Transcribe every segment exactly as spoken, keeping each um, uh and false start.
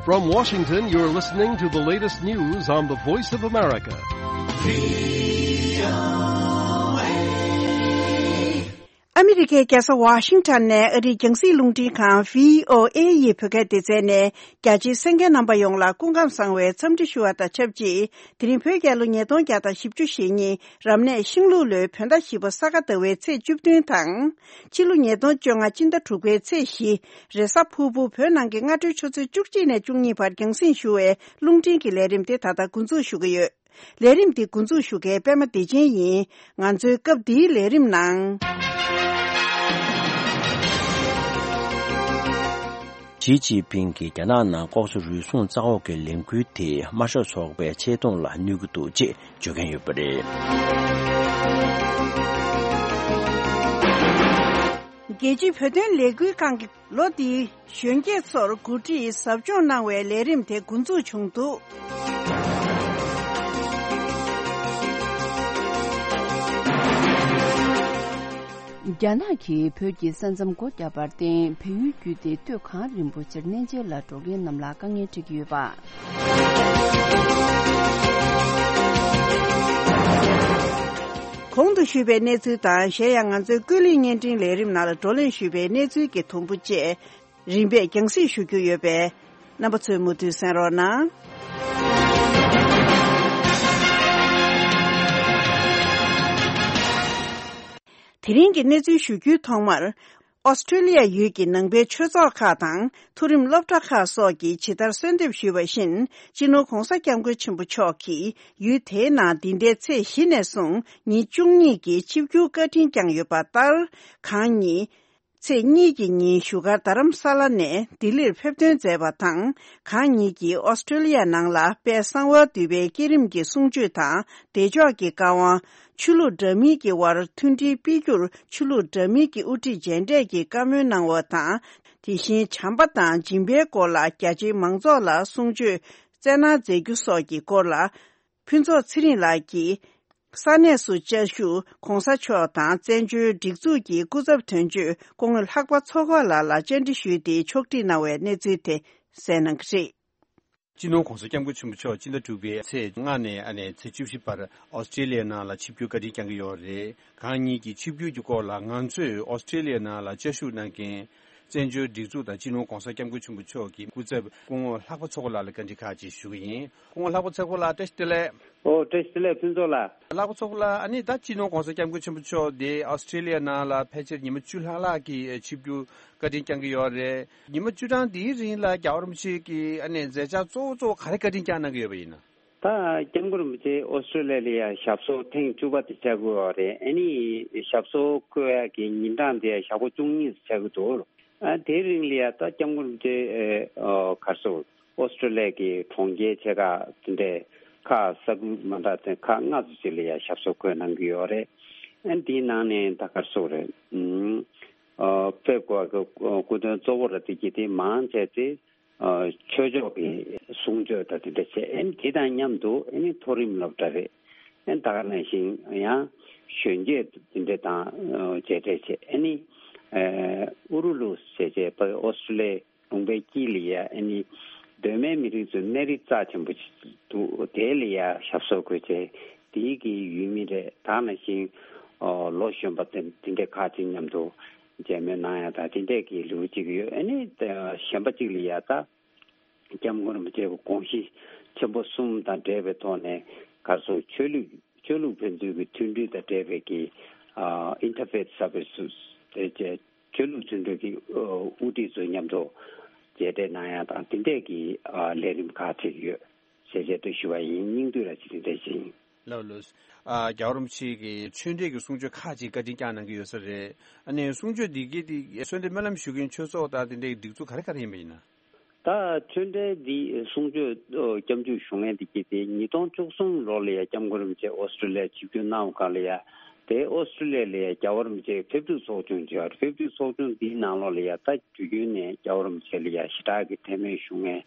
From Washington, you're listening to the latest news on the Voice of America. ཨ་མི་རི་ཀའི་རྒྱལ་ས་ཝ་ཤིང་ཊོན་ནས་ཨ་རིའི་རྒྱང་སྲིང་རླུང་འཕྲིན་ཁང་བྷི་ཨོ་ཨེ་ཡི་བོད་སྐད་སྡེ་ཚན་ནས་རྒྱ་ཆེའི་གསན་མཁན་རྣམ་པ་ཡོངས་ལ་སྐུ་ཁམས་བཟང་བའི་འཚམས་འདྲི་ཞུ་བ་དང་ཆབས་ཅིག་དེ་རིང་བོད་རྒྱལ་ལོ་ཉིས་སྟོང་བརྒྱ་དང་བཞི་བཅུ་ཞེ་གཉིས་རབ་གནས་ཤིང་ལུག་ལོའི་བོད་ཟླ་བཞི་པ་ས་ག་ཟླ་བའི་ཚེས་བཅུ་བདུན་དང་། ཕྱི་ལོ་ཉིས་སྟོང་བཅོ་ལྔ་སྤྱི་ཟླ་དྲུག་པའི་ཚེས་བཞི། རེས་གཟའ་ཕུར་བུ། བོད་ནང་གི་སྔ་དྲོའི་ཆུ་ཚོད་བཅུ་གཅིག་ནས་བཅུ་གཉིས་བར་རྒྱང་སྲིང་ཞུ་བའི་རླུང་འཕྲིན་གྱི་ལས་རིམ་དེ་ད་ལྟ་འགོ་འཛུགས་ཞུ་གི་ཡོད། ལས་རིམ་འདི་འགོ་འཛུགས་ཞུ་མཁན་པད་མ་བདེ་ཆེན་ཡིན། ང་ཚོའི་སྐབས་འདིའི་ལས་རིམ་ནང་། ཞི་ཅིན་ཕིང་གིས་རྒྱ་ནག་ནང་ལྐོག་ཟ་རུལ་སུངས་བཙག་འོག་གི་ལས་འགུལ་དེས་དམར་ཤོག་ཚོགས་པའི་ཆེ་མཐོང་ལ་གནོད་ཀྱི་འདུག་ཅེས་བརྗོད་མཁན་ཡོད་པ་རེད། རྒྱལ་སྤྱིའི་བོད་དོན་ལས་འགུལ་ཁང་གིས་ལོ་འདིའི་གཞོན་སྐྱེས་ཚོར་འགོ་ཁྲིད་ཟབ་སྦྱོང་གནང་བའི་ལས་རིམ་དེ་འགོ་འཛུགས་བྱུང་འདུག། རྒྱ་ནག་གིས་བོད་ཀྱི་ས་མཚམས་སྒོ་བརྒྱབ་པར་བརྟེན། བལ་ཡུལ་བརྒྱུད་དེ་སྟོད་གངས་རིན་པོ་ཆེར་གནས་མཇལ་ལ་འགྲོ་མཁན་རྣམས་ལ་དཀའ་ངལ་འཕྲད་ཀྱི་ཡོད་པ། གོང་དུ་ཞུས་པའི་གནས་ཚུལ་དང་། གཞན་ཡང་ང་ཚོའི་ཀུན་གླེང་བརྙན་འཕྲིན་ལས་རིམ་ནང་ལ་བགྲོ་གླེང་ཞུས་པའི་གནས་ཚུལ་གྱི་དུམ་བུ་བཅས་རིམ་པས་རྒྱང་སྲིང་ཞུ་རྒྱུ་ཡོད་པས། རྣམ་པ་ཚོས་མུ་མཐུད་གསན་རོགས་གནང་། དེ་རིང་གི་གནས་ཚུལ་ཞུ་རྒྱུའི་ཐོག་མར། ཨོ་སི་ཀྲི་ལི་ཡ་ཡུལ་གྱི་ནང་པའི་ཆོས་ཚོགས་ཁག་དང་། མཐོ་རིམ་སློབ་གྲྭ་ཁག་སོགས་ཀྱིས་ཇི་ལྟར་གསོལ་འདེབས་ཞུས་པ་བཞིན། སྤྱི་ནོར་༧གོང་ས་༧སྐྱབས་མགོན་ཆེན་པོ་མཆོག་གིས་ཡུལ་དེའི་ནང་འདི་ཟླའི་ཚེས་བཞི་ནས་བཟུང་ཉིན་བཅུ་གཉིས་ཀྱི་ཆིབས་བསྒྱུར་བཀའ་དྲིན་བསྐྱངས་ཡོད་པ་ལྟར། གང་ཉིད་ཚེས་གཉིས་ཀྱི་ཉིན་བཞུགས་སྒར་རྡ་རམ་ས་ལ་ནས་ལྡི་ལིར་ཕེབས་ཐོན་མཛད་པ་དང་། གང་ཉིད་ཀྱིས་ཨོ་སི་ཀྲི་ལི་ཡ་ནང་ལ་དཔལ་གསང་བ་འདུས་པའི་བསྐྱེད་རིམ་གྱི་གསུང་ཆོས་དང་། བདེ་མཆོག་གི་བཀའ་དབང་། ཆོས་ལུགས་འདྲ་མིན་གྱི་དབར་མཐུན་སྒྲིལ་སྤེལ་རྒྱུར་ཆོས་ལུགས་འདྲ་མིན་གྱི་དབུ་ཁྲིད་མཇལ་འཕྲད་ཀྱི་བཀའ་མོལ་གནང་བ་དང་། དེ་བཞིན་བྱམས་པ་དང་སྦྱིན་པའི་སྐོར་ལ་རྒྱ་ཆེའི་མང་ཚོགས་ལ་གསུང་ཆོས་སྩལ་གནང་མཛད་རྒྱུ་སོགས་ཀྱི་སྐོར་ལ། ཕུན་ཚོགས་ཚེ་རིང་ལགས་ཀྱིས། ས་གནས་སུ་བཅའ་བཞུགས་༧གོང་ས་མཆོག་དང་བཙན་བྱོལ་སྒྲིག་འཛུགས་ཀྱི་སྐུ་ཚབ་དོན་གཅོད་སྐུ་ངོ་ལྷག་པ་ཚོགས་དཀར་ལགས་ལ་བཅར་འདྲི་ཞུས་ཏེ་ཕྱོགས་སྒྲིག་གནང་བའི་གནས་ཚུལ་དེ་གསན་གནང་གི་རེད། སྤྱི་ནོར་༧གོང་ས་༧སྐྱབས་མགོན་ཆེན་པོ་མཆོག་སྤྱི་ཟླ་དྲུག་པའི་ཚེས་ལྔ་ནས་ཨ་ནས་ཚེས་བཅུ་བཞི་བར་ཨོ་སི་ཀྲི་ལི་ཡའི་ནང་ལ་ཆིབས་བསྒྱུར་བཀའ་དྲིན་བསྐྱངས་ཀྱི་ཡོད་རེད། གང་ཉིད་ཀྱི་ཆིབས་བསྒྱུར་གྱི་སྐོར་ལ་ང་ཚོས་ཨོ་སི་ཀྲི་ལི་ཡའི་ནང་ལ་བཅའ་བཞུགས་གནང་མཁན། བཙན་བྱོལ་སྒྲིག་འཛུགས་དང་སྤྱི་ནོར་༧གོང་ས་༧སྐྱབས་མགོན་ཆེན་པོ་མཆོག་གི་སྐུ་ཚབ་སྐུ་ངོ་ལྷག་པ་ཚོགས་དཀར་ལགས་ལ་བཀའ་འདྲི་ཁག་ཅིག་ཞུ་གི་ཡིན། སྐུ་ངོ་ལྷག་པ་ཚོགས་དཀར་ལགས་བཀྲ་ཤིས་བདེ་ལེགས། ཨོ་བཀྲ་ཤིས་བདེ་ལེགས་ཕུན་ཚོགས་ལགས། ལྷག་པ་ཚོགས་དཀར་ལགས། ཨ་ནི་ད་སྤྱི་ནོར་༧གོང་ས་༧སྐྱབས་མགོན་ཆེན་པོ་མཆོག་འདི་ཨོ་སི་ཀྲི་ལི་ཡ་ནང་ལ་ཕལ་ཆེར་ཉི་མ་བཅུ་ལྷག་ལྷག་གི་ཆིབས་བསྒྱུར་བཀའ་དྲིན་བསྐྱངས་ཀྱི་ཡོད་རེད། ཉི་མ་བཅུ་གྲངས་འདིའི་རིང་ལ་རྒྱལ་བ་རིན་པོ་ཆེ་གི་ཨ་ནི་མཛད་འཆར་གཙོ་བོ་གཙོ་བོ་ག་རེ་བཀའ་དྲིན་བསྐྱངས་གནང་གི་ཡོད་པ་ཡིན་ན། ད་༧སྐྱབས་མགོན་རིན་པོ་ཆེ་ཨོ་སི་ཀྲི་ལི་ཡ་ལ་ཡ་ཞབས་སོར་ཐེངས་བཅུ་པ་དེ་བཅར་གྱི་ཡོད་རེད། ཨ་ནི་ཞབས་སོར་བསྐོ་ཡ་གི་ཉིན་གྲངས་དེ་ཞག་པོ་བཅུ་གཉིས་སུ་ཆགས་ཀྱི་འདུག། ཨ་དེའི་རིང་ལ་ཡ་ད་༧སྐྱབས་མགོན་རིན་པོ་ཆེ་ཨ་ག་རེ་ཟེར། ཨོ་སི་ཀྲི་ལི་ཡ་གི་གྲོང་ཁྱེར་ཆེ་ཁག་དེ་འདྲའི་ཁག་ས་ཁུལ་མ་འདྲ་དེ་ཁག་ལྔ་ཙམ་ཅིག་ལ་ཡ་ཞབས་སོར་བསྐོས་གནང་གི་ཡོད་རེད། ཨ་དེའི་ནང་ནས་ད་ག་རེ་ཟེར་རེད། ཨ་ཕེབས་དགོས་པའི་སྐུ་མགྲོན་གཙོ་བོ་ར་དེ་གྱིས་དེ་མང་ཆེ་དེ་ཨ་ཆོས་ཕྱོགས་ཀྱི་གསུང་ཆོས་དང་དེ་འདྲ་བྱས། ཨ་དེ་དང་མཉམ་དུ་ཨ་ནི་མཐོ་རིམ་སློབ་གྲྭ་རེད། ཨ་ད་ག་ནང་བཞིན་ཡང་གཞོན་སྐྱེས་དེ་འདྲ་དང་མཇལ་འཕྲད་བྱས། ཨ་ནི་ཨ་ཨུ་རུ་ལུ་ཟེར་བྱས་པ་ཨོ་སི་ཀྲི་ལི་ཡའི་ལུང་པའི་དཀྱིལ་ལ་ཡ་ཨ་ནི་གདོད་མའི་མི་རིགས་ཚོའི་གནས་རི་རྩ་ཆེན་པོ་ཅིག་འདུག། དེ་ལ་ཡ་ཞབས་སོར་བཀོད་བྱས། དེའི་གི་ཡུལ་མི་རེད། ད་ནང་བཞིན་ཨོ་ལོ་གཞོན་པ་དེ་དེ་འདྲའི་ཁག་ཅིག་མཉམ་དུ་མཇལ་མོལ་གནང་ཡ་དང་དེ་འདྲའི་གི་ལེའུ་གཅིག་ཡོད། ཨ་ནི་གཞན་པ་གཅིག་ལ་ཡ་ད་༧སྐྱབས་མགོན་རིན་པོ་ཆེ་གི་དགོངས་གཞི་ཆེན་པོ་གསུམ་དང་འབྲེལ་བའི་ཐོག་ནས་ག་རེ་ཟེར། ཆོས་ལུགས་ཆོས་ལུགས་ཕན་ཚུན་གྱི་མཐུན་སྒྲིལ་དང་འབྲེལ་བའི་གི་ཨ་ཨིན་ཊར་ཕེ་ཐི་སར་བི་སི་དེ་བཅས་ཆོས་ལུགས་མཐུན་སྒྲིལ་གྱི་ཨ་དབུ་ཁྲིད་ཚོ་མཉམ་དུ་མཇལ་འཕྲད་གནང་ཡ་དང་དེ་འདྲས་ཀྱི་ཨ་ལས་རིམ་ཁག་ཅིག་ཡོད་ཟེར་བྱས་དེ་ཞུ་བ་ཡིན། སྙིང་བསྡུས་ར་ཅིག་དེ་འདྲས་ཤིག་ཡིན། ལགས་ལགས། ཨ་རྒྱལ་བ་རིན་པོ་ཆེ་གི་ཆོས་འབྲེལ་གྱི་གསུང་ཆོས་ཁག་ཅིག་བཀའ་དྲིན་བསྐྱངས་གནང་གི་ཡོད་ས་རེད། ཨ་ནི་གསུང་ཆོས་འདི་གའི་དེ་གསོལ་འདེབས་སྨོན་ལམ་ཞུ་མཁན་ཆོས་ཚོགས་དང་དེ་འདྲའི་སྒྲིག་འཛུགས་ག་རེ་ག་རེ་ཡིན་པ་ཡིན་ན། ད་ཆོས་འབྲེལ་འདི་གསུང་ཆོས་ཨོ་སྐྱབས་འཇུག་ཞུ་མཁན་འདི་གྱིས་དེ་ཉིས་སྟོང་བཅུ་གསུམ་ལོ་ལ་ཡ་སྐྱབས་མགོན་རིན་པོ་ཆེ་ཨོ་སི་ཀྲི་ལི་ཡ་ཆིབས་བསྒྱུར་གནང་བ་སྒང་ལ་ཡ། དེ་ཨོ་སི་ཀྲི་ལི་ཡ་ལ་ཡ་རྒྱལ་བ་རིན་པོ་ཆེ་ཕེབས་བསུ་ཚོགས་ཆུང་བྱས་པ་རེད། ཕེབས་བསུ་ཚོགས་ཆུང་འདིའི་ནང་ལོགས་ལ་ཡ་ད་དུས་རྒྱུན་ནས་རྒྱལ་བ་རིན་པོ་ཆེ་ལ་ཡ་ཞེ་དྲག་གི་མཐེ་མོལ་ཞུ་མཁན།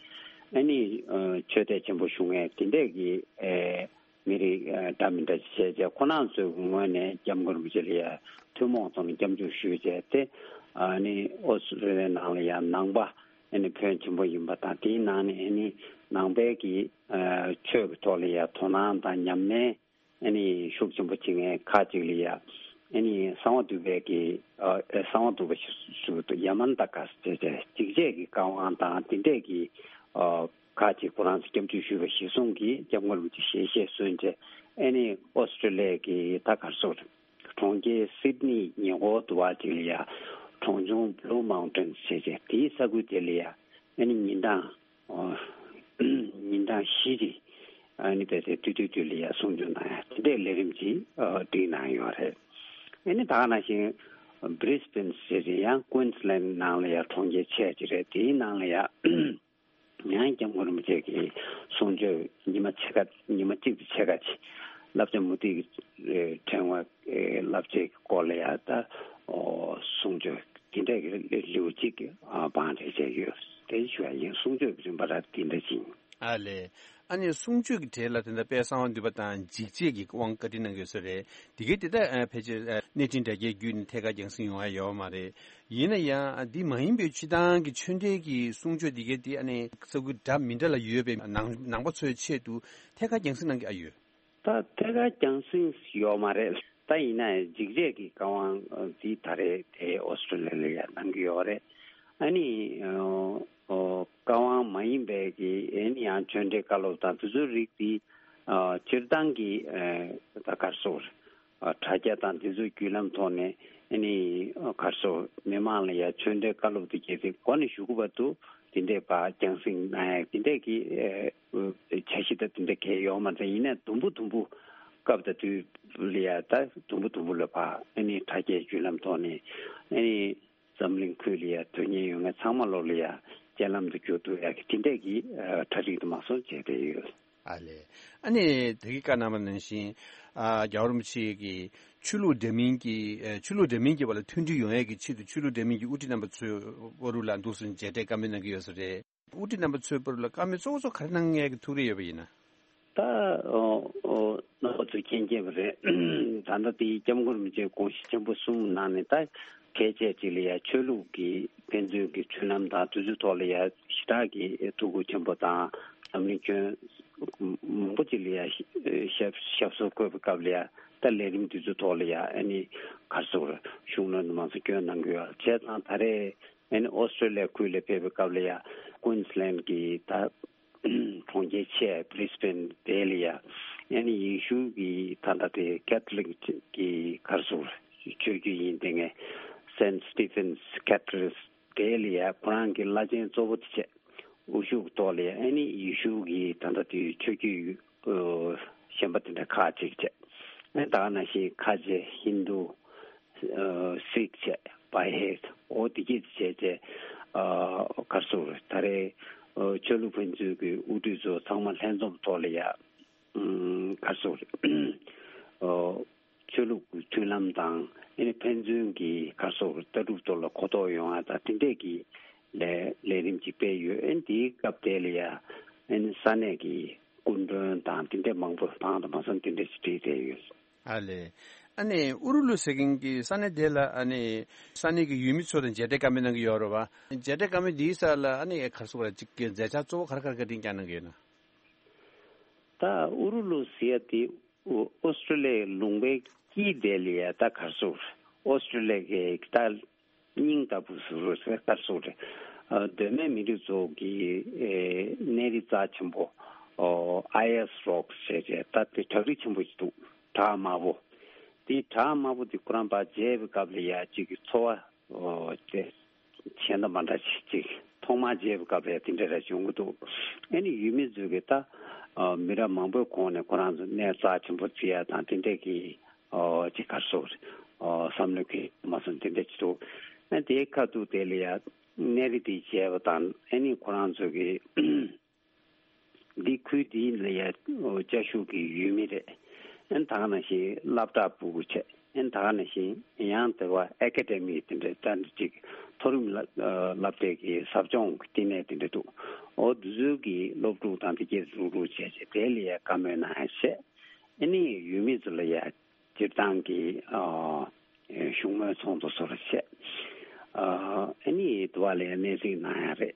ཨ་ནི་ཨ་ཆོས་དད་ཆེན་པོ་ཞུ་མཁན་དེ་འདྲས་ཀྱི་ཨེ་མི་རིགས་ཨ་འདྲ་མི་འདྲ་བྱས་བྱས་ཁོ་རང་ཚོའི་ངོས་ནས་སྐྱབས་མགོན་རིན་པོ་ཆེ་ལ་ཡ་ཐུན་མོང་ཐོག་ནས་སྐྱབས་འཇུག་ཞུས་བྱས་ཏེ། ཨ་ནི་ཨོ་སི་ཀྲི་ལི་ཡའི་ནང་ལ་ཡ་ནང་པ་ ཨ་ནི་ཕོན་ཆེན་པོ་ཡིན་པ་དང་། དེའི་ནང་ནས་ཨ་ནི་ནང་པའི་གི་ཨ་ཆོས་ཀྱི་ཐོག་ལ་ཡ་དོ་སྣང་དང་ཉམས་ལེན་ཨ་ནི་ཤུགས་ཆེན་པོ་བྱེད་མཁན་ཁག་ཅིག་ལ་ཡ་ཨ་ནི་གསང་བ་འདུས་པའི་གི་ཨ་གསང་བ་འདུས་པ་ཞུ་ཡ་མན་ད་ཀ་ཟེར་བྱས་འཇིགས་བྱེད་ཀྱི་བཀའ་དབང་དང་དེ་འདྲས་ཀྱི་ཨ་ཁག་ཅིག་ཁོ་རང་ཚོ་སྐྱབས་འཇུག་ཞུས་པ་གཞིར་བཟུང་གིས་སྐྱབས་མགོན་རིན་པོ་ཆེ་ཞལ་བཞེས་གསོལ་བྱས། ཨ་ནི་ཨོ་སི་ཀྲི་ལི་ཡ་གི་ད་ག་རེ་ཟེར། གྲོང་ཁྱེར་སིད་ནི་ཉེ་འཁོར་དུ་བ་ཅིག་ལ་ཡ་གྲོང་ཆུང་བྷུ་ལུ་མའུན་ཊེན་ཟེར་བྱས་དེའི་ས་ཁུལ་དེ་ལ་ཡ་ཨ་ནི་ཉིན་གྲངས་ཨོ་ཉིན་གྲངས་བཞི་ཅིག་ཨ་ནི་བལ་ཏེ་དུས་དུས་དུས་ལ་ཡ་གསུང་ཆོས་གནང་ཡ་དེ་འདྲའི་ལས་རིམ་ཅིག་ཨ་སྒྲིག་གནང་ཡོད་རེད། ཨ་ནི་ད་ག་ནང་བཞིན་བྷི་རིས་བྷེན་ཟེར་བྱས་ཡང་ཀུན་སི་ལན་ནང་ལ་ཡ་གྲོང་ཁྱེར་ཆེ་ཅིག་རེད། དེའི་ནང་ལ་ཡ་ཡང་སྐྱབས་མགོན་རིན་པོ་ཆེ་གི་གསུང་ཆོས་ཉི་མ་ཕྱེད་ཀ་ཉི་མ་གཅིག་ཏུ་ཕྱེད་ཀ་ཅིག་བསླབ་བྱ་མུ་ཏིག་གི་ཕྲེང་བ་བསླབ་བྱའི་སྐོར་ལ་ཡ་ད་གསུང་ཆོས་དེ་འདྲ་གི་ལེའུ་གཅིག་བང་སྒྲིག་བྱས་ཡོད། དེ་ཞུ་བ་ཡིན། གསུང་ཆོས་ཀྱི་རིམ་པ་ར་དེ་འདྲ་ཅིག་ཨ་ལས། ཨ་ནི་གསུང་ཆོས་ཀྱི་གྲས་ལ་དེ་འདྲ་དཔལ་གསང་བ་འདུས་པ་དང་འཇིགས་བྱེད་ཀྱི་དབང་བཀའ་འདྲི་གནང་གི་ཡོད་ས་རེད། དེ་གའི་དེ་ད་ཕལ་ཆེར་གནས་འཕྲིན་དྲ་རྒྱའི་བརྒྱུད་ནས་ཐད་ཀར་རྒྱང་སྲིང་ཡོང་ཡ་ཡོད་མ་རེད། ཡིན་ན་ཡང་འདི་མ་ཡིན་པའི་སྤྱི་བཏང་གི་ཆོས་འབྲེལ་གྱི་གསུང་ཆོས་འདི་གའི་དེ་ཨ་ནི་ས་ཁུལ་འདྲ་མི་འདྲ་ལ་ཡོད་པའི་ནང་ནང་པ་ཚོའི་ཆེད་དུ་ཐད་ཀར་རྒྱང་སྲིང་གནང་གི་ཨ་ཡོད། ད་ཐད་ཀར་རྒྱང་སྲིང་ཡོད་མ་རེད། ད་ཡིན་ན་འཇིགས་བྱེད་ཀྱི་བཀའ་དབང་འདི་ད་རེས་དེ་ཨོ་སི་ཀྲི་ལི་ཡ་ལ་ཡ་གནང་གི་ཡོད་རེད། ཨ་ནི་ཨོ་ཨོ་བཀའ་དབང་མ་ཡིན་པའི་གི་ཨ་ནི་ཡང་ཆོས་འབྲེལ་བཀའ་སློབ་དང་དེ་ཚོའི་རིགས་འདི་ཨ་སྤྱིར་བཏང་གི་ཨ་ད་ག་རེ་ཟེར། ཨ་དྲ་རྒྱ་དང་དེ་ཚོའི་བརྒྱུད་ལམ་ཐོག་ནས་ཨ་ནི་ཨ་ག་རེ་ཟེར། མི་མང་ལ་ཡ་ཆོས་འབྲེལ་བཀའ་སློབ་དེ་གལ་སྲིད་འགོ་ནས་ཞུ་དགོས་པ་འདུག་དེ་འདྲའི་བར་རྒྱང་སྲིང་གནང་ཡ་དེ་འདྲའི་གི་ཨ་འཆར་གཞི་ད་དེ་འདྲ་གལ་ཡོད་མ་རེད། ཡིན་ནའི་དུམ་བུ་དུམ་བུ་སྐབས་དང་དུས་ལ་ཡ་ད་དུམ་བུ་དུམ་བུ་ལ་བར་ཨ་ནི་དྲ་རྒྱའི་བརྒྱུད་ལམ་ཐོག་ནས་ཨ་ནི་འཛམ་གླིང་ཁུལ་ལ་ཡ་དོན་གཉེར་ཡོད་མཁན་ཚང་མ་ལོག་ལ་ཡ་སྤྱན་ལམ་དུ་འགྱུར་ཐུབ་ཡ་གི་དེ་འདྲའི་གི་ཨ་གྲ་སྒྲིག་དུ་མ་སོང་བྱས་བསྡད་ཡོད། ཨ་ལས། ཨ་ནི་དེ་གི་བཀའ་གནང་བ་ནང་བཞིན་ཨ་རྒྱལ་བ་རིན་པོ་ཆེ་གི་ཆོས་ལུགས་འདྲ་མིན་གྱི་ཨ་ཆོས་ལུགས་འདྲ་མིན་གྱི་བར་ལ་མཐུན་སྒྲིལ་ཡོང་ཡས་ཀྱི་ཆེད་དུ་ཆོས་ལུགས་འདྲ་མིན་གྱི་དབུ་ཁྲིད་རྣམ་པ་ཚོའི་བར་ལ་འདུག་སེ་མཇལ་འཕྲད་བཀའ་མོལ་གནང་གི་ཡོད་ས་རེད། དབུ་ཁྲིད་རྣམ་པ་ཚོའི་བར་ལ་བཀའ་མོལ་གཙོ་བོ་གཙོ་ག་རེ་གནང་ཡས་ཀྱི་ཐུགས་རེ་ཡོད་པ་ཡིན་ན། ད་ཨོ་ཨོ་རྣམ་པ་ཚོས་མཁྱེན་མཁྱེན་པ་རེད། ད་ལྟ་དེའི་སྐྱབས་མགོན་རིན་པོ་ཆེའི་དགོངས་གཞི་ཆེན་པོ་གསུམ་ནང་ནས་ད་གལ་ཆེ་ཅིག་ལ་ཡ་ཆོས་ལུགས་ཀྱི་ཕན་ཚུན་གྱི་མཐུན་ལམ་དང་དེ་ཚོའི་ཐོག་ལ་ཡ་ཞེ་དྲག་གི་ཐུགས་ཁུར་ཆེན་པོ་དང་འཛམ་གླིང་ཁྱོན་མང་པོ་ཅིག་ལ་ཡ་ཞབས་ཞབས་སོར་བཀོད་པའི་སྐབས་ལ་ཡ་ད་ལས་རིམ་དེ་ཚོའི་ཐོག་ལ་ཡ་ཨ་ནི་ག་རེ་ཟེར་དགོས་རེད། ཤུགས་སྣོན་དུ་མ་སོང་སྐྱོན་གནང་གི་ཡོད། བྱས་ཙང་ད་རེས་ཨ་ནི་ཨོ་སི་ཀྲི་ལི་ཡ་ཁུལ་ལ་ཕེབས་པའི་སྐབས་ལ་ཡ་ཀུན་སི་ལན་གྱི་ད་གྲོང་ཁྱེར་ཆེ་བྷི་རིས་བྷེན་དེ་ལ་ཡ་ཨ་ནི་ཡེ་ཤུ་གི་ད་ལྟ་དེ་ཀེ་ཐོ་ལིག་གི་ག་རེ་ཟེར་ཆོས་བརྒྱུད་ཡིན་དེ་ངས་སེན་སི་ཊི་ཕེན་སི་ཀེ་ཐེ་དྲལ་དེ་ལ་ཡ་ཁོ་རང་གི་བླ་ཆེན་གཙོ་བོ་དེ་བྱས། དབུ་བཞུགས་ཐོག་ལ་ཡ་ཨ་ནི་ཡེ་ཤུ་གི་ད་ལྟ་དེ་ཆོས་བརྒྱུད་གཞན་པ་དེ་འདྲ་ཁག་ཅིག་བྱས། ཨ་ནི་ད་ག་ནང་བཞིན་ཁ་ཆེ་ཧིན་དུ། སིག་བྱས། བྷའི་ཧེ། འོ་དེ་གྱིས་བྱས་བྱས། ག་རེ་ཟེར་དགོས་རེད། ད་རེས་ཆོས་ལུགས་ཕན་ཚུན་གྱི་དབུ་ཁྲིད་ཚོ་ཚང་མ་ལྷན་འཛོམས་ཐོག་ལ་ཡ། ག་རེ་ཟེར་དགོས་རེད། ཆོས་ལུགས་ཀྱི་མཐུན་ལམ་དང་ཨ་ནི་ཕན་ཚུན་གྱི་ག་རེ་ཟེར་དགོས་རེད། ལྟ་གྲུབ་ཐོག་ལ་གོ་རྟོགས་ཡོང་བ་དང་དེ་འདྲས་ཀྱི་ལས་ལས་རིམ་ཅིག་སྤེལ་ཡོད། ཨ་ནི་དེའི་སྐབས་དེ་ལ་ཡ་ཨ་ནི་ས་གནས་ཀྱི་སྐུ་མགྲོན་དང་དེ་འདྲས་མང་པོ་བང་དུ་མ་སོང་དེ་འདྲས་ཅིག་བསྒྲིགས་བསྡད་ཡོད། ཨ་ལས། ཨ་ནི་ཨུ་རུ་ལུ་ཟེར་མཁན་གྱི་ས་གནས་དེ་ལ་ཨ་ནི་ས་གནས་ཀྱི་ཡུལ་མི་ཚོ་དང་མཇལ་འཕྲད་བཀའ་མོལ་གནང་གི་ཡོད་རེད་བ། མཇལ་འཕྲད་བཀའ་མོལ་འདིའི་སར་ལ་ཨ་ནི་ག་རེ་ཟེར་དགོས་རེད། ཅིག་མཛད་འཆར་གཙོ་བོ་ག་རེ་ག་རེ་བཀའ་དྲིན་བསྐྱངས་གནང་གི་ཡོད་ན། ད་ཨུ་རུ་ལུ་ཟེར་ཡ་དེ་ཨོ་ཨོ་སི་ཀྲི་ལི་ཡའི་ལུང་པའི་དཀྱིལ་དེ་ལ་ཡ་ད་ག་རེ་ཟེར་དགོས་རེད། ཨོ་སི་ཀྲི་ལི་ཡ་གི་ད་སྙིང་ལྟ་བུ་ཟེར་དགོས་རེད། ག་རེ་ཟེར་དགོས་རེད། ཨ་གདོད་མའི་མི་རིགས་ཚོ་གི་ཨེ་གནས་རི་རྩ་ཆེན་པོ་ཨོ་ཨ་ཡ་སི་རོག་ཟེར་བྱས་ད་དེ་བྲག་རི་ཆེན་པོ་ཞིག་འདུག་བྲག་དམར་པོ། དེ་བྲག་དམར་པོ་དེ་ཁོ་རང་ཕར་མཇལ་བའི་སྐབས་ལ་ཡ་གཅིག་གི་ཚོར་བ་ཨོ་དེ་གཞན་དང་མ་འདྲ་ཅིག་ཅིག་ཐོག་མར་མཇལ་བའི་སྐབས་ལ་ཡ་དེ་འདྲ་རེ་བྱུང་གི་འདུག་ཨ་ནི་ཡུལ་མི་ཚོས་གི་ད་ཨ་མི་རབས་མང་པོའི་གོང་ནས་ཁོ་རང་ཚོ་གནས་རྩ་ཆེན་པོ་བརྩི་ཡ་དང་དེ་འདྲ་གི་ཨོ་ཅིག་ག་རེ་ཟེར་དགོས་རེད། ཨོ་བསམ་བློ་གི་མ་སོང་དེ་འདྲ་ཅིག་འདུག་ཨ་དེའི་ཁ་ཐུག་དེ་ལ་ཡ་གནས་རི་དེ་མཇལ་བ་དང་ཨ་ནི་ཁོ་རང་ཚོ་གི་འདི་ཁུལ་འདི་ལ་ཡ་ཨོ་བཅའ་བཞུགས་ཀྱི་ཡུལ་མི་རེད། ཨ་ནི་ད་ག་ནང་བཞིན་སློབ་གྲྭ་ཕྲུ་གུ་བྱས། ཨ་ནི་ད་ག་ནང་བཞིན་ཡང་དེ་བ་ཨེ་ཀ་ཌེ་མི་དེ་འདྲ་ད་འདི་ཅིག་མཐོ་རིམ་སློབ་སློབ་གྲྭའི་གི་ཟབ་སྦྱོང་གི་བསྟི་གནས་དེ་འདྲ་འདུག་ཨོ་འདི་ཚོའི་གི་སློབ་ཕྲུག་དང་དེ་གས་རུག་རུག་བྱས་བྱས་དེ་ལ་ཡ་བཀའ་མོལ་གནང་ཡ་བྱས། ཨ་ནི་ཡུལ་མི་ཚོ་ལ་ཡ་སྤྱིར་བཏང་གི་ཨ་བཞུགས་མོལ་ཚོགས་འདུ་སོགས་ལ་བྱས། ཨ་ཨ་ནི་དུ་བ་ལ་ཡ་གནས་གཟིགས་གནང་ཡ་རེད།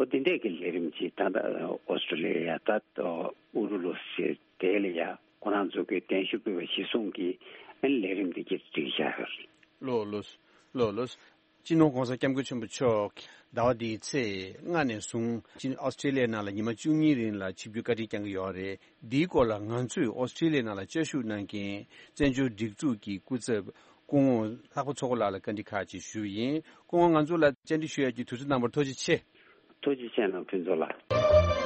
ཨོ་དེ་འདྲས་ཀྱི་ལས་རིམ་ཅིག་ད་ལྟ་ཨོ་སི་ཀྲི་ལི་ཡ་ད་ཨུ་རུ་ལུ་ཟེར་དེ་ལ་ཡ་ཁོ་རང་ཚོ་གི་གདན་ཞུ་ཕུལ་བ་གཞི་བཟུང་གིས་ཨ་ནི་ལས་རིམ་འདི་གྱི་སྒྲིག་བཞག་ཡོད་རེད། ལགས་ལགས་ལགས་ལགས། སྤྱི་ནོར་༸གོང་ས་༸སྐྱབས་མགོན་ཆེན་པོ་མཆོག་ཟླ་བ་འདིའི་ཚེས་ལྔ་ནས་བཟུང་ཨོ་སི་ཀྲི་ལི་ཡའི་ནང་ལ་ཉི་མ་བཅུ་གཉིས་རིང་ལ་ཆིབས་བསྒྱུར་བཀའ་དྲིན་བསྐྱངས་ཀྱི་ཡོད་རེད། འདིའི་སྐོར་ལ་ང་ཚོས་ཨོ་སི་ཀྲི་ལི་ཡའི་ནང་ལ་བཅའ་བཞུགས་གནང་མཁན་བཙན་བྱོལ་སྒྲིག་འཛུགས་ཀྱི་སྐུ་ཚབ་སྐུ་ངོ་ལྷག་པ་ཚོགས་པ་ལགས་ལ་བཀའ་འདྲི་ཁག་ཅིག་ཞུས་ཡིན། སྐུ་ངོ་ང་ཚོ་ལ་བཅར་འདྲི་ཞུ་ཡག་གི་དུས་ཚོད་གནང་བར་ཐུགས་རྗེ་ཆེ། ཐུགས་རྗེ་ཆེ་གནང་ཕུན་ཚོགས་ལགས།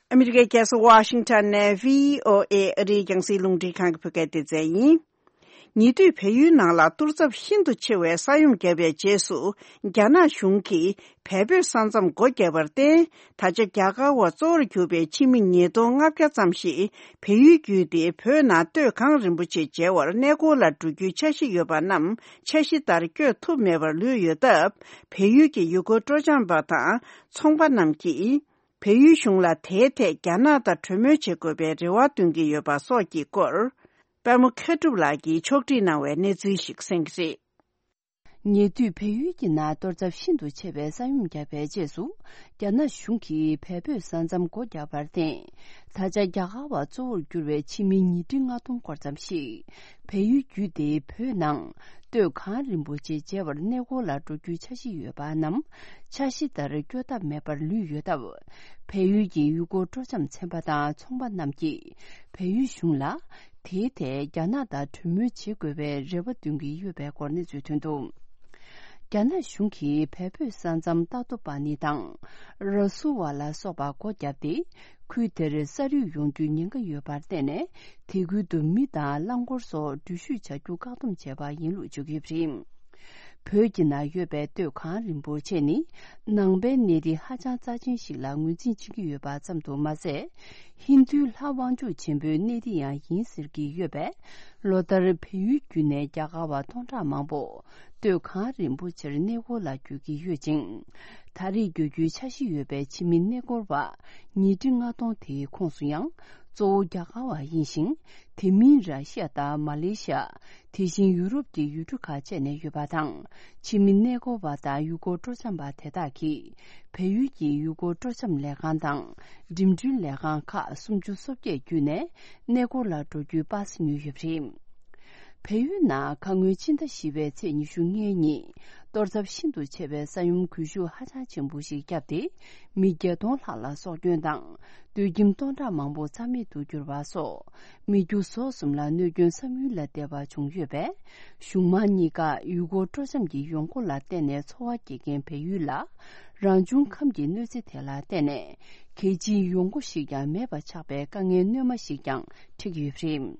ཨ་མི་རི་ཀའི་རྒྱལ་ས་ཝ་ཤིང་ཊོན་ནས་བྷི་ཨོ་ཨེ་ཨ་རིའི་རྒྱང་སྲིང་རླུང་འཕྲིན་ཁང་གི་བོད་སྐད་སྡེ་ཚན་ཡིན། ཉེ་དུས་བལ་ཡུལ་ནང་ལ་གཏོར་ཚབས་ཤིན་ཏུ་ཆེ་བའི་ས་ཡོམ་བརྒྱབ་པའི་རྗེས་སུ། རྒྱ་ནག་གཞུང་གིས་བལ་བོད་ས་མཚམས་སྒོ་བརྒྱབ་པར་བརྟེན། ད་ཆ་རྒྱ་གར་བ་གཙོ་བོར་གྱུར་པའི་ཕྱི་མི་ཉིས་སྟོང་ལྔ་བརྒྱ་ཙམ་ཞིག་བལ་ཡུལ་བརྒྱུད་དེ་བོད་ནང་སྟོད་གངས་རིན་པོ་ཆེ་མཇལ་བར་གནས་སྐོར་ལ་འགྲོ་རྒྱུའི་འཆར་གཞི་ཡོད་པ་རྣམས་འཆར་གཞི་ལྟར་བསྐྱོད་ཐུབ་མེད་པར་ལུས་ཡོད་སྟབས། བལ་ཡུལ་གྱི་ཡུལ་སྐོར་སྤྲོ་འཆམ་པ་དང་ཚོང་པ་རྣམས་ཀྱིས། བལ་ཡུལ་གཞུང་ལ་དེའི་ཐད་རྒྱ་ནག་དང་གྲོས་མོལ་བྱེད་དགོས་པའི་རེ་བ་འདོན་གྱི་ཡོད་པ་སོགས་ཀྱི་སྐོར། པད་མ་མཁས་གྲུབ་ལགས་ཀྱིས་ཕྱོགས་སྒྲིག་གནང་བའི་གནས་ཚུལ་ཞིག་གསན་གྱི་རེད། ཉེ་དུས་བལ་ཡུལ་གྱི་ནང་གཏོར་ཚབས་ཤིན་ཏུ་ཆེ་བའི་ས་ཡོམ་བརྒྱབ་པའི་རྗེས་སུ། རྒྱ་ནག་གཞུང་གིས་བལ་བོད་ས་མཚམས་སྒོ་བརྒྱབ་པར་བརྟེན། ད་ཆ་རྒྱ་གར་བ་གཙོ་བོར་གྱུར་བའི་ཕྱི་མི་ཉིས་ཁྲི་ལྔ་སྟོང་སྐོར་ཙམ་ཞིག་བལ་ཡུལ་བརྒྱུད་དེ་བོད་ནང་སྟོད་གངས་རིན་པོ་ཆེ་མཇལ་བར་གནས་སྐོར་ལ་འགྲོ་རྒྱུའི་འཆར་གཞི་ཡོད་པ་རྣམས་འཆར་གཞི་ལྟར་སྐྱོད་ཐབས་མེད་པར་ལུས་ཡོད་སྟབས། བལ་ཡུལ་གྱི་ཡུལ་སྐོར་སྤྲོ་འཆམ་ཚན་པ་དང་ཚོང་པ་རྣམས་ཀྱིས་བལ་ཡུལ་གཞུང་ལ་དེའི་ཐད་རྒྱ་ནག་དང་གྲོས་མོལ་བྱེད་དགོས་པའི་རེ་བ་འདོན་གྱི་ཡོད་པའི་སྐོར་གནས་ཚུལ་ཐོན་འདུག་རྒྱ་ནག་གཞུང་གིས་བལ་བོད་ས་མཚམས་ཏཱ་ཏོ་པ་ནི་དང་ར་སུ་ཝ་ལ་སོགས་པ་སྒོ་བརྒྱབ་སྟེ། ཁུལ་དེར་ས་རུད་ཡོང་རྒྱུའི་ཉེན་ཁ་ཡོད་པར་བརྟེན་ནས། དེ་ཁུལ་དུ་མི་དང་རླངས་འཁོར་སོགས་འགྲུལ་བཞུད་བྱ་རྒྱུ་བཀག་སྡོམ་བྱས་པ་ཡིན་ལུགས་བརྗོད་ཀྱི་ཡོད་པ་རེད། བོད་ཀྱི་ནང་ཡོད་པའི་སྟོད་གངས་རིན་པོ་ཆེ་ནི་ནང་པའི་གནས་རི་ཧ་ཅང་རྩ་ཆེན་ཞིག་ལ་ངོས་འཛིན་བྱེད་ཀྱི་ཡོད་པ་ཙམ་དུ་མ་ཟད། ཧིན་རྡུའི་ལྷ་དབང་ཕྱུག་ཆེན་པོའི་གནས་རི་ཡང་ཡིན་ཟེར་གྱི་ཡོད་པས། ལོ་ལྟར་བལ་ཡུལ་བརྒྱུད་ནས་རྒྱ་གར་བ་སྟོང་ཕྲག་མང་པོ་སྟོད་གངས་རིན་པོ་ཆེར་གནས་སྐོར་ལ་འགྱོ་གི་ཡོད་ཅིང་། ད་རེས་འགྱོ་རྒྱུའི་འཆར་གཞི་ཡོད་པའི་ཕྱི་མི་གནས་སྐོར་བ་ཉིས་ཁྲི་ལྔ་སྟོང་དེའི་ཁོངས་སུ་ཡང་གཙོ་བོ་རྒྱ་གར་བ་ཡིན་ཞིང་། དེ་མིན་ར་ཤི་ཡ་དང་མ་ལེ་ཤི་ཡ། དེ་བཞིན་ཡུ་རོབ་ཀྱི་ཡུལ་གྲུ་ཁག་བཅས་ནས་ཡོད་པ་དང་། ཕྱི་མི་གནས་སྐོར་བ་དང་ཡུལ་སྐོར་སྤྲོ་འཆམ་པ་དེ་དག་གིས་བལ་ཡུལ་གྱི་ཡུལ་སྐོར་སྤྲོ་འཆམ་ལས་ཁང་དང་འགྲིམ་འགྲུལ་ལས་ཁང་ཁག་སུམ་ཅུ་སོ་བརྒྱད་བརྒྱུད་ནས་གནས་སྐོར་ལ་འགྲོ་རྒྱུའི་པ་སེ་ཉོས་ཡོད་པ་རེད། བལ་ཡུལ་ནང་ཁ་སྔོན་ཕྱི་ཟླ་བཞི་པའི་ཚེས་ཉི་ཤུ་ལྔའི་ཉིན་གཏོར་ཚབས་ཤིན་ཏུ་ཆེ་བའི་ས་ཡོམ་གུལ་ཤུགས་ཧ་ཅང་ཆེན་པོ་ཞིག་བརྒྱབ་སྟེ། མི་བརྒྱད་སྟོང་ལྷག་ལ་སྲོག་སྐྱོན་དང་། སྡོད་ཁྱིམ་སྟོང་ཕྲག་མང་པོ་རྩ་མེད་དུ་གྱུར་བ་སོགས། མི་རྒྱུ་ཟོག་གསུམ་ལ་གནོད་སྐྱོན་བསམ་ཡུལ་ལས་འདས་པ་བྱུང་ཡོད་པས། གཞུང་མང་གཉིས་ཀ་ཡུལ་སྐོར་སྤྲོ་འཆམ་གྱི་ཡོང་སྒོ་ལ་བརྟེན་ནས་འཚོ་བ་སྐྱེལ་མཁན་བལ་ཡུལ་ལ། རང་བྱུང་ཁམས་ཀྱི་གནོད་འཚེ་དེ་ལ་བརྟེན་ནས། གལ་ཆེའི་ཡོང་སྒོ་ཞིག་ཀྱང་མེད་པ་ཆགས་པའི་དཀའ་ངལ་སྣོན་མ་ཞིག་ཀྱང་འཕྲད་ཀྱི་ཡོད་པ་རེད།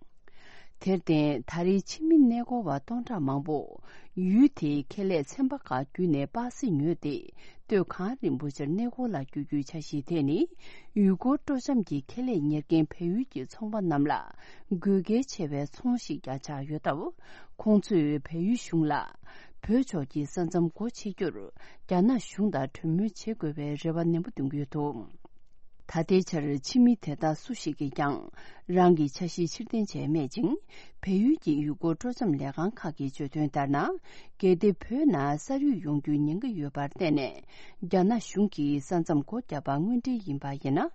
དེར་བརྟེན། ད་རེས་ཕྱི་མི་གནས་སྐོར་བ་སྟོང་ཕྲག་མང་པོ། ཡུལ་དེའི་ཁེ་ལས་ཚན་པ་ཁག་བརྒྱུད་ནས་པ་སེ་ཉོས་ཏེ། སྟོད་གངས་རིན་པོ་ཆེར་གནས་སྐོར་ལ་བསྐྱོད་རྒྱུའི་འཆར་གཞི་དེ་ནི། ཡུལ་སྐོར་སྤྲོ་འཆམ་གྱི་ཁེ་ལས་གཉེར་མཁན་བལ་ཡུལ་གྱི་ཚོང་པ་རྣམས་ལ། དགོས་གལ་ཆེ་བའི་ཚོང་ཞིག་ཀྱང་ཆགས་ཡོད་སྟབས། ཁོང་ཚོས་བལ་ཡུལ་གཞུང་ལ། བོད་ཕྱོགས་ཀྱི་ས་མཚམས་སྒོ་ཕྱེ་རྒྱུར། རྒྱ་ནག་གཞུང་དང་གྲོས་མོལ་བྱེད་དགོས་པའི་རེ་བ་ནན་པོ་འདོན་གྱི་ཡོད་འདུག་ད་ལྟའི་ཆར་ཕྱི་མི་དེ་དག་སུ་ཞིག་གིས་ཀྱང་རང་གི་འཆར་གཞི་ཕྱིར་འཐེན་བྱས་མེད་ཅིང་། བལ་ཡུལ་གྱི་ཡུལ་སྐོར་སྤྲོ་འཆམ་ལས་ཁང་ཁག་གིས་བརྗོད་དོན་ལྟར་ན། གལ་ཏེ་བོད་ནང་ས་རུད་ཡོང་རྒྱུའི་ཉེན་ཁ་ཡོད་པར་བརྟེན་ནས། རྒྱ་ནག་གཞུང་གིས་ས་མཚམས་སྒོ་བརྒྱབ་པ་དངོས་འབྲེལ་ཡིན་པ་ཡིན་ན།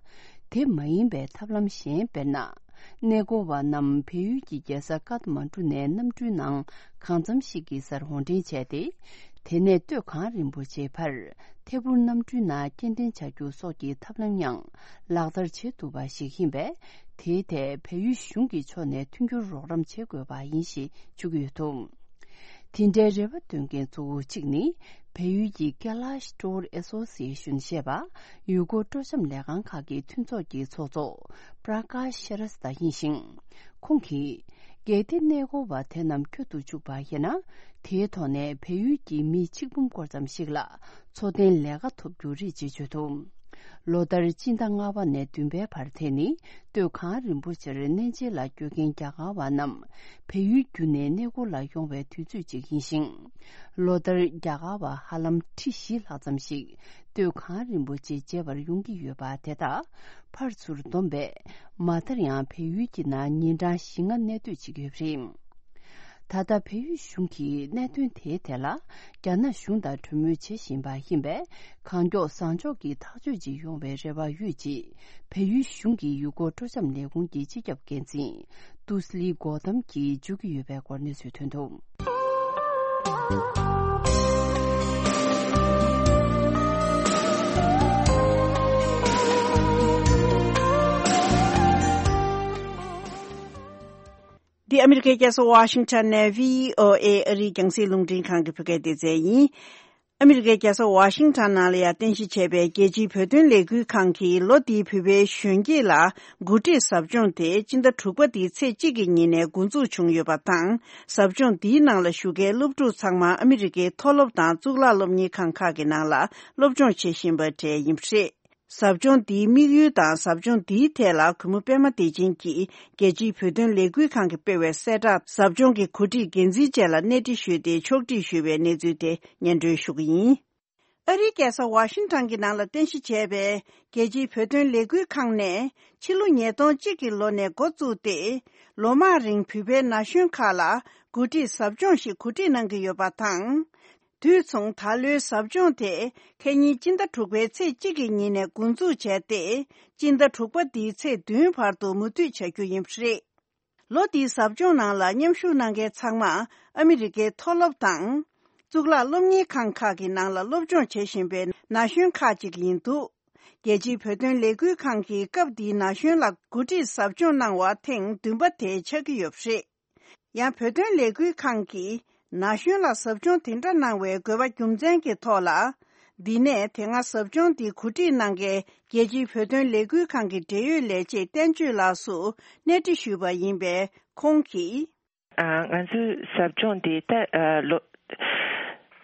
དེ་མ་ཡིན་པའི་ཐབས་ལམ་གཞན་དཔེར་ན། གནས་སྐོར་བ་རྣམས་བལ་ཡུལ་གྱི་རྒྱལ་ས་ཀཏ་མན་གྲུ་ནས་གནམ་གྲུའི་ནང་གང་འཚམ་ཞིག་གི་སར་འོར་འདྲེན་བྱས་ཏེ། དེ་ནས་སྟོད་གངས་རིན་པོ་ཆེའི་བར་ཐད་འཕུར་གནམ་གྲུའི་ནང་སྐྱེལ་འདྲེན་བྱ་རྒྱུ་སོགས་ཀྱི་ཐབས་ལམ་ཡང་ལག་བསྟར་བྱེད་ཐུབ་པ་ཞིག་ཡིན་པས། དེའི་ཐད་བལ་ཡུལ་གཞུང་གི་ཕྱོགས་ནས་མཐུན་འགྱུར་རོགས་རམ་བྱེད་དགོས་པ་ཡིན་ཞེས་བརྗོད་ཀྱི་ཡོད་འདུག་དེ་འདྲའི་རེ་བ་འདོན་མཁན་གཙོ་བོ་གཅིག་ནི། བལ་ཡུལ་གྱི་Kailash Tour Association ཞེས་པ། ཡུལ་སྐོར་སྤྲོ་འཆམ་ལས་ཁང་ཁག་གི་མཐུན་ཚོགས་ཀྱི་ཚོགས་གཙོ་Prakash Shrestha ཡིན་ཞིང་། ཁོང་གིས། གལ་ཏེ་གནས་སྐོར་བ་དེ་རྣམས་བསྐྱོད་དུ་བཅུག་པ་ཡིན་ན། དེའི་ཐོག་ནས་བལ་ཡུལ་གྱི་མི་ཆིག་འབུམ་སྐོར་ཙམ་ཞིག་ལ་འཚོ་རྟེན་ལས་ཀ་ཐོབ་རྒྱུ་རེད་ཅེས་བརྗོད་འདུག་ལོ་ལྟར་སྤྱི་ཟླ་ལྔ་པ་ནས་བདུན་པའི་བར་དེ་ནི་སྟོད་གངས་རིན་པོ་ཆེར་གནས་མཇལ་ལ་སྐྱོད་མཁན་རྒྱ་གར་བ་རྣམས་བལ་ཡུལ་བརྒྱུད་ནས་གནས་སྐོར་ལ་ཡོང་བའི་དུས་ཚོད་ཅིག་ཡིན་ཞིང་། ལོ་ལྟར་རྒྱ་གར་བ་ཧ་ལམ་ཁྲི་བཞི་ལྷག་ཙམ་ཞིག་སྟོད་གངས་རིན་པོ་ཆེ་མཇལ་བར་ཡོང་གི་ཡོད་པ་དེ་དག་ཕར་ཚུར་བསྡོམས་པས་མ་མཐར་ཡང་བལ་ཡུལ་གྱི་ནང་ཉིན་གྲངས་བཞི་ལྔ་གནས་སྡོད་བྱེད་ཀྱི་ཡོད་པ་རེད། ད་ལྟ་བལ་ཡུལ་གཞུང་གིས་གནད་དོན་དེའི་ཐད་ལ་རྒྱ་ནག་གཞུང་དང་གྲོས་མོལ་བྱེད་བཞིན་པ་ཡིན་པས། གང་མགྱོགས་བཟང་ཕྱོགས་ཀྱི་ཐག་གཅོད་ཅིག་ཡོང་བའི་རེ་བ་ཡོད་ཅེས་བལ་ཡུལ་གཞུང་གི་ཡུལ་སྐོར་སྤྲོ་འཆམ་ལས་ཁུངས་ཀྱི་སྤྱི་ཁྱབ་འགན་འཛིན་ཏུ་སི་ལི་གོ་ཏམ་གྱིས་བརྗོད་ཀྱི་ཡོད་པའི་སྐོར་གནས་ཚུལ་ཐོན་འདུག། འདི་ཨ་མི་རི་ཀའི་རྒྱལ་ས་ཝ་ཤིང་ཊོན་ནས་བྷི་ཨོ་ཨེ་ཨ་རིའི་རྒྱང་སྲིང་རླུང་འཕྲིན་ཁང་གི་བོད་སྐད་སྡེ་ཚན་ཡིན། ཨ་མི་རི་ཀའི་རྒྱལ་ས་ཝ་ཤིང་ཊོན་ནང་ལ་ཡང་རྟེན་གཞི་བྱས་པའི་རྒྱལ་སྤྱིའི་བོད་དོན་ལས་འགུལ་ཁང་གིས་ལོ་འདིའི་བོད་པའི་གཞོན་སྐྱེས་ལ་འགོ་ཁྲིད་ཟབ་སྦྱོང་དེ་སྤྱི་ཟླ་དྲུག་པ་འདིའི་ཚེས་གཅིག་གི་ཉིན་ནས་འགོ་འཛུགས་བྱུང་ཡོད་པ་དང་། ཟབ་སྦྱོང་འདིའི་ནང་ལ་ཞུགས་མཁན་སློབ་ཕྲུག་ཚང་མ་ཨ་མི་རི་ཀའི་མཐོ་སློབ་དང་གཙུག་ལག་སློབ་གཉེར་ཁང་ཁག་གི་ནང་ལ་སློབ་སྦྱོང་བྱེད་བཞིན་པ་གྲས་ཡིན་པ་རེད། ཟབ་སྦྱོང་འདིའི་དམིགས་ཡུལ་དང་ཟབ་སྦྱོང་འདིའི་ཐད་ལ་གུས་མོ་པད་མ་བདེ་ཆེན་གྱིས་རྒྱལ་སྤྱིའི་བོད་དོན་ལས་འགུལ་ཁང་གིས་སྤེལ་བའི་གསལ་བསྒྲགས་ཟབ་སྦྱོང་གི་གོ་སྒྲིག་འགན་འཛིན་བཅས་ལ་གནས་འདྲི་ཞུས་ཏེ་ཕྱོགས་སྒྲིག་ཞུས་པའི་གནས་ཚུལ་དེ་སྙན་སྒྲོན་ཞུ་གི་ཡིན། ཨ་རིའི་རྒྱལ་ས་ཝ་ཤིང་ཊོན་གྱི་ནང་ལ་རྟེན་གཞི་བྱས་པའི་རྒྱལ་སྤྱིའི་བོད་དོན་ལས་འགུལ་ཁང་ནས་ཕྱི་ལོ་ཉིས་སྟོང་གཅིག་གི་ལོ་ནས་འགོ་བཙུགས་ཏེ། ལོ་མང་རིང་བོད་པའི་ན་གཞོན་ཁག་ལ་འགོ་ཁྲིད་ཟབ་སྦྱོང་ཞིག་གོ་སྒྲིག་གནང་གི་ཡོད་པ་དང་། དུས་མཚུངས་ད་ལོའི་ཟབ་སྦྱོང་དེ་ཁ་ཉིན་སྤྱི་ཟླ་དྲུག་པའི་ཚེས་གཅིག་གི་ཉིན་ནས་འགོ་འཛུགས་བྱས་ཏེ། སྤྱི་ཟླ་དྲུག་པ་འདིའི་ཚེས་བདུན་བར་དུ་མུ་མཐུད་བྱ་རྒྱུ་ཡིན་པ་རེད། ལོ་འདིའི་ཟབ་སྦྱོང་ནང་ལ་མཉམ་ཞུགས་གནང་མཁན་ཚང་མ་ཨ་མི་རི་ཀའི་མཐོ་སློབ་དང་། གཙུག་ལག་སློབ་གཉེར་ཁང་ཁག་གི་ནང་ལ་སློབ་སྦྱོང་བྱེད་བཞིན་པའི་ན་གཞོན་ཁག་ཅིག་ཡིན་འདུག། རྒྱལ་སྤྱིའི་བོད་དོན་ལས་འགུལ་ཁང་གིས་སྐབས་འདིའི་ན་གཞོན་ལ་འགོ་ཁྲིད་ཟབ་སྦྱོང་གནང་བ་ཐེངས་བདུན་པ་དེ་ཆགས་ཀྱི་ཡོད་པ་རེད། ཡང་བོད་དོན་ལས་འགུལ་ཁང་གིས་ན་གཞོན་ལ་ཟབ་སྦྱོང་དེ་འདྲ་གནང་བའི་དགོས་པ་རྒྱུ་མཚན་གྱི་ཐོག་ལ། འདི་ནས་དེ་སྔ་ཟབ་སྦྱོང་འདི་གོ་སྒྲིག་གནང་མཁན་རྒྱལ་སྤྱིའི་བོད་དོན་ལས་འགུལ་ཁང་གི་འབྲེལ་ཡོད་ལས་བྱེད་བསྟན་ཆོས་ལགས་སུ་གནས་འདྲི་ཞུས་པ་ཡིན་པས་ཁོང་གིས། ཨ། ང་ཚོའི་ཟབ་སྦྱོང་འདི་ད་ཨ་ལོ་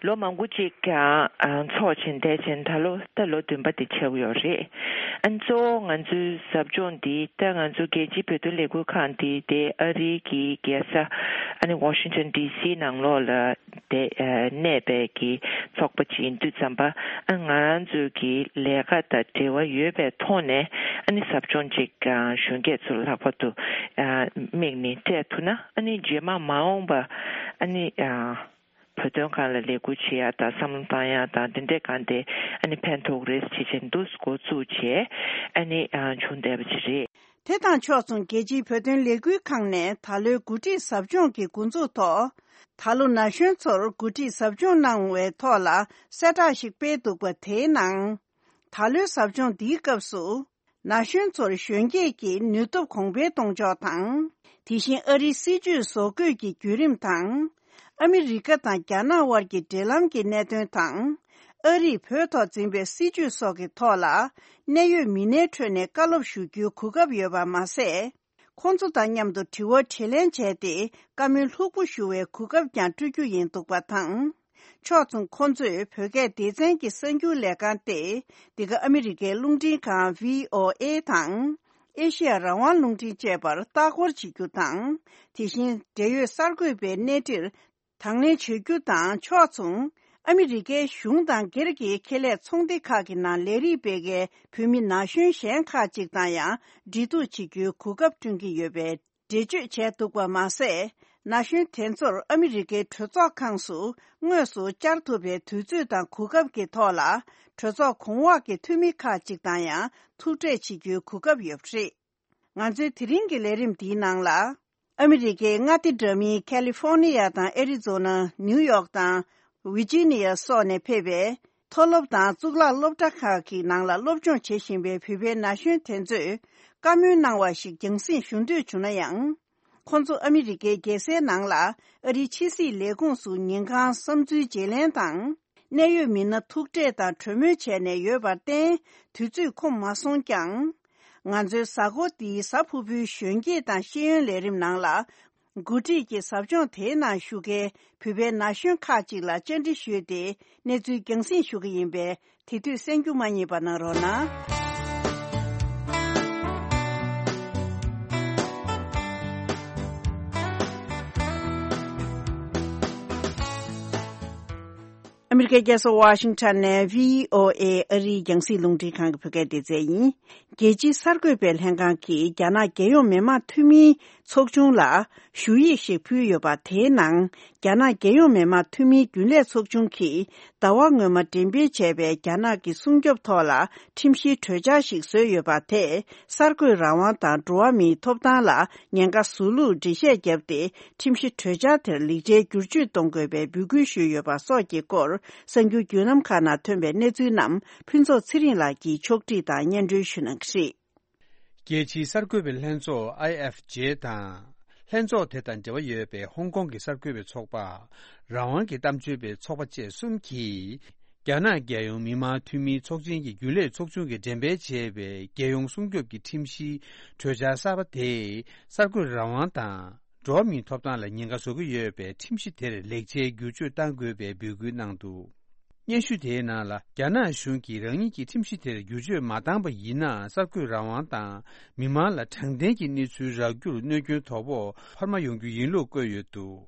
ལོ་མང་པོ་ཅིག་ཀྱང་ཨ་འཚོགས་བཞིན་བསྡད་བཞིན་ད་ལོ་ད་ལོ་བདུན་པ་འདི་ཆགས་ཡོད་རེད། ཨ་ནི་གཙོ་བོ་ང་ཚོའི་ཟབ་སྦྱོང་འདི་ད་ང་ཚོ་རྒྱལ་སྤྱིའི་བོད་དོན་ལས་འགུལ་ཁང་འདི་དེ་ཨ་རིའི་གི་རྒྱལ་ས་ཨ་ནི་ཝ་ཤིང་ཊོན་ཌི་སི་ནང་ལོགས་ལ་དེ་ཨ་གནས་པའི་གི་ཚོགས་པ་ཅིག་ཡིན་དུས་ཙམ་པ། ཨ་ང་རང་ཚོའི་གི་ལས་ཀ་དང་འབྲེལ་བ་ཡོད་པའི་ཐོག་ནས་ཨ་ནི་ཟབ་སྦྱོང་ཅིག་ཨ་གཞོན་སྐྱེས་ཚོ་ལྷག་པར་དུ་ཨ་དམིགས་ནས་སྤྲད་ཐུབ་ན། ཨ་ནི་རྗེས་མ་མ་འོངས་པ་ཨ་ནི་ཨ་བོད་དོན་སྒང་ལ་ལས་འགུལ་བྱེད་ཡ་དང་བསམ་བློ་བཏང་ཡ་དང་དེ་འདྲའི་སྒང་དེ་ཨ་ནི་ཕན་ཐོགས་རེད་ཅེས་བྱས་འདུག་འགོ་བཙུགས་བྱས་ཨ་ནི་ཨ་བྱུང་བསྡད་པ་ཅིག་རེད། དེ་དང་ཕྱོགས་མཚུངས་རྒྱལ་སྤྱིའི་བོད་དོན་ལས་འགུལ་ཁང་ནས་ད་ལོའི་འགོ་ཁྲིད་ཟབ་སྦྱོང་གི་འགོ་འཛུགས་ཐོག་ད་ལོ་ན་གཞོན་ཚོར་འགོ་ཁྲིད་ཟབ་སྦྱོང་གནང་བའི་ཐོག་ལ་གསལ་བསྒྲགས་ཤིག་སྤེལ་འདུག་པ། དེའི་ནང་ད་ལོའི་ཟབ་སྦྱོང་འདིའི་སྐབས་སུ་ན་གཞོན་ཚོར་གཞོན་སྐྱེས་ཀྱི་ནུས་སྟོབས་གོང་འཕེལ་གཏོང་ཕྱོགས་དང་། དེ་བཞིན་ཨ་རིའི་སྲིད་བྱུས་བཟོ་བཀོད་ཀྱི་བརྒྱུད་རིམ་དང་། ཨ་མི་རི་ཀ་དང་རྒྱ་ནག་དབར་གྱི་འབྲེལ་ལམ་གྱི་གནད་དོན་དང་། ཨ་རིས་བོད་ཐོག་འཛིན་པའི་སྲིད་བྱུས་སོགས་ཀྱི་ཐོག་ལ་གནད་ཡོད་མི་སྣའི་ཁྲོད་ནས་བཀའ་སློབ་ཞུ་རྒྱུའི་གོ་སྐབས་ཡོད་པ་མ་ཟད། ཁོང་ཚོ་དང་མཉམ་དུ་དྲི་བ་དྲིས་ལན་བྱས་ཏེ་བཀའ་མོལ་ལྷུག་པོ་ཞུ་བའི་གོ་སྐབས་ཀྱང་སྤྲོད་རྒྱུ་ཡིན་འདུག་པ་དང་། ཕྱོགས་མཚུངས་ཁོང་ཚོས་བོད་སྐད་སྡེ་ཚན་གྱི་གསར་འགྱུར་ལས་ཁང་སྟེ། འདི་ག་ཨ་མི་རི་ཀའི་རླུང་འཕྲིན་ཁང་བྷི་ཨོ་ཨེ་དང་། ཨེ་ཤེ་ཡ་རང་དབང་རླུང་འཕྲིན་བཅས་པར་ལྟ་སྐོར་བྱེད་རྒྱུ་དང་། དེ་བཞིན་འབྲེལ་ཡོད་གསར་འགོད་པའི་གནས་འདྲིར་དང་ལེན་བྱེད་རྒྱུ་དང་ཕྱོགས་མཚུངས། ཨ་མི་རི་ཀའི་གཞུང་དང་སྒེར་གྱི་ཁེ་ལས་ཚོང་སྡེ་ཁག་གི་ནང་ལས་རིགས་སྤེལ་མཁན་བོད་མི་ན་གཞོན་གཞན་ཁག་ཅིག་དང་ཡང་འབྲེལ་གཏུག་བྱེད་རྒྱུའི་གོ་སྐབས་བསྐྲུན་གྱི་ཡོད་པའི་འགྲེལ་བརྗོད་བྱས་འདུག་པ་མ་ཟད། ན་གཞོན་དེ་ཚོར་ཨ་མི་རི་ཀའི་གྲོས་ཚོགས་ཁང་སུ་དངོས་སུ་བཅར་ཐུབ་པའི་དུས་ཚོད་དང་གོ་སྐབས་ཀྱི་ཐོག་ལ། གྲོས་ཚོགས་གོང་འོག་གི་འཐུས་མི་ཁག་ཅིག་དང་ཡང་ཐུག་འཕྲད་བྱེད་རྒྱུའི་གོ་སྐབས་ཡོད་པ་རེད། ང་ཚོའི་དེ་རིང་གི་ལས་རིམ་འདིའི་ནང་ལ། ཨ་མི་རི་ཀའི་མངའ་སྡེ་འདྲ་མིན་ཁ་ལི་ཧྥོར་ནི་ཡ་དང་ཨེ་རི་ཛོ་ན། ནིའུ་ཡོག་དང་ཝི་ཇི་ནི་ཡ་སོགས་ནས་ཕེབས་པའི་མཐོ་སློབ་དང་གཙུག་ལག་སློབ་གྲྭ་ཁག་གི་ནང་ལ་སློབ་སྦྱོང་བྱེད་བཞིན་པའི་བོད་པའི་ན་གཞོན་དེ་ཚོས་བཀའ་མོལ་གནང་བ་ཞིག་རྒྱང་སྲིང་ཞུ་འདོད་བྱུང་ན་ཡང་། ཁོང་ཚོ་ཨ་མི་རི་ཀའི་རྒྱལ་སའི་ནང་ལ་ཨ་རིའི་ཕྱི་སྲིད་ལས་ཁུངས་སུ་ཉིན་གང་བསམ་ཚུལ་བརྗེ་ལེན་དང་། གནད་ཡོད་མི་སྣ་ཐུག་འཕྲད་དང་གྲོས་མོལ་བྱས་ནས་ཡོད་པར་བརྟེན། དུས་ཚོད་ཁོམ་མ་སོང་ཀྱང་། ང་ཚོའི་གཟའ་འཁོར་འདིའི་གཟའ་ཕུར་བུའི་གཞོན་སྐྱེས་དང་ཤེས་ཡོན་ལས་རིམ་ནང་ལ། འགོ་ཁྲིད་ཀྱི་ཟབ་སྦྱོང་དེའི་ནང་ཞུགས་མཁན་བོད་པའི་ན་གཞོན་ཁག་ཅིག་ལ་བཅར་འདྲི་ཞུས་ཏེ་གནས་ཚུལ་རྒྱང་སྲིང་ཞུ་གི་ཡིན་པས། དེ་དུས་གསན་རྒྱུ་མ་བསྙེལ་བ་གནང་རོགས་གནང་། ཨ་མི་རི་ཀའི་རྒྱལ་ས་ཝ་ཤིང་ཊོན་ནས་བྷི་ཨོ་ཨེ་ཨ་རིའི་རྒྱང་སྲིང་རླུང་འཕྲིན་ཁང་གི་བོད་སྐད་སྡེ་ཚན་ཡིན། རྒྱལ་སྤྱིའི་གསར་འགོད་པའི་ལྷན་ཁང་གིས་རྒྱ་ནག་རྒྱལ་ཡོངས་མི་དམངས་འཐུས་མིའི་ཚོགས་ཆུང་ལ་ཞུ་ཡིག་ཞིག་ཕུལ་ཡོད་པ། དེའི་ནང་རྒྱ་ནག་རྒྱལ་ཡོངས་མི་དམངས་འཐུས་མིའི་རྒྱུན་ལས་ཚོགས་ཆུང་གིས་ཟླ་བ་སྔོན་མ་འགྲེམས་སྤེལ་བྱས་པའི་རྒྱ་ནག་གི་སྲུང་སྐྱོབ་ཐོག་ལ་ཁྲིམས་གཞིའི་གྲོས་འཆར་ཞིག་བཟོས་ཡོད་པ། དེས་གསར་འགོད་རང་དབང་དང་འགྲོ་བ་མིའི་ཐོབ་ཐང་ལ་ཉེན་ཁ་བཟོ་ལུགས་འགྲེལ་བཤད་བརྒྱབ་སྟེ། ཁྲིམས་གཞི་གྲོས་འཆར་དེར་ལེགས་ཆའི་བསྒྱུར་བཅོས་གཏོང་དགོས་པའི་འབོད་སྐུལ་ཞུས་ཡོད་པ་སོགས་ཀྱི་སྐོར་གསར་འགྱུར་བརྒྱུད་ལམ་ཁག་ནང་ཐོན་པའི་གནས་ཚུལ་རྣམས་ཕུན་ཚོགས་ཚེ་རིང་ལགས་ཀྱིས་ཕྱོགས་བསྒྲིགས་དང་སྙན་སྒྲོན་ཞུ་གནང་གི་རེད། རྒྱལ་སྤྱིའི་གསར་འགོད་པའི་ལྷན་ཚོགས་ཨའི་ཨེཕ་ཇེ་དང་། ལྷན་ཚོགས་དེ་དང་འབྲེལ་བ་ཡོད་པའི་ཧོང་ཀོང་གི་གསར་འགོད་པའི་ཚོགས་པ། རང་དབང་གི་གཏམ་བརྗོད་པའི་ཚོགས་པ་བཅས་གསུམ་གྱིས། རྒྱ་ནག་རྒྱལ་ཡོངས་མི་དམངས་འཐུས་མིའི་ཚོགས་ཆེན་གྱི་རྒྱུན་ལས་ཚོགས་ཆུང་གིས་འགྲེམས་སྤེལ་བྱས་པའི་རྒྱལ་ཡོངས་སྲུང་སྐྱོབ་ཀྱི་ཁྲིམས་གཞིའི་གྲོས་འཆར་གསར་པ་དེས་གསར་འགོད་རང་དབང་དང་། འགྲོ་བ་མིའི་ཐོབ་ཐང་ལ་ཉེན་ཁ་བཟོ་གི་ཡོད་པའི་ཁྲིམས་གཞི་དེར་ལེགས་ཆའི་བསྒྱུར་བཅོས་གཏང་དགོས་པའི་འབོད་སྐུལ་གནང་འདུག་སྙན་ཞུ་དེའི་ནང་ལ། རྒྱ་ནག་གཞུང་གིས་རང་ཉིད་ཀྱི་ཁྲིམས་གཞི་དེར་བསྒྱུར་བཅོས་མ་བཏང་པ་ཡིན་ན། གསར་འགོད་རང་དབང་དང་མི་མང་ལ་དྲང་བདེན་གྱི་གནས་ཚུལ་རག་རྒྱུར་གནོད་སྐྱོན་དོ་ཕོག་འཕར་མ་ཡོང་རྒྱུ་ཡིན་ལུགས་བཀོད་ཡོད་འདུག་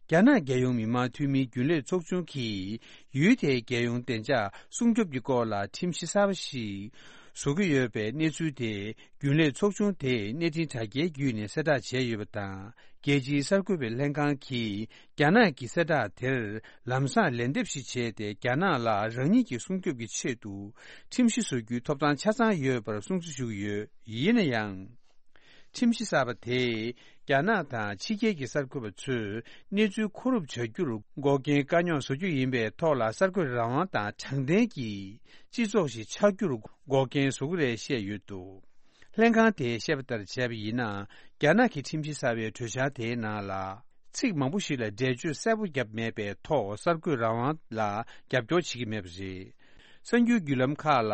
རྒྱ་ནག་རྒྱལ་ཡོངས་མི་དམངས་འཐུས་མིའི་རྒྱུན་ལས་ཚོགས་ཆུང་གིས་ཡུལ་དེའི་རྒྱལ་ཡོངས་བདེ་འཇགས་སྲུང་སྐྱོབ་ཀྱི་སྐོར་ལ་ཁྲིམས་གཞི་གསར་པ་ཞིག་བཟོ་གི་ཡོད་པའི་གནས་ཚུལ་དེ། རྒྱུན་ལས་ཚོགས་ཆུང་དེས་གནས་འཕྲིན་དྲ་རྒྱའི་བརྒྱུད་ནས་གསལ་བསྒྲགས་བྱས་ཡོད་པ་དང་། རྒྱལ་སྤྱིའི་གསར་འགོད་པའི་ལྷན་ཁང་གིས་རྒྱ་ནག་གི་གསལ་བསྒྲགས་དེར་ལམ་སང་ལན་འདེབས་ཤིག་བྱས་ཏེ། རྒྱ་ནག་ལ་རང་ཉིད་ཀྱི་སྲུང་སྐྱོབ་ཀྱི་ཆེད་དུ་ཁྲིམས་གཞི་བཟོ་རྒྱུའི་ཐོབ་ཐང་ཆ་ཚང་ཡོད་པར་སྲུང་བརྩི་ཞུ་གི་ཡོད། ཡིན་ན་ཡང་། ཁྲིམས་གཞི་གསར་པ་དེས་རྒྱ་ནག་དང་ཕྱི་རྒྱལ་གྱི་གསར་འགོད་པ་ཚོས་གནས་ཚུལ་མཁོ་སྒྲུབ་བྱ་རྒྱུར་འགོག་རྐྱེན་དཀའ་རྙོག་བཟོ་རྒྱུ་ཡིན་པའི་ཐོག་ལ། གསར་འགོད་རང་དབང་དང་དྲང་བདེན་གྱི་སྤྱི་ཚོགས་ཤིག་ཆགས་རྒྱུར་འགོག་རྐྱེན་བཟོ་གི་རེད་བཤད་ཡོད་འདུག་ལྷན་ཁང་དེས་བཤད་པ་ལྟར་བྱས་པ་ཡིན་ན། རྒྱ་ནག་གི་ཁྲིམས་གཞི་གསར་པའི་གྲོས་འཆར་དེའི་ནང་ལ། ཚིག་མང་པོ་ཞིག་ལ་འགྲེལ་བརྗོད་གསལ་པོ་བརྒྱབ་མེད་པའི་ཐོག་གསར་འགོད་རང་དབང་ལ་རྒྱབ་སྐྱོར་བྱེད་ཀྱི་མེད་པ་རེད། གསར་འགྱུར་བརྒྱུད་ལམ་ཁག་ལ་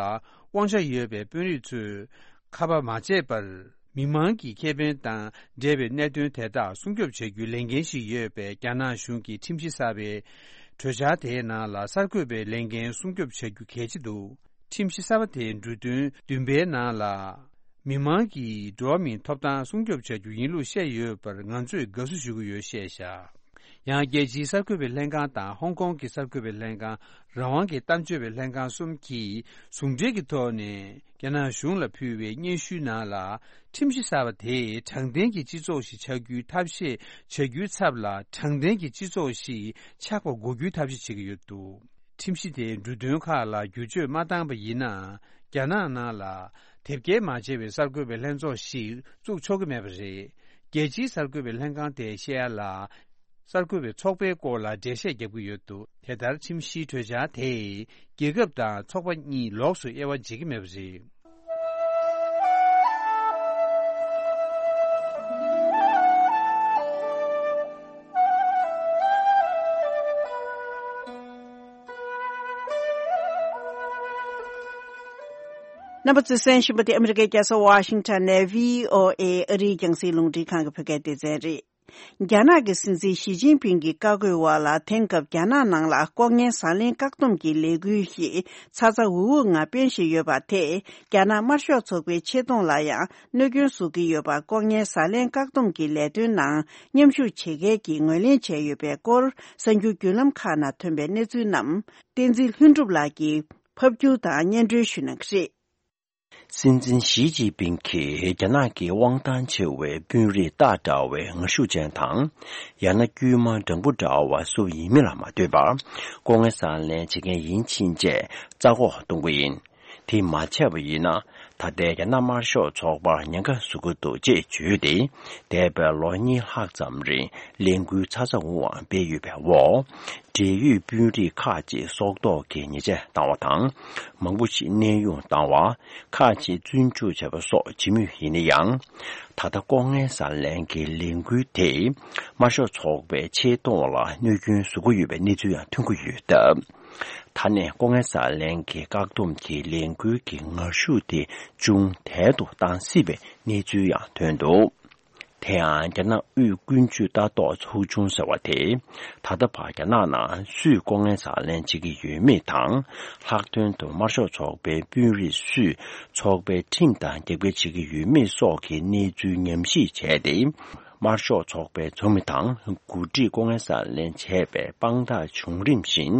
དབང་ཆ་ཡོད་པའི་དཔོན་རིགས་ཚོས་ཁ་པ་མ་བྱས་པར། མི་མང་གི་ཁེ་ཕན་དང་འབྲེལ་བའི་གནད་དོན་དེ་དག་སྲུང་སྐྱོབ་བྱ་རྒྱུའི་ལས་འགན་ཞིག་ཡོད་པས། རྒྱ་ནག་གཞུང་གིས་ཁྲིམས་གཞི་གསར་པའི་གྲོས་འཆར་དེའི་ནང་ལ་གསར་འགོད་པའི་ལས་འགན་སྲུང་སྐྱོབ་བྱ་རྒྱུ་གལ་ཆེ་འདུག་ཁྲིམས་གཞི་གསར་པ་དེའི་འབྲུ་དོན་བདུན་པའི་ནང་ལ། མི་མང་གི་འགྲོ་བ་མིའི་ཐོབ་ཐང་སྲུང་སྐྱོབ་བྱ་རྒྱུ་ཡིན་ལུགས་བཤད་ཡོད་པར་ང་ཚོས་དགའ་བསུ་ཞུ་གི་ཡོད་བཤད་བཞག་ཡང་། རྒྱལ་སྤྱིའི་གསར་འགོད་པའི་ལྷན་ཁང་དང་ཧོང་ཀོང་གི་གསར་འགོད་པའི་ལྷན་ཁང་། རང་དབང་གི་གཏམ་བརྗོད་པའི་ལྷན་ཁང་གསུམ་གྱིས་ཟུང་འབྲེལ་གྱི་ཐོག་ནས་རྒྱ་ནག་གཞུང་ལ་ཕུལ་བའི་སྙན་ཞུའི་ནང་ལ། ཁྲིམས་གཞི་གསར་པ་དེས་དྲང་བདེན་གྱི་སྤྱི་ཚོགས་ཤིག་ཆགས་རྒྱུའི་ཐབས་ཤེས་བྱ་རྒྱུའི་ཚབ་ལ། དྲང་བདེན་གྱི་སྤྱི་ཚོགས་ཤིག་ཆགས་པ་དགོས་རྒྱུའི་ཐབས་ཤེས་བྱེད་ཀྱི་ཡོད་འདུག་ཁྲིམས་གཞི་དེའི་འབྲུ་དོན་ཁག་ལ་བསྒྱུར་བཅོས་མ་བཏང་པ་ཡིན་ན། རྒྱ་ནག་ནང་ལ་དེབ་སྐྱེལ་མ་བྱས་པའི་གསར་འགོད་པའི་ལྷན་ཚོགས་ཤིག་བཙུགས་ཆོག་གི་མེད་པ་རེད། རྒྱལ་སྤྱིའི་གསར་འགོད་པའི་ལྷན་ཁང་དེས་བཤད་ཡ་ལ། གསར་འགོད་པའི་ཚོགས་པའི་སྐོར་ལ་འགྲེལ་བཤད་བརྒྱབ་ཀྱི་ཡོད་འདུག་དེ་ལྟར་ཁྲིམས་གཞིའི་གྲོས་འཆར་དེས་རྒྱལ་ཁབ་དང་ཚོགས་པ་གཉིས་ལོགས་སུ་དབྱེ་བ་འབྱེད་ཀྱི་མེད་པ་རེད། རྣམ་པ་ཚོས་གསན་བཞིན་པ་དེ་ཨ་མི་རི་ཀའི་རྒྱལ་ས་ཝ་ཤིང་ཊོན་ནས་བྷི་ཨོ་ཨེ་ཨ་རིའི་རྒྱང་སྲིང་རླུང་འཕྲིན་ཁང་གི་བོད་སྐད་སྡེ་ཚན་རེད། རྒྱ་ནག་གི་སྲིད་འཛིན་ཞི་ཅིན་ཕིང་གི་བཀའ་བཀོད་འོག་ལ། དེང་སྐབས་རྒྱ་ནག་ནང་ལ་ལྐོག་རྔན་ཟ་ལེན་བཀག་སྡོམ་གྱི་ལས་འགུལ་ཞིག་ཚ་ཚ་འུར་འུར་ངང་སྤེལ་བཞིན་ཡོད་པ་དེས། རྒྱ་ནག་དམར་ཤོག་ཚོགས་པའི་ཆེ་མཐོང་ལ་ཡང་གནོད་སྐྱོན་བཟོ་གི་ཡོད་པ། ལྐོག་རྔན་ཟ་ལེན་བཀག་སྡོམ་གྱི་ལས་དོན་ནང་མཉམ་ཞུགས་བྱེད་མཁན་གྱིས་ངོས་ལེན་བྱས་ཡོད་པའི་སྐོར། གསར་འགྱུར་བརྒྱུད་ལམ་ཁག་ནང་ཐོན་པའི་གནས་ཚུལ་རྣམས། བསྟན་འཛིན་ལྷུན་གྲུབ་ལགས་ཀྱིས་ཕབ་སྒྱུར་དང་སྙན་སྒྲོན་ཞུ་གནང་གི་རེད། སྲིད་འཛིན་ཞི་ཅིན་ཕིང་གིས་རྒྱ་ནག་གི་དབང་ཐང་ཆེ་བའི་དཔོན་རིགས་སྟག་འདྲ་བའི་ངར་ཤུགས་ཅན་དང་། ཡང་ན་དཀྱུས་མ་སྦྲང་བུ་འདྲ་བ་སུ་ཡིན་མིན་ལ་མ་ལྟོས་པར། ལྐོག་རྔན་ཟ་ལེན་བྱེད་མཁན་ཡིན་ཕྱིན་ཆད་རྩ་འགོག་གཏོང་གི་ཡིན། དེ་མ་བྱས་པ་ཡིན་ན། ད་ལྟའི་རྒྱ་ནག་དམར་ཤོག་ཚོགས་པར་ཉེན་ཁ་བཟོ་གི་འདུག་ཅེས་བརྗོད་དེ། འདས་པའི་ལོ་གཉིས་ལྷག་ཙམ་རིང་ལས་འགུལ་ཚ་ཚ་འུར་འུར་སྤེལ་ཡོད་པའི་འོག་འབྲེལ་ཡོད་དཔོན་རིགས་ཁག་ཅིག་སྲོག་ཐོག་གི་ཉེས་ཆད་བཏང་བ་དང་། མང་པོ་ཞིག་གནས་དབྱུང་བཏང་བ། ཁག་ཅིག་བཙོན་འཇུག་བྱས་པ་སོགས་བྱེད་མུས་ཡིན་ན་ཡང་། ད་ལྟ་ལྐོག་རྔན་ཟ་ལེན་གྱི་ལས་འགུལ་དེས་དམར་ཤོག་ཚོགས་པའི་ཆེ་མཐོང་ལ་གནོད་སྐྱོན་བཟོ་གི་ཡོད་པའི་གནས་ཚུལ་ཡང་ཐོན་གྱི་ཡོད་སྟབས། ད་ནས་ལྐོག་རྔན་ཟ་ལེན་གྱི་བཀག་སྡོམ་གྱི་ལས་འགུལ་གྱི་ངར་ཤུགས་དེ་ཅུང་དལ་དུ་བཏང་སྲིད་པའི་གནས་ཚུལ་ཡང་ཐོན་འདུག་དེ་ཡང་རྒྱ་ནག་དབུས་ཀུན་སྤྱོད་ལྟ་རྟོག་ཚོགས་ཆུང་ཟེར་བ་དེས། ད་ལྟ་བར་རྒྱ་ནག་ནང་སུས་ལྐོག་རྔན་ཟ་ལེན་བྱེད་ཀྱི་ཡོད་མེད་དང་། ལྷག་དོན་དུ་དམར་ཤོག་ཚོགས་པའི་དཔོན་རིགས་སུས་ཚོགས་པའི་ཁྲིམས་དང་རྒྱབ་འགལ་བྱེད་ཀྱི་ཡོད་མེད་སོགས་ཀྱི་གནས་ཚུལ་ཉམས་ཞིབ་བྱས་ཏེ། དམར་ཤོག་ཚོགས་པའི་ཚོགས་མི་དང་འགོ་ཁྲིད་ལྐོག་རྔན་ཟ་ལེན་བྱས་པའི་དཔང་རྟགས་བྱུང་རིམ་བཞིན་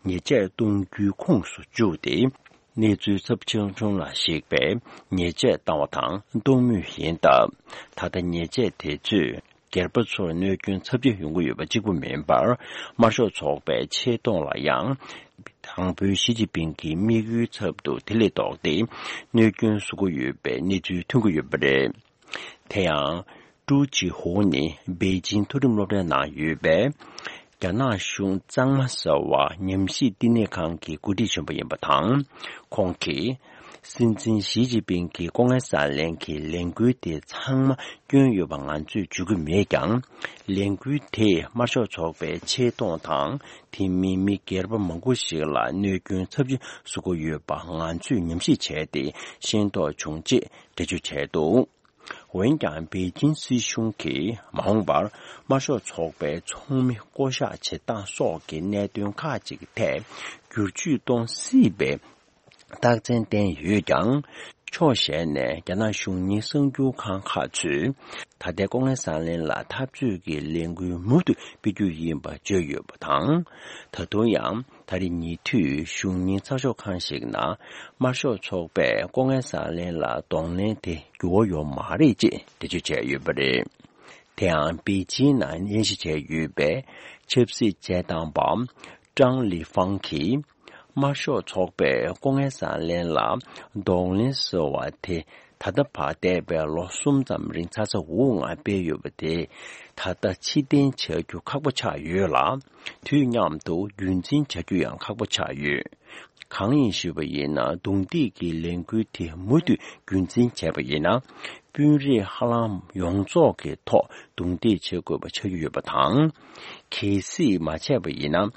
ཉེས་ཆད་གཏོང་རྒྱུའི་ཁོངས་སུ་བཅུག་སྟེ། གནས་ཚུལ་ཚབས་ཆེ་ཆུང་ལ་གཞིགས་པའི་ཉེས་ཆད་བཏང་བ་དང་གཏོང་མུས་ཡིན་སྟབས། ད་ལྟ་ཉེས་ཆད་དེ་ཚོས་སྒེར་པ་ཚོར་གནོད་སྐྱོན་ཚབས་ཆེ་ཡོང་གི་ཡོད་པ་གཅིག་པུ་མིན་པར། དམར་ཤོག་ཚོགས་པའི་ཆེ་མཐོང་ལ་ཡང་། དང་པོའི་ཞི་ཅིན་ཕིང་གི་དམིགས་ཡུལ་ཚབ་ཏུ་དེ་ལས་ལྡོག་སྟེ། གནོད་སྐྱོན་བཟོ་གི་ཡོད་པའི་གནས་ཚུལ་ཐོན་གྱི་ཡོད་པ་རེད། དེ་ཡང་། ཀྲུའུ་ཅི་ཧུའུ་ནི་པེ་ཅིང་མཐོ་རིམ་སློབ་གྲྭའི་ནང་ཡོད་པའི། རྒྱ་ནག་གཞུང་གཙང་མ་ཟེར་བ་ཉམས་ཞིབ་བསྟི་གནས་ཁང་གི་འགོ་ཁྲིད་གཞོན་པ་ཡིན་པ་དང་། ཁོང་གིས། སྲིད་འཛིན་ཞི་ཅིན་ཕིང་གིས་ལྐོག་རྔན་ཟ་ལེན་གྱི་ལས་འགུལ་དེ་ཚང་མ་སྐྱོན་ཡོད་པ་ང་ཚོས་བརྗོད་ཀྱི་མེད་ཀྱང་། ལས་འགུལ་དེས་དམར་ཤོག་ཚོགས་པའི་ཆེ་མཐོང་དང་། དེ་མིན་མི་སྒེར་པ་མང་པོ་ཞིག་ལ་གནོད་སྐྱོན་ཚབས་ཆེ་བཟོ་གི་ཡོད་པ་ང་ཚོས་ཉམས་ཞིབ་བྱས་ཏེ་ཤེས་རྟོགས་བྱུང་ཅེས་འགྲེལ་བརྗོད་བྱས་འདུག་འོན་ཀྱང་པེ་ཅིན་སྲིད་གཞུང་གིས་མ་འོངས་པར་དམར་ཤོག་ཚོགས་པའི་ཚོགས་མི་བསྐོ་གཞག་བྱེད་སྟངས་སོགས་ཀྱི་གནད་དོན་ཁག་ཅིག་གི་ཐད་བསྒྱུར་བཅོས་གཏོང་སྲིད་པའི་རྟགས་མཚན་བསྟན་ཡོད་ཀྱང་། ཕྱོགས་གཞན་ནས་རྒྱ་ནག་གཞུང་གཉེར་གསར་འགྱུར་ཁང་ཁག་ཚོས་ད་ལྟའི་ལྐོག་རྔན་ཟ་ལེན་ལ་འཐབ་རྩོད་ཀྱི་ལས་འགུལ་མུ་མཐུད་སྤེལ་རྒྱུ་ཡིན་པ་བརྗོད་ཡོད་པ་དང་། ད་དུང་ཡང་། ད་རེས་ཉེ་དུས་གཞུང་གཉེར་ཚགས་ཤོག་ཁང་ཞིག་ནང་དམར་ཤོག་ཚོགས་པས་ལྐོག་རྔན་ཟ་ལེན་ལ་གདོང་ལེན་དེ་འགྱུར་བ་ཡོད་མ་རེད་ཅེས་འགྲེལ་བརྗོད་བྱས་ཡོད་པ་རེད། དེ་ཡང་པེ་ཅིན་ནང་གནས་གཞི་བྱས་ཡོད་པའི་ཆབ་སྲིད་དཔྱད་གཏམ་པ་ཀྲང་ལི་ཧྥང་གིས། དམར་ཤོག་ཚོགས་པས་ལྐོག་རྔན་ཟ་ལེན་ལ་གདོང་ལེན་ཟེར་བ་དེ། ད་ལྟ་བར་འདས་པའི་ལོ་གསུམ་ཙམ་རིང་ཚ་ཚ་འུར་འུར་ངང་སྤེལ་ཡོད་པ་དེ། ད་ལྟ་ཕྱིར་འཐེན་བྱ་རྒྱུ་ཁག་པོ་ཆགས་ཡོད་ལ། དུས་མཉམ་དུ་རྒྱུན་འཛིན་བྱ་རྒྱུ་ཡང་ཁག་པོ་ཆགས་ཡོད། གང་ཡིན་ཞུས་པ་ཡིན་ན། རྡུང་རྡེག་གི་ལས་འགུལ་དེ་མུ་མཐུད་རྒྱུན་འཛིན་བྱས་པ་ཡིན་ན། དཔོན་རིགས་ཧ་ལམ་ཡོངས་རྫོགས་ཀྱི་ཐོག་རྡུང་རྡེག་བྱེད་དགོས་པ་ཆགས་ཀྱི་ཡོད་པ་དང་། གལ་སྲིད་མ་བྱས་པ་ཡིན་ན།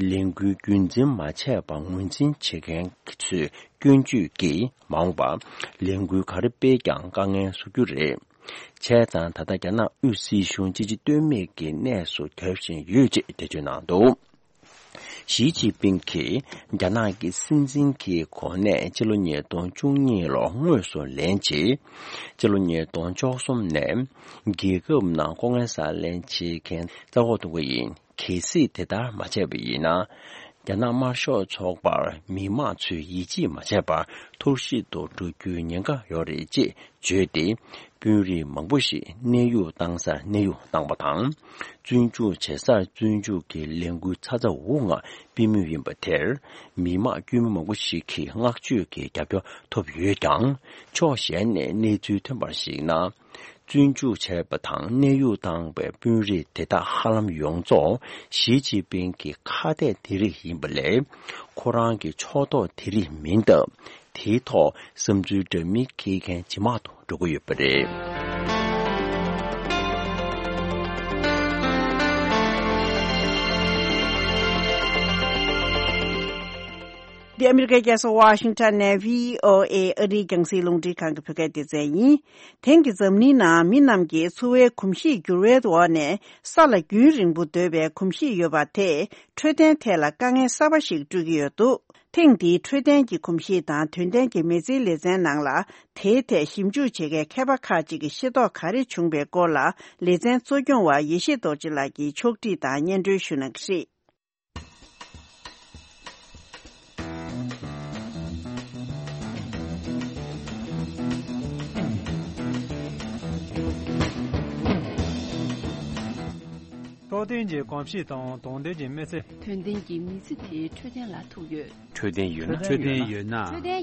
ལས་འགུལ་རྒྱུན་འཛིན་མ་བྱས་པར་ངོས་འཛིན་བྱེད་མཁན་ཚོས་སྐྱོན་བརྗོད་ཀྱིས་མ་འོངས་པར་ལས་འགུལ་ག་རེ་སྤེལ་ཀྱང་དཀའ་ངལ་བཟོ་རྒྱུ་རེད། བྱས་ཙང་ད་ལྟ་རྒྱ་ནག་དབུས་སྲིད་གཞུང་སྤྱི་ཆིངས་ལྟོས་མེད་ཀྱི་གནས་སུ་གྱར་བཞིན་ཡོད་ཅེས་འགྲེལ་བརྗོད་གནང་འདུག་ཞི་ཅིན་ཕིང་གིས་རྒྱ་ནག་གི་སྲིད་འཛིན་གྱི་གོ་གནས་སྤྱི་ལོ་ཉིས་སྟོང་བཅུ་གཉིས་ལོར་དངོས་སུ་ལེན་རྗེས། སྤྱི་ལོ་ཉིས་སྟོང་བཅུ་གསུམ་ནས་རྒྱལ་ཁབ་ནང་ལྐོག་རྔན་ཟ་ལེན་བྱེད་མཁན་རྩ་འགོག་གཏོང་གི་ཡིན། གལ་སྲིད་དེ་ལྟར་མ་བྱས་པ་ཡིན་ན། རྒྱ་ནག་དམར་ཤོག་ཚོགས་པར་མི་མང་ཚོས་ཡིད་ཆེས་མ་བྱས་པར་འཐོར་ཞིག་ཏུ་འགྲོ་རྒྱུའི་ཉེན་ཁ་ཡོད་རེད་ཅེས་བརྗོད་དེ། དཔོན་རིགས་མང་པོ་ཞིག་གནས་དབྱུང་བཏང་སར་གནས་དབྱུང་བཏང་བ་དང་། བཙོན་འཇུག་བྱེད་སར་བཙོན་འཇུག་གི་ལས་འགུལ་ཚ་ཚ་འུར་འུར་ངང་སྤེལ་མུས་ཡིན་པ་དེར། མི་མང་དཀྱུས་མ་མང་པོ་ཞིག་གིས་བསྔགས་བརྗོད་ཀྱི་རྒྱབ་སྐྱོར་ཐོབ་ཡོད་ཀྱང་། ཕྱོགས་གཞན་ནས་གནས་ཚུལ་ཐོན་པར་གཞིགས་ན། བཙོན་འཇུག་བྱས་པ་དང་གནས་དབྱུང་བཏང་བའི་དཔོན་རིགས་དེ་དག་ཧ་ལམ་ཡོངས་རྫོགས་ཞི་ཅིན་ཕིང་གི་ཁ་གཏད་དེ་རིགས་ཡིན་པ་ལས། ཁོ་རང་གི་ཕྱོགས་གཏོགས་དེ་རིགས་མིན་སྟབས། དེའི་ཐོག་བསམ་ཚུལ་འདྲ་མིན་འཁྱེར་མཁན་ཇེ་མང་དུ་འགྲོ་གི་ཡོད་པ་རེད། འདི་ཨ་མི་རི་ཀའི་རྒྱལ་ས་ཝ་ཤིང་ཊོན་ནས་བྷི་ཨོ་ཨེ་ཨ་རིའི་རྒྱང་སྲིང་རླུང་འཕྲིན་ཁང་གི་བོད་སྐད་སྡེ་ཚན་ཡིན། དེང་གི་འཛམ་གླིང་ནང་མི་རྣམས་ཀྱིས་འཚོ་བའི་གོམས་གཤིས་འགྱུར་བའི་འོག་ནས་ས་ལ་རྒྱུན་རིང་པོ་སྡོད་པའི་གོམས་གཤིས་ཡོད་པ་དེས་འཕྲོད་བསྟེན་ཐད་ལ་དཀའ་ངལ་གསར་པ་ཞིག་སྤྲོད་ཀྱི་ཡོད་འདུག་ཐེངས་འདིའི་འཕྲོད་བསྟེན་གྱི་གོམས་གཤིས་དང་དོན་ལྡན་གྱི་མི་ཚེའི་ལེ་ཚན་ནང་ལ། དེའི་ཐད་ཞིབ་འཇུག་བྱེད་མཁན་མཁས་པ་ཁག་ཅིག་གིས་ཤེས་རྟོགས་ག་རེ་བྱུང་བའི་སྐོར་ལ། ལེ་ཚན་གཙོ་སྐྱོང་བ་ཡེ་ཤེས་རྡོ་རྗེ་ལགས་ཀྱིས་ཕྱོགས་སྒྲིག་དང་སྙན་སྒྲོན་ཞུ་གནང་གི་རེད། འཕྲོད་བསྟེན་གྱི་གོམས་གཤིས་དང་དོན་ལྡན་གྱི་མི་ཚེ། དོན་ལྡན་གྱི་མི་ཚེ་དེ་འཕྲོད་བསྟེན་ལ་ཐུག་ཡོད། འཕྲོད་བསྟེན་ཡོད་ན། འཕྲོད་བསྟེན་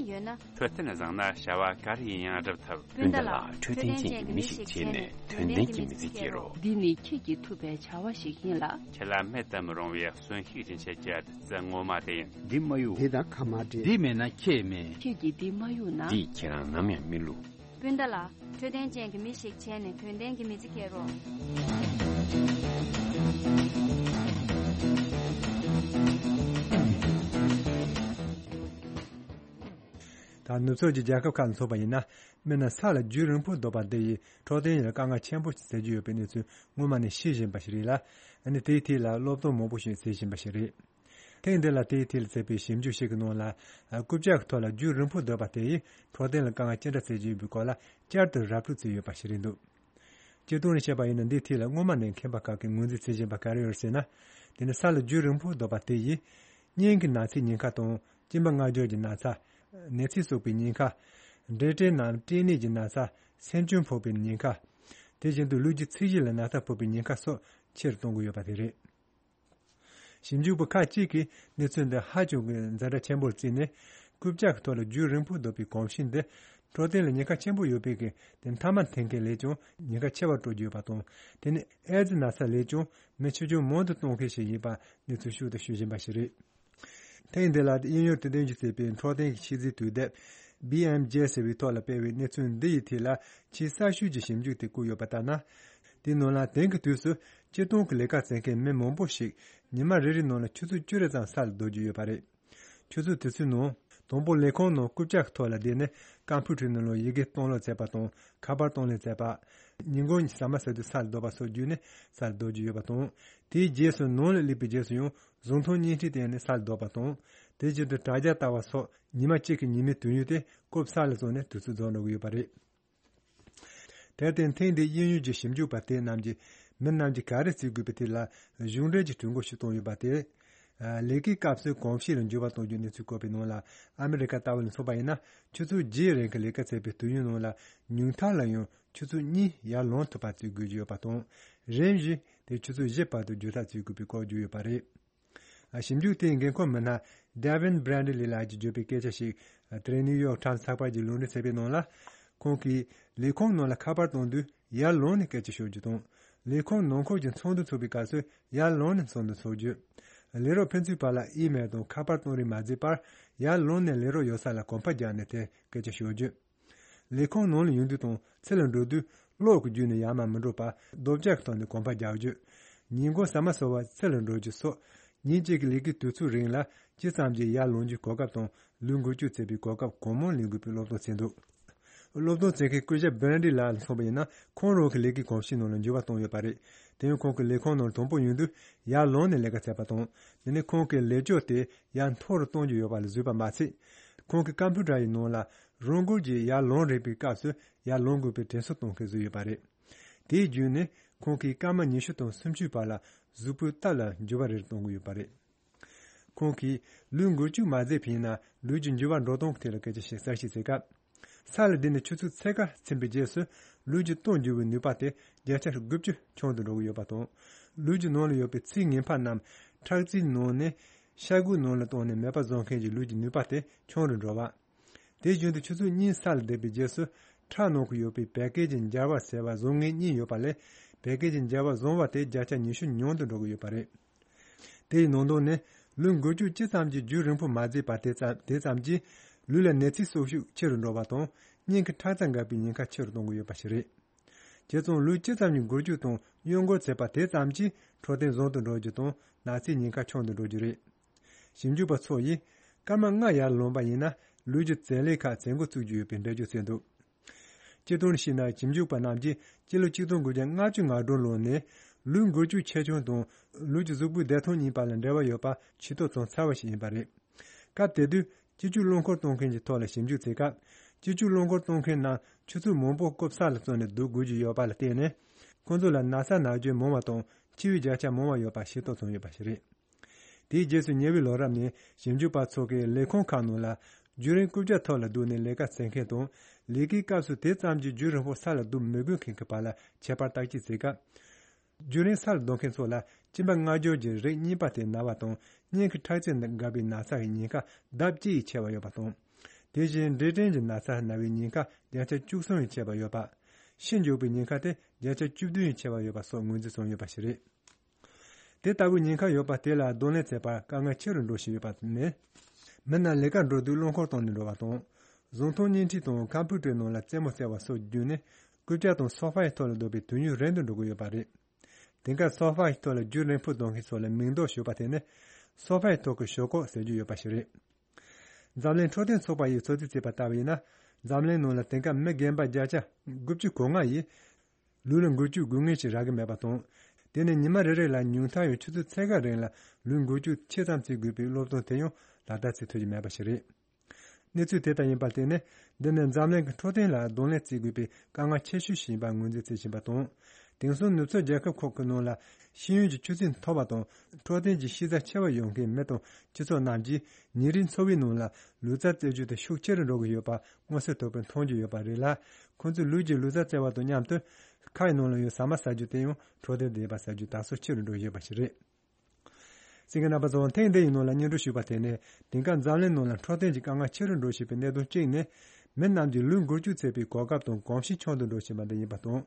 ཡོད་ན། འཕྲོད་བསྟེན་བཟང་ན་བྱ་བ་ག་རེ་ཡིན་ཡང་འགྲུབ་ཐུབ། སྤུན་ཟླ་ལགས། འཕྲོད་བསྟེན་ཅན་གྱི་མི་ཞིག་བྱས་ནས་དོན་ལྡན་གྱི་མི་ཚེ་སྐྱེལ་རོགས། འདི་ནི་ཁྱེད་ཀྱིས་ཐུབ་པའི་བྱ་བ་ཞིག་ཡིན་ལ། ཁྱེད་ལ་མེད་དུ་མི་རུང་བའི་གསོན་ཤུགས་སྦྱིན་བྱེད་ཀྱི་བདུད་རྩི་ངོ་མ་དེ་ཡིན། འདི་མ་གཡུག་འདི་དང་ཁ་མ་འབྲལ། འདི་མེད་ན་ཁྱེད་མེད། ཁྱེད་ཀྱིས་འདི་མ་གཡུག་ན། འདིས་ཁྱེད་རང་ནམ་ཡང་མི་བསླུ། སྤུན་ཟླ་ལགས། འཕྲོད་བསྟེན་ཅན་གྱི་མི་ཞིག་བྱས་ནས་དོན་ལྡན་གྱི་མི་ཚེ་སྐྱེལ་རོགས། ད་ནུབ་ཕྱོགས་ཀྱི་རྒྱལ་ཁབ་ཁག་ལ་མཚོན་པ་ཡིན་ན། མི་རྣམས་ས་ལ་རྒྱུན་རིང་པོ་སྡོད་པ་འདི་ཡིས་འཕྲོད་བསྟེན་ལ་དཀའ་ངལ་ཆེན་པོ་ཞིག་སེལ་གྱི་ཡོད་པའི་གནས་ཚུལ་སྔོན་མ་ནས་ཤེས་བཞིན་པ་ཞིག་རེད་ལ། ཨ་ནི་དེའི་ཐད་ལ་སློབ་སྟོན་མང་པོ་ཞིག་བྱེད་བཞིན་པ་ཞིག་རེད། ཐེངས་འདི་ལ་དེའི་ཐད་ལ་བྱས་པའི་ཞིབ་འཇུག་ཞིག་གི་ནང་ལ། རྐུབ་བཀྱག་གི་ཐོག་ལ་རྒྱུན་རིང་པོ་སྡོད་པ་དེ་ཡིས་འཕྲོད་བསྟེན་ལ་དཀའ་ངལ་ཅི་འདྲ་སེལ་གྱི་ཡོད་པའི་སྐོར་ལ་བསྐྱར་དུ་ར་སྤྲོད་བྱས་ཡོད་པ་ཞིག་རེད་འདུག། སྤྱིར་བཏང་ནས་བཤད་པ་ཡིན་ན། འདིའི་ཐད་ལ་སྔོན་མ་ནས་མཁས་པ་ཁག་གིས་ངོས་འཛིན་བྱེད་བཞིན་པ་ག་རེ་ཡོད་ཟེར་ན། དེ་ནི་ས་ལ་རྒྱུན་རིང་པོ་སྡོད་པ་དེ་ཡིས་སྙིང་གི་ན་ཚའི་ཉེན་ཁ་དང་། གཅིན་པ་མངར་སྦྱོར་གྱི་ན་ཚ། ནད་ཚིགས་སོགས་པའི་ཉེན་ཁ། འབྲས་སྐྲན་ནམ་སྐྲན་ནད་ཀྱི་ན་ཚ། སེམས་ཅན་ཕོག་པའི་ཉེན་ཁ། དེ་བཞིན་དུ་ལུས་ཀྱི་ཚད་གཞི་ལ་ན་ཚ་ཕོག་པའི་ཉེན་ཁ་སོགས་ཆེ་རུ་གཏོང་གི་ཡོད་པ་དེ་རེད། ཞིབ་འཇུག་པ་ཁག་ཅིག་གིས་གནས་ཚུལ་འདི་ཧ་ཅང་གི་ཛ་དྲག་ཆེན་པོར་བརྩིས་ནས། རྐུབ་བཀྱག་གི་ཐོག་ལ་རྒྱུན་རིང་པོ་སྡོད་པའི་གོམས་གཤིས་འདི་འཕྲོད་བསྟེན་ལ་ཉེན་ཁ་ཆེན་པོ་ཡོད་པའི་གི་དེ་མཐའ་མ་འཐེན་མཁན་ལས་ཀྱང་ཉེན་ཁ་ཆེ་བར་སྤྲོད་ཀྱི་ཡོད་པ་དང་། དེ་ནི་ཨེ་ཙི་ན་ཚ་ལས་ཀྱང་མི་ཆེ་ཆུང་མང་དུ་གཏོང་མཁན་ཞིག་ཡིན་པ་གནས་ཚུལ་ཤུགས་ཏུ་ཤོད་བཞིན་པ་ཞིག་རེད། ཐེངས་འདི་ལ་དབྱིན་ཡུལ་དུ་སྟོན་རྒྱུ་བྱས་པའི་འཕྲོད་བསྟེན་གྱི་ཤེས་ཚད་དུས་དེབ་བྷི་ཨེམ་ཇེ་ཟེར་བའི་ཐོག་ལ་སྤེལ་བའི་གནས་ཚུལ་འདི་ཡི་ཐད་ལ། ཆེས་གསར་ཤོས་ཀྱི་ཞིབ་འཇུག་དེ་བཀོད་ཡོད་པ་ལྟར་ན། དེའི་ནང་ལ་དེང་གི་དུས་སུ་སྤྱིར་བཏང་གི་ལས་ཀ་བྱེད་མཁན་མི་མང་པོ་ཞིག་ཉི་མ་རེ་རེའི་ནང་ལ་ཆུ་ཚོད་བཅུ་རེ་ཙམ་ས་ལ་སྡོད་ཀྱི་ཡོད་པ་རེད། ཆུ་ཚོད་དེ་ཚོའི་ནང་དང་པོ་ལས་ཁུངས་ནང་རྐུབ་བཀྱག་གི་ཐོག་ལ་བསྡད་ནས་ཀམ་པུ་ཊར་ནང་ལ་ཡི་གེ་གཏོང་ལེན་བྱེད་པ་དང་། ཁ་པར་གཏོང་ལེན་བྱེད་པ། ཉིན་གུང་ཟ་མ་ཟ་དུས་ས་ལ་སྡོད་པ་སོགས་བརྒྱུད་ནས་ས་ལ་སྡོད་ཀྱི་ཡོད་པ་དང་། དེའི་རྗེས་སུ་ནང་ལ་སླེབས་པའི་རྗེས་སུ་ཡང་གཟུགས་མཐོང་བརྙན་འཕྲིན་སྟེང་ནས་ས་ལ་སྡོད་པ་དང་། དེ་བཞིན་དུ་དྲ་རྒྱ་ལྟ་བ་སོགས་ཉི་མ་གཅིག་གི་ཉིན་མའི་དུས་ཡུན་དེ་རྐུབ་ས་ལ་བཟུང་ནས་དུས་ཚོད་རྫོགས་འགྲོ་གི་ཡོད་པ་རེད། དེར་བརྟེན་ཐེངས་འདིའི་དབྱིན་ཡུལ་གྱི་ཞིབ་འཇུག་པ་དེ་རྣམས་ཀྱིས་མི་རྣམས་ཀྱིས་ག་རེ་བྱེད་དགོས་པའི་ཐད་ལ་གཞུང་འབྲེལ་གྱི་གྲོས་འགོ་ཞིག་བཏོན་ཡོད་པ་དེ། ལས་ཀའི་སྐབས་སུ་གོམས་གཤིས་ལ་འགྱུར་བ་གཏོང་རྒྱུའི་གནས་ཚུལ་བཀོད་པའི་ནང་ལ། ཨ་མི་རི་ཀ་ལྟ་བུ་ལ་མཚོན་པ་ཡིན་ན། ཆུ་ཚོད་བརྒྱད་རིང་གི་ལས་ཀ་བྱས་པའི་དུས་ཡུན་ནང་ལ་ཉུང་མཐའ་ལ་ཡང་ཆུ་ཚོད་གཉིས་ཡར་ལངས་ཐུབ་པ་བྱེད་དགོས་ཀྱི་ཡོད་པ་དང་། རིམ་བཞིན་དེ་ཆུ་ཚོད་བཞི་བར་དུ་བརྒྱུད་ཐག་བྱེད་དགོས་པའི་སྐོར་བརྗོད་ཡོད་པ་རེད། ཞིབ་འཇུག་དེའི་འགན་འཁུར་མི་སྣ་Devin Bradley ལགས་ཀྱིས་བརྗོད་པའི་སྐད་ཆ་ཞིག་དེ་རིང་ནིའུ་ཡོག་ཊའིམ་སི་ཚགས་པར་གྱིས་ལུང་འདྲེན་བྱས་པའི་ནང་ལ། ཁོང་གིས་ལས་ཁུངས་ནང་ལ་ཁ་པར་གཏོང་དུས་ཡར་ལངས་ནས་སྐད་ཆ་ཤོད་རྒྱུ་དང་། ལས་ཁུངས་ནང་ཁུལ་གྱི་ཚོགས་འདུ་ཚོགས་པའི་སྐབས་སུ་ཡར་ལངས་ནས་ཚོགས་འདུ་ཚོགས་རྒྱུ། ལས་རོགས་ཕན་ཚུན་བར་ལ་ཨི་མེལ་དང་ཁ་པར་གཏོང་རེས་མ་བྱས་པར། ཡར་ལངས་ནས་ལས་རོགས་ཡོད་ས་ལ་གོམ་པ་རྒྱག་ནས་དེ་སྐད་ཆ་ཤོད་རྒྱུ། ལས་ཁུངས་ནང་ལ་ཡོང་དུས་དང་ཕྱི་ལ་འགྲོ་དུས་གློག་གི་བརྒྱུད་ནས་ཡར་མར་མི་འགྲོ་བར་རྡོ་བཀྱག་གི་ཐོག་ནས་གོམ་པ་རྒྱག་རྒྱུ། ཉིན་གུང་ཟ་མ་ཟ་བར་ཕྱི་ལ་འགྲོ་རྒྱུ་སོགས། ཉིན་གཅིག་གི་ལས་ཀའི་དུས་ཚོད་རིང་ལ་ཇི་ཙམ་གྱིས་ཡར་ལངས་རྒྱུའི་གོ་སྐབས་དང་ལུས་འགུལ་སྐྱོད་བྱེད་པའི་གོ་སྐབས་གང་མང་ལེན་དགོས་པའི་སློབ་སྟོན་བྱས་འདུག། སློབ་སྟོན་བྱེད་མཁན་སྐུ་ཞབས་བྷན་ཌི་ལགས་ལ་མཚོན་པ་ཡིན་ན། ཁོང་རང་གི་ལས་ཀའི་གོམས་གཤིས་ནང་ལ་འགྱུར་བ་བཏང་ཡོད་པ་རེད། དེ་ཡང་ཁོང་གིས་ལས་ཁུངས་ནང་དང་པོ་ཡོང་དུས་ཡར་ལངས་ནས་ལས་ཀ་བྱས་པ་དང་། དེ་ནས་ཁོང་གིས་ལས་ཕྱོགས་དེ་ཡར་མཐོ་རུ་གཏོང་རྒྱུ་ཡོད་པ་ལ་བཟོས་པ་མ་ཟད། ཁོང་གི་ཀམ་པུ་ཊར་ཡི་ནང་ལ་རང་འགུལ་གྱིས་ཡར་ལངས་རན་པའི་སྐབས་སུ་ཡར་ལངས་དགོས་པའི་དྲན་གསོ་གཏོང་མཁན་བཟོས་ཡོད་པ་རེད། དེའི་བརྒྱུད་ནས་ཁོང་གིས་སྐར་མ་ཉི་ཤུ་དང་སུམ་ཅུའི་བར་ལ་གཟུགས་པོའི་སྟབས་ལ་འགྱུར་བ་རེ་རེ་གཏོང་གི་ཡོད་པ་རེད། ཁོང་གིས་ལུས་འགུལ་སྐྱོད་མ་བྱས་པ་ཡིན་ན་ལུས་ཀྱི་འགྱུར་བ་འགྲོ་སྟངས་ཐད་ལ་སྐད་ཆ་ཞིག་གསལ་བཤད་བྱེད་སྐབས། ས་ལ་བསྡད་ནས་ཆུ་ཚོད་ཕྱེད་ཀ་ཕྱིན་པའི་རྗེས་སུ་ལུས་ཀྱི་སྟོབས་འགྱུར་བའི་ནུས་པ་དེ་བརྒྱ་ཆ་དགུ་བཅུ་ཆུང་དུ་འགྲོ་གི་ཡོད་པ་དང་། ལུས་ཀྱི་ནང་ལ་ཡོད་པའི་ཚིལ་ངན་པ་རྣམས་ཁྲག་རྩའི་ནང་ནས་ཤ་དགུའི་ནང་ལ་བཏང་ནས་མེད་པ་བཟོ་མཁན་གྱི་ལུས་ཀྱི་ནུས་པ་དེ་ཆུང་རུ་འགྲོ་བ། དེ་བཞིན་དུ་ཆུ་ཚོད་གཉིས་ས་ལ་བསྡད་པའི་རྗེས་སུ་ཁྲག་ནང་དུ་ཡོད་པའི་བད་ཀན་གྱི་འབྱར་བ་ཟེར་བ་བཟོ་མཁན་གཉིས་ཡོད་པ་ལས། བད་ཀན་གྱི་འབྱར་བ་བཟོ་བ་དེ་བརྒྱ་ཆ་ཉི་ཤུ་ཉུང་དུ་འགྲོ་གི་ཡོད་པ་རེད། དེ་ཡི་ནང་དོན་ནི། ལུས་འགུལ་སྐྱོད་ཅི་ཙམ་གྱིས་རྒྱུན་རིང་པོ་མ་བྱས་པ་དེ་ཙམ་དེ་ཙམ་གྱིས་ལུས་ལ་ནད་ཚའི་སྲོག་ཤུགས་ཆེ་རུ་འགྲོ་བ་དང་། སྙིང་གི་ཁྲག་རྩ་འགག་པའི་ཉེན་ཁ་ཆེ་རུ་གཏོང་གི་ཡོད་པ་ཞིག་རེད། བྱས་ཙང་ལུས་ཇི་ཙམ་གྱིས་འགུལ་སྐྱོད་དང་གཡོ་འགུལ་བྱེད་པ་དེ་ཙམ་གྱིས་འཕྲོད་བསྟེན་བཟང་དུ་འགྲོ་རྒྱུ་དང་ན་ཚའི་ཉེན་ཁ་ཆུང་དུ་འགྲོ་རྒྱུ་རེད། ཞིབ་འཇུག་པ་ཚོ་ཡིས་སྐར་མ་ལྔ་ཡར་ལངས་པ་ཡིན་ན་ལུས་ཀྱི་བྱེད་ལས་ཁག་བྱེད་འགོ་བཙུགས་རྒྱུ་ཡོད་པའི་འགྲེལ་བརྗོད་བྱས་འདུག། སྤྱིར་བཏང་ནས་བཤད་ན་ཞིབ་འཇུག་པ་རྣམས་ཀྱིས་སྤྱི་ལོ་ཆིག་སྟོང་དགུ་བརྒྱ་ལྔ་བཅུ་ང་དྲུག་ལོ་ནས་ལུས་འགུལ་སྐྱོད་ཆེ་ཆུང་དང་ལུས་ཀྱི་གཟུགས་པོའི་བདེ་ཐང་གཉིས་བར་ལ་འབྲེལ་བ་ཡོད་པ་ཤེས་རྟོགས་བྱུང་ཚར་བ་ཞིག་ཡིན་པ་རེད། སྐབས་དེ་དུས་སྤྱི་སྤྱོད་རླངས་འཁོར་གཏོང་མཁན་གྱི་ཐོག་ལ་ཞིབ་འཇུག་བྱེད་སྐབས། སྤྱི་སྤྱོད་རླངས་འཁོར་གཏོང་མཁན་རྣམས་ཆུ་ཚོད་མང་པོ་རྐུབ་ས་ལ་བརྩིས་ནས་སྡོད་དགོས་ཀྱི་ཡོད་པ་ལ་བརྟེན་ནས། ཁོང་ཚོ་ལ་ན་ཚ་ན་གྱོན་མང་བ་དང་འཆི་བའི་བརྒྱ་ཆ་མང་བ་ཡོད་པ་ཤེས་རྟོགས་བྱུང་ཡོད་པ་ཞིག་རེད། དེའི་རྗེས་སུ་ཉེ་བའི་ལོ་རབས་ནས་ཞིབ་འཇུག་པ་ཚོ་གིས་ལས་ཁུངས་ཁག་ནང་ལ་རྒྱུན་རིང་རྐུབ་བཀྱག་ཐོག་ལ་སྡོད་ནས་ལས་ཀ་བྱེད་མཁན་དང་། ལས་ཀའི་སྐབས་སུ་དེ་ཙམ་གྱིས་རྒྱུན་རིང་པོ་ས་ལ་སྡོད་མི་དགོས་མཁན་གྱི་བར་ལ་ཁྱད་པར་བརྟག་དཔྱད་བྱེད་སྐབས། རྒྱུན་རིང་ས་ལ་སྡོད་མཁན་ཚོ་ལ་གཅིན་པ་མངར་སྦྱོར་གྱི་རིགས་གཉིས་པ་དེ་ན་བ་དང་། སྙིང་གི་ཁྲག་རྩ་འགག་པའི་ན་ཚ་ཡི་ཉེན་ཁ་ལྡབ་གཅིག་ཡིས་ཆེ་བ་ཡོད་པ་དང་། དེ་བཞིན་འབྲས་སྐྲན་གྱི་ན་ཚ་ན་བའི་ཉེན་ཁ་བརྒྱ་ཆ་བཅུ་གསུམ་ཡིས་ཆེ་བ་ཡོད་པ། ཤི་འགྱོ་བའི་ཉེན་ཁ་དེ་བརྒྱ་ཆ་བཅུ་བདུན་ཡིས་ཆེ་བ་ཡོད་པ་སོགས་ངོས་འཛིན་བྱུང་ཡོད་པ་ཞིག་རེད། དེ་ལྟ་བུའི་ཉེན་ཁ་ཡོད་པ་དེ་ལ་གདོང་ལེན་བྱེད་པར་དཀའ་ངལ་ཆེ་རུ་འགྲོ་བཞིན་ཡོད་པ་ནི། མི་རྣམས་ལས་ཀར་འགྲོ་དུས་རླངས་འཁོར་གཏོང་ནས་འགྲོ་བ་དང་། གཟུགས་མཐོང་བརྙན་འཕྲིན་དང་ཀམ་པུ་ཊར་ནང་ལ་རྩེད་མོ་རྩེ་བ་སོགས་བརྒྱུད་ནས་རྐུབ་བཀྱག་དང་སོ་ཕའི་ཐོག་ལ་སྡོད་པའི་དུས་ཡུན་རིང་དུ་འགྲོ་གི་ཡོད་པ་རེད། དེང་སྐབས་སོ་ཕའི་ཐོག་ལ་རྒྱུན་རིང་པོ་སྡོད་མཁན་ཚོ་ལ་མིང་འདོགས་ཞུས་པ་དེ་ནི། སོ་ཕའི་ཐོག་གི་ཞོག་ཁོག་ཟེར་རྒྱུ་ཡོད་པ་ཞིག་རེད། འཛམ་གླིང་འཕྲོད་བསྟེན་ཚོགས་པ་ཡིས་ཚོད་རྩིས་བྱས་པ་ལྟ་བུ་ཡིན་ན། འཛམ་གླིང་ནང་ལ་དེང་སྐབས་མི་རྒན་པ་བརྒྱ་ཆ་དགུ་བཅུ་གོ་ལྔ་ཡིས་ལུས་ལ་འགུལ་སྐྱོད་དགོས་ངེས་ཤིག་རག་གི་མེད་པ་དང་། དེ་ནི་ཉི་མ་རེ་རེ་ལ་ཉུང་མཐའ་ཡང་ཆུ་ཚོད་ཕྱེད་ཀ་རིང་ལ་ལུས་འགུལ་སྐྱོད་ཆེ་ཙམ་བྱེད་དགོས་པའི་སློབ་སྟོན་དེ་ཡང་ལག་བསྟར་བྱེད་ཐུབ་ཀྱི་མེད་པ་ཞིག་རེད། གནས་ཚུལ་དེ་ལྟར་ཡིན་པར་བརྟེན་ནས། འདི་ནི་འཛམ་གླིང་གི་འཕྲོད་བསྟེན་ལ་གདོང་ལེན་བྱེད་དགོས་པའི་དཀའ་ངལ་ཆེ་ཤོས་ཤིག་ཡིན་པར་ངོས་འཛིན་བྱེད་བཞིན་པ་དང་། དེང་སང་ནུབ་ཕྱོགས་རྒྱལ་ཁབ་ཁག་གི་ནང་ལ་ཤེས་ཡོན་གྱི་ཆུ་ཚད་མཐོ་བ་དང་འཕྲོད་བསྟེན་གྱི་ཤེས་ཚད་ཆེ་བ་ཡོད་མཁན་མི་དང་སྤྱི་ཚོགས་རྣམས་ཀྱིས་ཉིན་རེའི་འཚོ་བའི་ནང་ལ་ལུས་རྩལ་རྩེད་རྒྱུ་དེ་ཤུགས་ཆེ་རུ་འགྲོ་གི་ཡོད་པ་མངོན་གསལ་དོད་པོས་མཐོང་རྒྱུ་ཡོད་པ་རེད་ལ། ཁོང་ཚོས་ལུས་ཀྱི་ལུས་རྩལ་རྩེ་བ་དང་མཉམ་དུ་ཁ་ཡི་ནང་ལ་ཡོད་ཟ་མ་ཟ་རྒྱུ་དེ་ཡང་འཕྲོད་བསྟེན་ལྡན་པ་ཟ་རྒྱུ་དར་སྲོལ་ཆེ་རུ་འགྲོ་ཡོད་པ་ཞིག་རེད། གསན་མཁན་རྣམ་པ་ཚོ། ཐེངས་འདིའི་ནང་ལ་སྙན་སྒྲོན་ཞུས་པ་དེ་ནི། དེང་སྐབས་འཛམ་གླིང་ནང་ལ་འཕྲོད་བསྟེན་གྱི་དཀའ་ངལ་ཆེ་རུ་འགྲོ་བཞིན་པའི་གནད་དོན་གཅིག་ནི། མི་རྣམས་ཀྱི་ལུས་འགུལ་སྐྱོད་བྱེད་པའི་གོ་སྐབས་དང་གོམས་གཤིས་ཆུང་དུ་འགྲོ་བཞིན་པ་འདི་ཡིན་པ་དང་།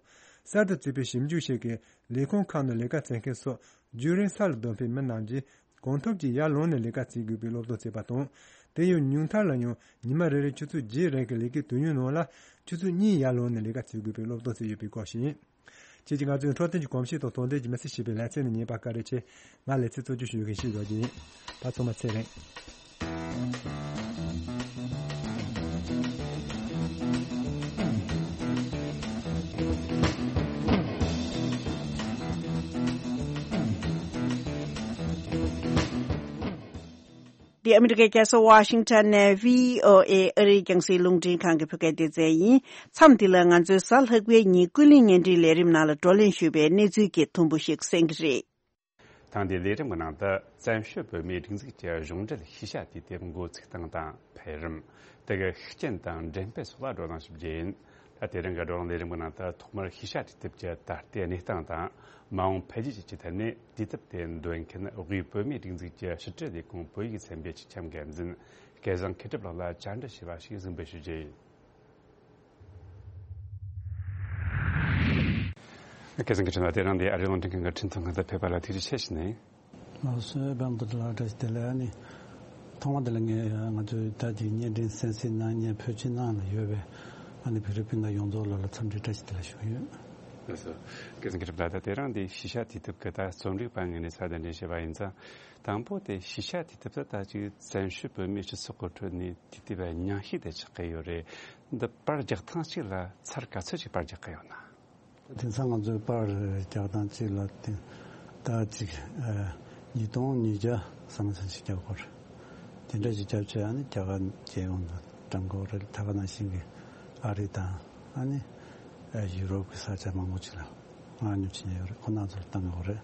གསར་དུ་བཙུགས་པའི་ཞིབ་འཇུག་ཞིག་གིས་ལས་ཁུངས་ཁག་ནང་ལས་ཀ་བྱེད་མཁན་སོགས་རྒྱུན་རིང་ས་ལ་སྡོད་མཁན་མི་རྣམས་ཀྱིས་གང་ཐུབ་ཀྱིས་ཡར་ལངས་ནས་ལས་ཀ་བྱེད་དགོས་པའི་སློབ་སྟོན་བྱས་པ་དང་། དེ་ཡང་ཉུང་མཐར་ལ་ཡང་ཉི་མ་རེ་རེར་ཆུ་ཚོད་བརྒྱད་རིང་གི་ལས་ཀའི་དུས་ཡུན་ནང་ལ་ཆུ་ཚོད་གཉིས་ཡར་ལངས་ནས་ལས་ཀ་བྱེད་དགོས་པའི་སློབ་སྟོན་བྱས་ཡོད་པའི་སྐོར་ཞིག་ཡིན། ཁྱེད་ཀྱིས་ང་ཚོའི་འཕྲོད་བསྟེན་གྱི་གོམས་གཤིས་དང་དོན་ལྡན་གྱི་མི་ཚེ་ཞེས་པའི་ལེ་ཚན་ནི་ཉན་པར་བཀའ་དྲིན་ཆེ། ང་ལེ་ཚན་གཙོ་སྐྱོང་ཞུ་མཁན་ཤེས་རབ་ཡིན། ད་ཚང་མ་ཚེ་རིང་། འདི་ཨ་མི་རི་ཀའི་རྒྱལ་ས་ཝ་ཤིང་ཊོན་ནས་བྷི་ཨོ་ཨེ་ཨ་རིའི་རྒྱང་སྲིང་རླུང་འཕྲིན་ཁང་གི་བོད་སྐད་སྡེ་ཚན་ཡིན། མཚམས་འདི་ལ་ང་ཚོའི་གཟའ་ལྷག་པའི་ཉིན་ཀུན་གླེང་བརྙན་འཕྲིན་ལས་རིམ་ནང་ལ་བགྲོ་གླེང་ཞུས་པའི་གནས་ཚུལ་གྱི་དུམ་བུ་ཞིག་གསན་གྱི་རེད། ཐེངས་འདིའི་ལས་རིམ་གྱི་ནང་དུ་བཙན་བྱོལ་བོད་མིའི་སྒྲིག་འཛུགས་ཀྱི་གཞུང་འབྲེལ་ཤེས་བྱ་དུས་དེབ་འགོ་ཚུགས་སྟངས་དང་འཕེལ་རིམ། དེ་གའི་ཤུགས་རྐྱེན་དང་འགྲེམས་སྤེལ་སོགས་ལ་བགྲོ་གླེང་ཞུ་རྒྱུ་ཡིན། ད་དེ་རིང་གི་བགྲོ་གླེང་ལས་རིམ་གྱི་ནང་དུ་ཐོག་མར་ཤེས་བྱ་དུས་དེབ་ཀྱི་ད་ལྟའི་གནས་སྟངས་དང་མ་འོངས་འཕེལ་རྒྱས་བཅས་ཀྱི་ཐད་ནས་དུས་དེབ་དེ་འདོན་མཁན་དབུས་བོད་མིའི་སྒྲིག་འཛུགས་ཀྱི་ཕྱི་དྲིལ་ལས་ཁུངས་བོད་ཡིག་ཚན་པའི་སྤྱི་ཁྱབ་འགན་འཛིན་སྐལ་བཟང་མཁས་གྲུབ་ལགས་ལ་བཅར་འདྲི་ཞུས་པ་ཞིག་གཟིགས་འབུལ་ཞུ་རྒྱུ་ཡིན། སྐལ་བཟང་མཁས་གྲུབ་ལགས། དེ་རིང་འདིར་ཨ་རིའི་རླུང་འཕྲིན་ཁང་གི་འཕྲིན་ཐུང་ཁང་དུ་ཕེབས་པ་ལ་ཐུགས་རྗེ་ཆེ་ཞུ་ནས། ལགས་སོ། པདྨ་དོན་གྲུབ་ལགས་བཀྲ་ཤིས་བདེ་ལེགས། ཨ་ནི་ཐོག་མ་དེ་ལ་ངས་ང་ཚོའི་ད་ཅིག་བརྙན་འཕྲིན་གསན་གཟིགས་གནང་མཁན་བོད་ཕྱི་ནང་ལ་ཡོད་པའི་ཨ་ནི་བོད་རིགས་སྤུན་ཟླ་ཡོངས་རྫོགས་ལ་ལ་འཚམས་འདྲི་བཀྲ་ཤིས་བདེ་ལེགས་ཞུ་གི་ཡོད། ལགས་སོ། སྐལ་བཟང་མཁས་གྲུབ་ལགས། ད་དེ་རིང་འདིར་ཤེས་བྱ་དུས་དེབ་ཀྱི་ད་རྩོམ་སྒྲིག་པ་ངོས་ནས་གསར་གཏོད་འདྲེན་བྱས་པ་ཡིན་ཙང་། དང་པོ་དེ་ཤེས་བྱ་དུས་དེབ་དེ་ད་ཅིག་བཙན་བྱོལ་བོད་མིའི་སྤྱི་ཚོགས་ཀྱི་ཁྲོད་ནས་དུས་དེབ་ཉམས་ཞིབ་དེ་ཆགས་ཀྱི་ཡོད་རེད། འདི་པར་རྒྱག་སྟངས་གཅིག་ལ་ཚར་ག་ཚོད་ཅིག་པར་རྒྱག་གི་ཡོད་ན། དེང་སང་ང་ཚོའི་པར་རྒྱག་སྟངས་གཅིག་ལ་དེ་ད་ཅིག་ཨ་ཉིས་སྟོང་ཉིས་བརྒྱ་ཙམ་ཙམ་ཞིག་རྒྱག་དགོས་རེད། དེ་འདྲ་ཞིག་རྒྱབ་བྱས་ཨ་ནི་རྒྱ་གར་རྒྱལ་ཡོངས་ལ་བཀྲམ་དགོས་རེད། ད་ག་ནང་བཞིན་གྱི་ཨ་རི་དང་ཨ་ནི་ཨ་ཡུ་རོབ་ཀྱི་ས་ཆ་མང་པོ་ཅིག་ལ་མངགས་ཉོ་བྱེད་ཉེན་ཡོད་རེད། ཁོ་རྣམ་ཚོ་ལ་བཏང་དགོས་རེད།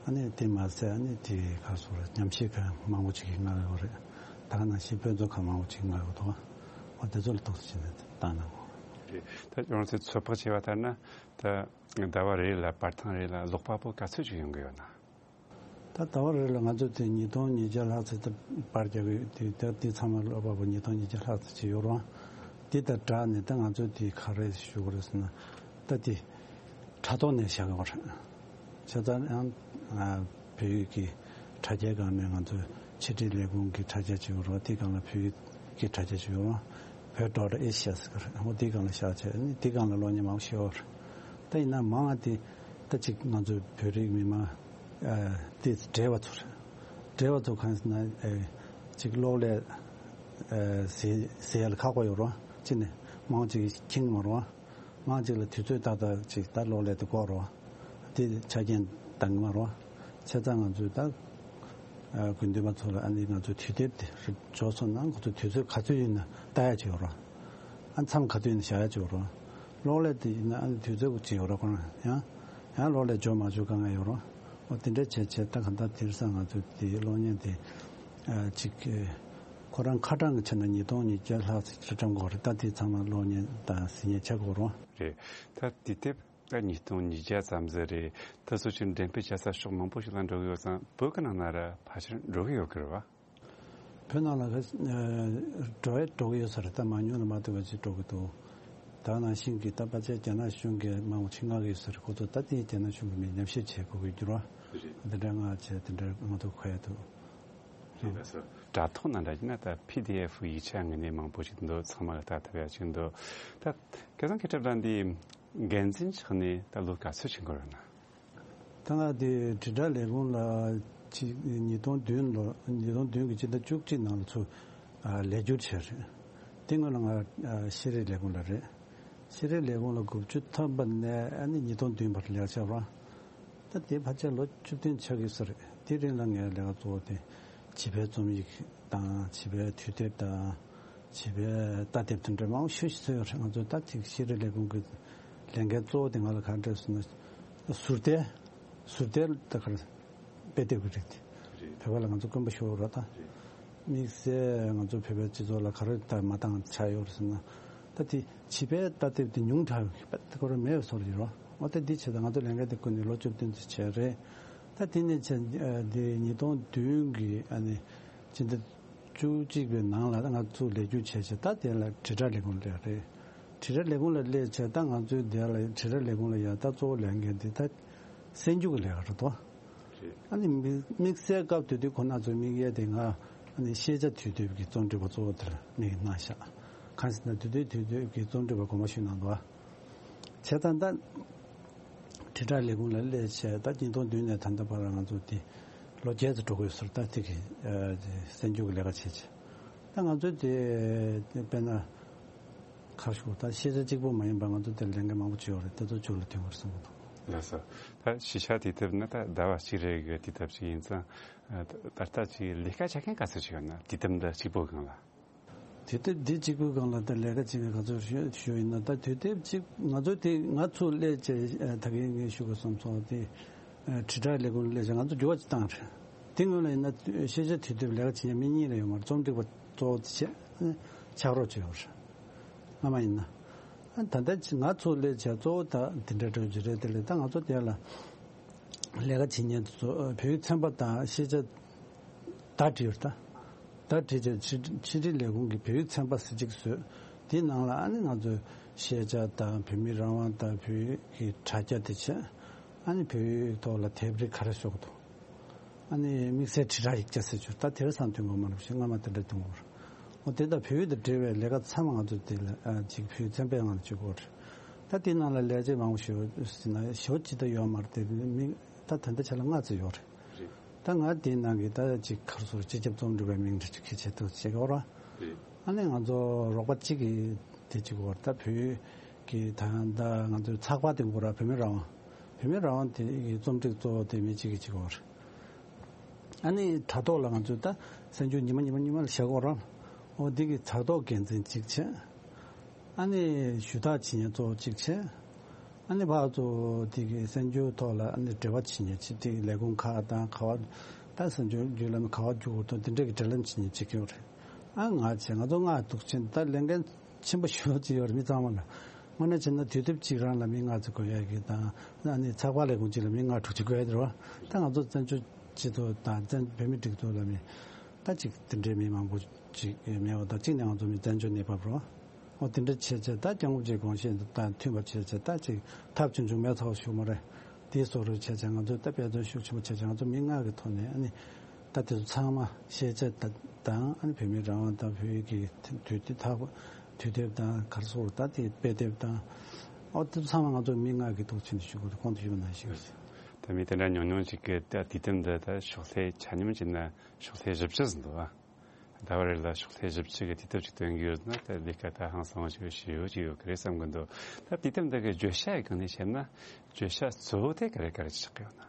ཨ་ནི་དེ་མ་ཟད་ཨ་ནི་དེ་ག་སོགས་ལ་ཉམས་ཞིབ་ཁང་མང་པོ་ཅིག་གིས་མངགས་ཡོད་རེད། ད་ག་ནང་བཞིན་དཔེ་མཛོད་ཁང་མང་པོ་ཅིག་མངགས་ཡོད་འདུག་འོ་དེ་ཚོ་ལ་ཐུགས་རྗེ་ཆེ་ནས་བཏང་གནང་དགོས་རེད། རེད། ད་ཡང་ཚེ་ཚོད་དཔག་བྱས་པ་ལྟར་ན་ད་ཟླ་བ་རེ་ལ་པར་ཐེངས་རེ་ལ་ཀློག་པ་པོ་ག་ཚོད་ཅིག་ཡོང་གི་ཡོད་ན། ད་ཟླ་བ་རེ་ལ་ང་ཚོ་དེ་ཉིས་སྟོང་ཉིས་བརྒྱ་ལྷག་ཙམ་དེ་པར་རྒྱག་གི་ཡོད། དེ་ད་དེ་ཚང་མ་ཀློག་པ་པོ་ཉིས་སྟོང་ཉིས་བརྒྱ་ལྷག་ཙམ་ཅིག་ཡོད་རུང་། དེ་དང་སྦྲགས་ནས་ད་ང་ཚོ་དེ་ག་རེ་ཞུ་དགོས་རེད་ཟེར་ན། ད་དེ་དྲ་ཐོག་ནས་བཞག་གི་ཡོད་རེད། བྱས་ཙང་ཡང་ཨ་བོད་ཡིག་གི་དྲ་རྒྱའི་སྒང་ནས་ང་ཚོ་ཕྱི་དྲིལ་ལས་ཁུངས་ཀྱི་དྲ་རྒྱ་ཅིག་ཡོད་རེད། དེའི་སྒང་ལ་བོད་ཡིག་གི་དྲ་རྒྱ་ཅིག་ཡོད་རེད། བོད་ཌོཊ་ཨེ་ཤི་ཡ་ཟེར་གི་རེད། འོ་དེའི་སྒང་ལ་བཞག་བྱས་ཨ་ནི་དེའི་སྒང་ལ་གློག་བརྙན་མང་པོ་ཞིག་ཡོད་རེད། ད་ཡིན་ན་མང་བ་དེ་ད་ཅིག་ང་ཚོའི་བོད་རིགས་མི་མང་ཨ་དེ་བགྲེས་པ་ཚོ་རེད། བགྲེས་པ་ཚོ་གང་ཟེར་ན་ཨེ་ཅིག་གློག་ཀླད་ཨེ་ཟེར་ཟེར་ཡ་ལ་ཁག་པོ་ཡོད་རེད། གཅིག་ནས་མང་ཅིག་མཁྱེན་གྱི་མ་རེད། མང་ཅིག་ལ་དུས་ཚོད་ཏག་ཏག་ཅིག་ད་གློག་ཀླད་དེ་དགོས་རེད། དེ་ཆ་རྐྱེན་འདང་གི་མ་རེད། བྱས་ཙང་ང་ཚོས་ད་ཨ་དགོས་འདུན་པ་ཚོ་ལ་ཨ་ནི་ང་ཚོའི་དུས་དེབ་དེ་རིགས་འབྱོར་སོང་ན་ཁོ་ཚོ་དུས་ཚོད་ག་ཚོད་ཡིན་ན་ལྟ་ཡ་ཅིག་ཡོད་རེད། ཨ་མཚམས་ག་དུས་ཡིན་ན་བཞག་ཡ་ཅིག་ཡོད་རེད། གློག་ཀླད་དེ་ཡིན་ན་ཨ་ནི་དུས་ཚོད་ཅིག་ཡོད་རེད། ཁོ་རང་ཡང་ཡང་གློག་ཀླད་འབྱོར་མ་བྱུང་དཀའ་ངལ་ཡོད་རེད། འོ་དེ་འདྲ་བྱས་བྱས་ད་གང་ལྟར་དེང་སང་ང་ཚོ་དེའི་གློག་བརྙན་དེ་ཨ་ཅིག་ཁོ་རང་ཁ་གྲངས་ཀྱི་ཆ་ནས་ཉིས་སྟོང་ཉིས་བརྒྱ་ལྷག་ཙམ་བཀྲམ་དགོས་རེད། ད་དེ་ཚང་མ་གློག་བརྙན་དང་གཟིགས་བརྙན་ཆགས་དགོས་རེད། རེད། ད་དེ་དེབ་ད་ཉིས་སྟོང་ཉིས་བརྒྱ་ཙམ་ཟིག་རེད། ད་སོ་ཆུ་འགྲེམས་སྤེལ་བྱ་ས་ཕྱོགས་མང་པོ་ཞིག་ལ་འགྲོ་གི་ཡོད་ཙང་བོད་ཀྱི་ནང་ན་ར་ཕལ་ཆེར་འགྲོ་གི་ཡོད་གི་རེད་བ། བོད་ནང་ལ་འགྲོ་ཡ་འགྲོ་གི་ཡོད་ས་རེད། ད་མང་ཉུང་ལ་མ་ལྟོས་པ་ཅིག་འགྲོ་གི་འདུག་ད་ནང་བཞིན་གྱི་ད་ཕལ་ཆེར་རྒྱ་ནག་གཞུང་གིས་མང་པོ་ཅིག་མངགས་ཀྱི་ཡོད་ས་རེད། ཁོ་ཚོ་ད་དེ་རྒྱ་ནག་གཞུང་གི་མི་ཉམས་ཞིབ་བྱེད་དགོས་ཀྱི་འགྱུར་བ་འདི་འདྲ་མངགས་བྱས་དེ་འདྲ་མ་གཏོགས་ག་ཡ་འདུག་རེད། ལགས་སོ། དྲ་ཐོག་ནང་འདྲ་ཡིན་ན་ད་པི་ཌི་ཨེཕ་ཡིག་ཆ་ངོས་ནས་མང་པོ་ཞིག་འདུག་ཚང་མ་ལ་ལྟ་ཐུབ་ཡ་ཅིག་འདུག་ད་སྐལ་བཟང་མཁས་གྲུབ་ལགས་འདི་འགན་འཛིན་ཆགས་ནས་ད་ལོ་ག་ཚོད་ཕྱིན་གྱི་ཡོད་ན། ད་ང་དེ་དྲིལ་བསྒྲགས་ལས་ཁུངས་ལ་ཕྱི་ཉིས་སྟོང་བདུན་ལོ་ཉིས་སྟོང་བདུན་གྱི་ཕྱི་ཟླ་བཅུ་གཅིག་ནང་ལ་ཚུར་ ལས་སྒྱུར་བྱས་རེད། དེ་སྔོན་ལ་ང་ཤེས་རིག་ལས་ཁུངས་ལ་རེད། ཤེས་རིག་ལས་ཁུངས་ལ་དགུ་བཅུ་ཐམ་པ་ནས་ཨ་ནི་ཉིས་སྟོང་བདུན་བར་ལས་ཀ་བྱས་པ། ད་དེ་ཕལ་ཆེར་ལོ་བཅུ་བདུན་ཆགས་ཀྱི་ས་རེད། དེ་རིང་ལ་ངའི་ལས་ཀ་གཙོ་བོ་དེ་བྱིས་པའི་རྩོམ་ཡིག་དང་བྱིས་པའི་དུས་དེབ་དང་བྱིས་པའི་ལྟ་དེབ་དེ་འདྲ་མང་པོ་ཞེ་པོ་ཅིག་བཟོས་ཡོད་རེད། ང་ཚོ་ད་ཅིག་ཤེས་རིག་ལས་ཁུངས་ཀྱི་ལས་འགན་གཙོ་བོ་དེ་ང་ལ་ག་རེ་སྤྲད་སོང་ན། ཟུར་བལྟས། ཟུར་བལྟས་ད་ག་རེ། དཔེ་དེབ་ཀྱི་རིགས་དེ། རེད། བོད་པ་ལ་ང་ཚོ་དཀོན་པོ་ཞེ་པོ་རེད་ད། རེད། དམིགས་བསལ་ང་ཚོ་བོད་པའི་སྤྱི་ཚོགས་ལ་ག་རེ་ད་མ་འདང་ཆགས་ཡོད་རེད་ཟེར་ན། ད་དེ་བྱིས་པའི་ལྟ་དེབ་དེ་ཉུང་དྲགས་ཡོད་པ་དེ་ཁོ་རང་མེད་པའི་བཟོ་འདྲ་ཡོད་རེད། འོ་ད་འདི་བྱས་ད་ང་ཚོ་ལས་འགན་དེ་བསྐུར་ནས་ལོ་བཅུ་བདུན་ཙམ་བྱས་རེད། ད་དེ་ནས་བྱས་འདི་ཉིས་སྟོང་བདུན་གྱི་ཨ་ནི་སྤྱི་ཟླ་བཅུ་གཅིག་པའི་ནང་ལ་ང་ཚོ་ལས་སྒྱུར་བྱས་བྱས་ད་དེ་ལ་དྲིལ་བསྒྲགས་ལས་ཁུངས་སླེབས་རེད། དྲིལ་བསྒྲགས་ལས་ཁུངས་ལ་སླེབས་བྱས་ད་ང་ཚོའི་དེ་ལ་དྲིལ་བསྒྲགས་ལས་ཁུངས་ལ་ཡ་ད་གཙོ་བོ་ལས་འགན་དེ་ད་གསར་འགྱུར་གྱི་ལས་ཀ་རེད་དོ། རེད། ཨ་ནི་དམིགས་དམིགས་བསལ་སྐབས་དེ་དུས་ཁོ་ན་ཚོའི་དམིགས་ཡུལ་དེ་ང་ཨ་ནི་ཤེས་བྱ་དུས་དེབ་ཀྱི་རྩོམ་སྒྲིག་པ་གཙོ་བོ་དེར་དམིགས་གནང་ཤག་གང་ཟེར་ན་དུས་དེབ་དུས་དེབ་ཀྱི་རྩོམ་སྒྲིག་པ་གོང་མ་ཞུས་གནང་འདུག་ཨ། བྱས་ཙང་ད་དྲིལ་བསྒྲགས་ལས་ཁུངས་ལ་སླེབས་བྱས་ད་ཉིས་སྟོང་བདུན་ནས་ད་ལྟ་བར་ང་ཚོ་དེ་ལོ་བརྒྱད་ཙམ་འགྲོ་གི་ཡོད་ཟེར། ད་དེ་གི་གསར་འགྱུར་གྱི་ལས་ཀ་བྱས་བྱས་ད་ང་ཚོ་དེ་དཔེར་ན། ཁ་ཤོག་ད་ཤེས་བྱ་གཅིག་པོ་མ་ཡིན་པར་ང་ཚོ་དེར་ལས་འགན་མང་པོ་བྱས་ཡོད་རེད། དེ་ཚོ་མཇུག་ལ་ཐོན་དགོས་བསམ་གྱི་འདུག་ལགས་སོ། ད་ཤེས་བྱ་དུས་དེབ་ནི་ད་ཟླ་བ་གཅིག་རེ་གི་དུས་དེབ་ཅིག་ཡིན་ཙང་། ད་ལྟ་ཅིག་ལས་ཀ་བྱ་མཁན་ག་ཚོད་ཅིག་ཡོད་ན་དུས་དེབ་འདི་གཅིག་པོའི་སྒང་ལ། དུས་དེབ་འདི་གཅིག་པོའི་སྒང་ལ་ད་ལས་ཀ་བྱེད་མཁན་ག་ཚོད་ཞུ་ཞུ་ཡིན་ན་ད་དུས་དེབ་གཅིག་ང་ཚོ་དེ་ང་ཚོ་སླེབས་བྱས་ད་གིན་ངས་ཞུ་དགོས་བསམ་སོང་དེ། དྲིལ་བསྒྲགས་ལས་ཁུངས་ལ་སླེབས་བྱས་ང་ཚོ་འགྱུར་བ་ཅིག་བཏང་རེད། དེ་སྔོན་ལ་ཡིན་ན་ཤེས་བྱ་དུས་དེབ་ལས་ཀ་བྱེད་མཁན་མི་གཉིས་ལས་ཡོད་མ་རེད། རྩོམ་སྒྲིག་པ་གཙོ་བོ་དེ་བྱས་ཕྱག་རོགས་བྱས་ཡོད་རེད། སྔ་མ་ཡིན་ན། ཨ་ད་ལྟ་ང་ཚོ་ལས་བྱ་གཙོ་བོ་ད་དེ་འདྲ་འགྲོ་རྒྱུ་རེད། དེ་ལས་ད་ང་ཚོ་དེ་ལ་ལས་ཀ་བྱེད་མཁན་དེ་ཚོ་བོད་ཡིག་ཚན་པ་དང་ཤེས་བྱ་བརྡ་བྲིས་ཡོད་ད། བརྡ་བྲིས་བྱས་ཕྱི་ཕྱི་དྲིལ་ལས་ཁུངས་ཀྱི་བོད་ཡིག་ཚན་པ་ཟེར་ཅིག་བཟོས། དེའི་ནང་ལ་ཨ་ནི་ང་ཚོས་ཤེས་བྱ་དང་བོད་མིའི་རང་དབང་དང་བོད་ཡིག་གི་དྲ་རྒྱ་དེ་བྱས། ཨ་ནི་བོད་ཡིག་ཐོག་ལ་དེབ་རིགས་ག་རེ་ཤོག་འདུག་ཨ་ནི་དམིགས་བསལ་དྲིལ་བསྒྲགས་ཡིག་ཆ་ཟེར་རྒྱུ་ད་དེར་སང་ཐོན་དགོས་མ་རེད་ཞེས་སྔ་མ་དེ་འདྲ་གཏོང་དགོས་རེད། འོ་དེ་ལྟར་བོད་ཡིག་དང་འབྲེལ་བའི་ལས་ཀ་ཚང་མ་ང་ཚོ་དེ་ལ་ཨ་ཅིག་བོད་ཡིག་ཚན་པའི་ངང་ནས་བྱེད་དགོས་རེད། ད་དེའི་ནང་ལ་ལས་བྱེད་མང་པོ་ཞིག་ཡོད་ཟེར་ན་ཞེ་པོ་ཅིག་ད་ཡོད་མ་རེད། དེ་མི་ད་ད་ལྟ་ཆ་ལ་ལྔ་ཙམ་ཡོད་རེད། རེད། ད་ང་དེའི་ནང་གི་ད་ཅིག་ག་རེ་ཟེར་སྤྱི་ཁྱབ་རྩོམ་སྒྲིག་པའི་མིང་འདྲ་ཅིག་གི་ཆེད་དུ་བྱེད་ཀྱི་ཡོད་རེད། རེད། ཨ་ནི་ང་ཚོ་རོགས་པ་གཅིག་གིས་དེ་གཅིག་བར་ད་བོད་ཀྱི་ད་ད་ང་ཚོའི་ཚགས་པར་དེ་འགོ་ར་བོད་མི་རང་དབང་། བོད་མི་རང་དབང་དེ་གི་རྩོམ་སྒྲིག་གཙོ་བོ་དེ་མི་གཅིག་གིས་གཅིག་བར། ཨ་ནི་དྲ་ཐོག་ལ་ང་ཚོས་ད་གསར་འགྱུར་ཉི་མ་ཉི་མ་ཉི་མ་ལ་བཞག་གོ་ར། འོ་འདི་གི་དྲ་ཐོག་འགན་འཛིན་གཅིག་བྱས། ཨ་ནི་ཞུ་དག་བྱེད་མཁན་གཙོ་བོ་གཅིག་བྱས། ཨ་ནི་ཕར་ཚུར་དེ་གི་གསར་འགྱུར་ཐོག་ལ་ཨ་ནི་འབྲེལ་བ་བྱེད་མཁན་གཅིག་དེ་ལས་ཁུངས་ཁག་དང་ག་བ། ད་གསར་འགྱུར་བརྒྱུད་ལམ་ག་བ་བརྒྱུད་དགོས་དོན་དེ་འདྲ་གི་འབྲེལ་ལམ་བྱེད་མཁན་གཅིག་ཡོད་རེད། ཨ་ང་བྱས་ང་ཚོ་ལྔ་འདུག་ཕྱིན་ད་ལས་འགན་ཆེན་པོ་ཞེ་པོ་ཅིག་ཡོད་རེད་མི་ཚང་མ་ལ། དངོས་གནས་བྱས་ན་དུས་དེབ་གཅིག་རང་ལ་མི་ལྔ་ཙམ་དགོས་ཡ་གི་དང་ཨ་ནི་ཚགས་པར་ལས་ཁུངས་གཅིག་ལ་མི་ལྔ་དྲུག་ཅིག་དགོས་ཡ་དེ་རེད་བ། ད་ང་ཚོ་བཙན་བྱོལ་སྤྱི་ཚོགས་དང་བཙན་བོད་མི་སྒྲིག་འཛུགས་ལ་མི་ད་ཅིག་དེ་འདྲའི་མི་མང་པོ་ཅིག་མེད་པ་དང་གཅིག་ནས་ང་ཚོ་མི་བཙན་བྱོལ་གནས་བབ་རེད་བ། འོ་དེ་འདྲ་བྱས་བྱས་ད་སྐྱབས་མགོན་རིན་པོ་ཆེའི་དགོངས་གཞི་དང་མཐུན་པ་བྱས་བྱས་ད་ཅིག་ཐབས་ཆུང་ཆུང་མེད་ཚོགས་ཞུ་མ་རེད། དེའི་བཟོ་འདྲ་བྱས་བྱས་ང་ཚོས་ད་དཔེ་མཚོན་ཤུགས་ཆེན་པོ་བྱས་བྱས་ང་ཚོ་མི་ལྔ་གི་ཐོག་ནས་ཨ་ནི་ད་དེ་ཚོ་ཚང་མ་ཤེས་བྱ་དང་ཨ་ནི་བོད་མིའི་རང་དབང་དང་བོད་ཡིག་གི་དུས་དེབ་ཐག་དུས་དེབ་དང་ག་རེ་ཟེར་ད་དེ་དཔེ་དེབ་དང་ཨོ་དེ་ཚོ་ཚང་མ་ང་ཚོ་མི་ལྔ་གི་ཐོག་ཕྱིན་ནས་ཞུ་དགོས་རེད། གོང་དུ་ཞུས་པ་ནང་བཞིན་རེད། ད་མི་དེ་འདྲ་ཉུང་ཉུང་ཅིག་གིས་ད་དུས་དེབ་འདི་ད་ཕྱོགས་ལྷེ་ཆ་སྙོམས་བྱས་ན་ཕྱོགས་ལྷེ་བཞི་བཅུ་ཟིན་འདུག་ཨ། ཟླ་བ་རེ་ལ་ཕྱོགས་ལྷེ་བཞི་བཅུ་གི་དུས་དེབ་ཅིག་སྟོན་གྱི་ཡོད་ན་ད་ལས་ཀ་ད་ཧང་སང་བ་ཞིག་ཞུ་ཡོད་ཀྱི་ཡོད་ཀྱི་རེད་བསམ་གྱི་འདུག་ད་དུས་དེབ་འདི་གི་བརྗོད་བྱ་ཡི་སྒང་ནས་བཤད་ན་བརྗོད་བྱ་གཙོ་བོ་དེ་ག་རེ་ག་རེ་ཆགས་ཀྱི་ཡོད་ན།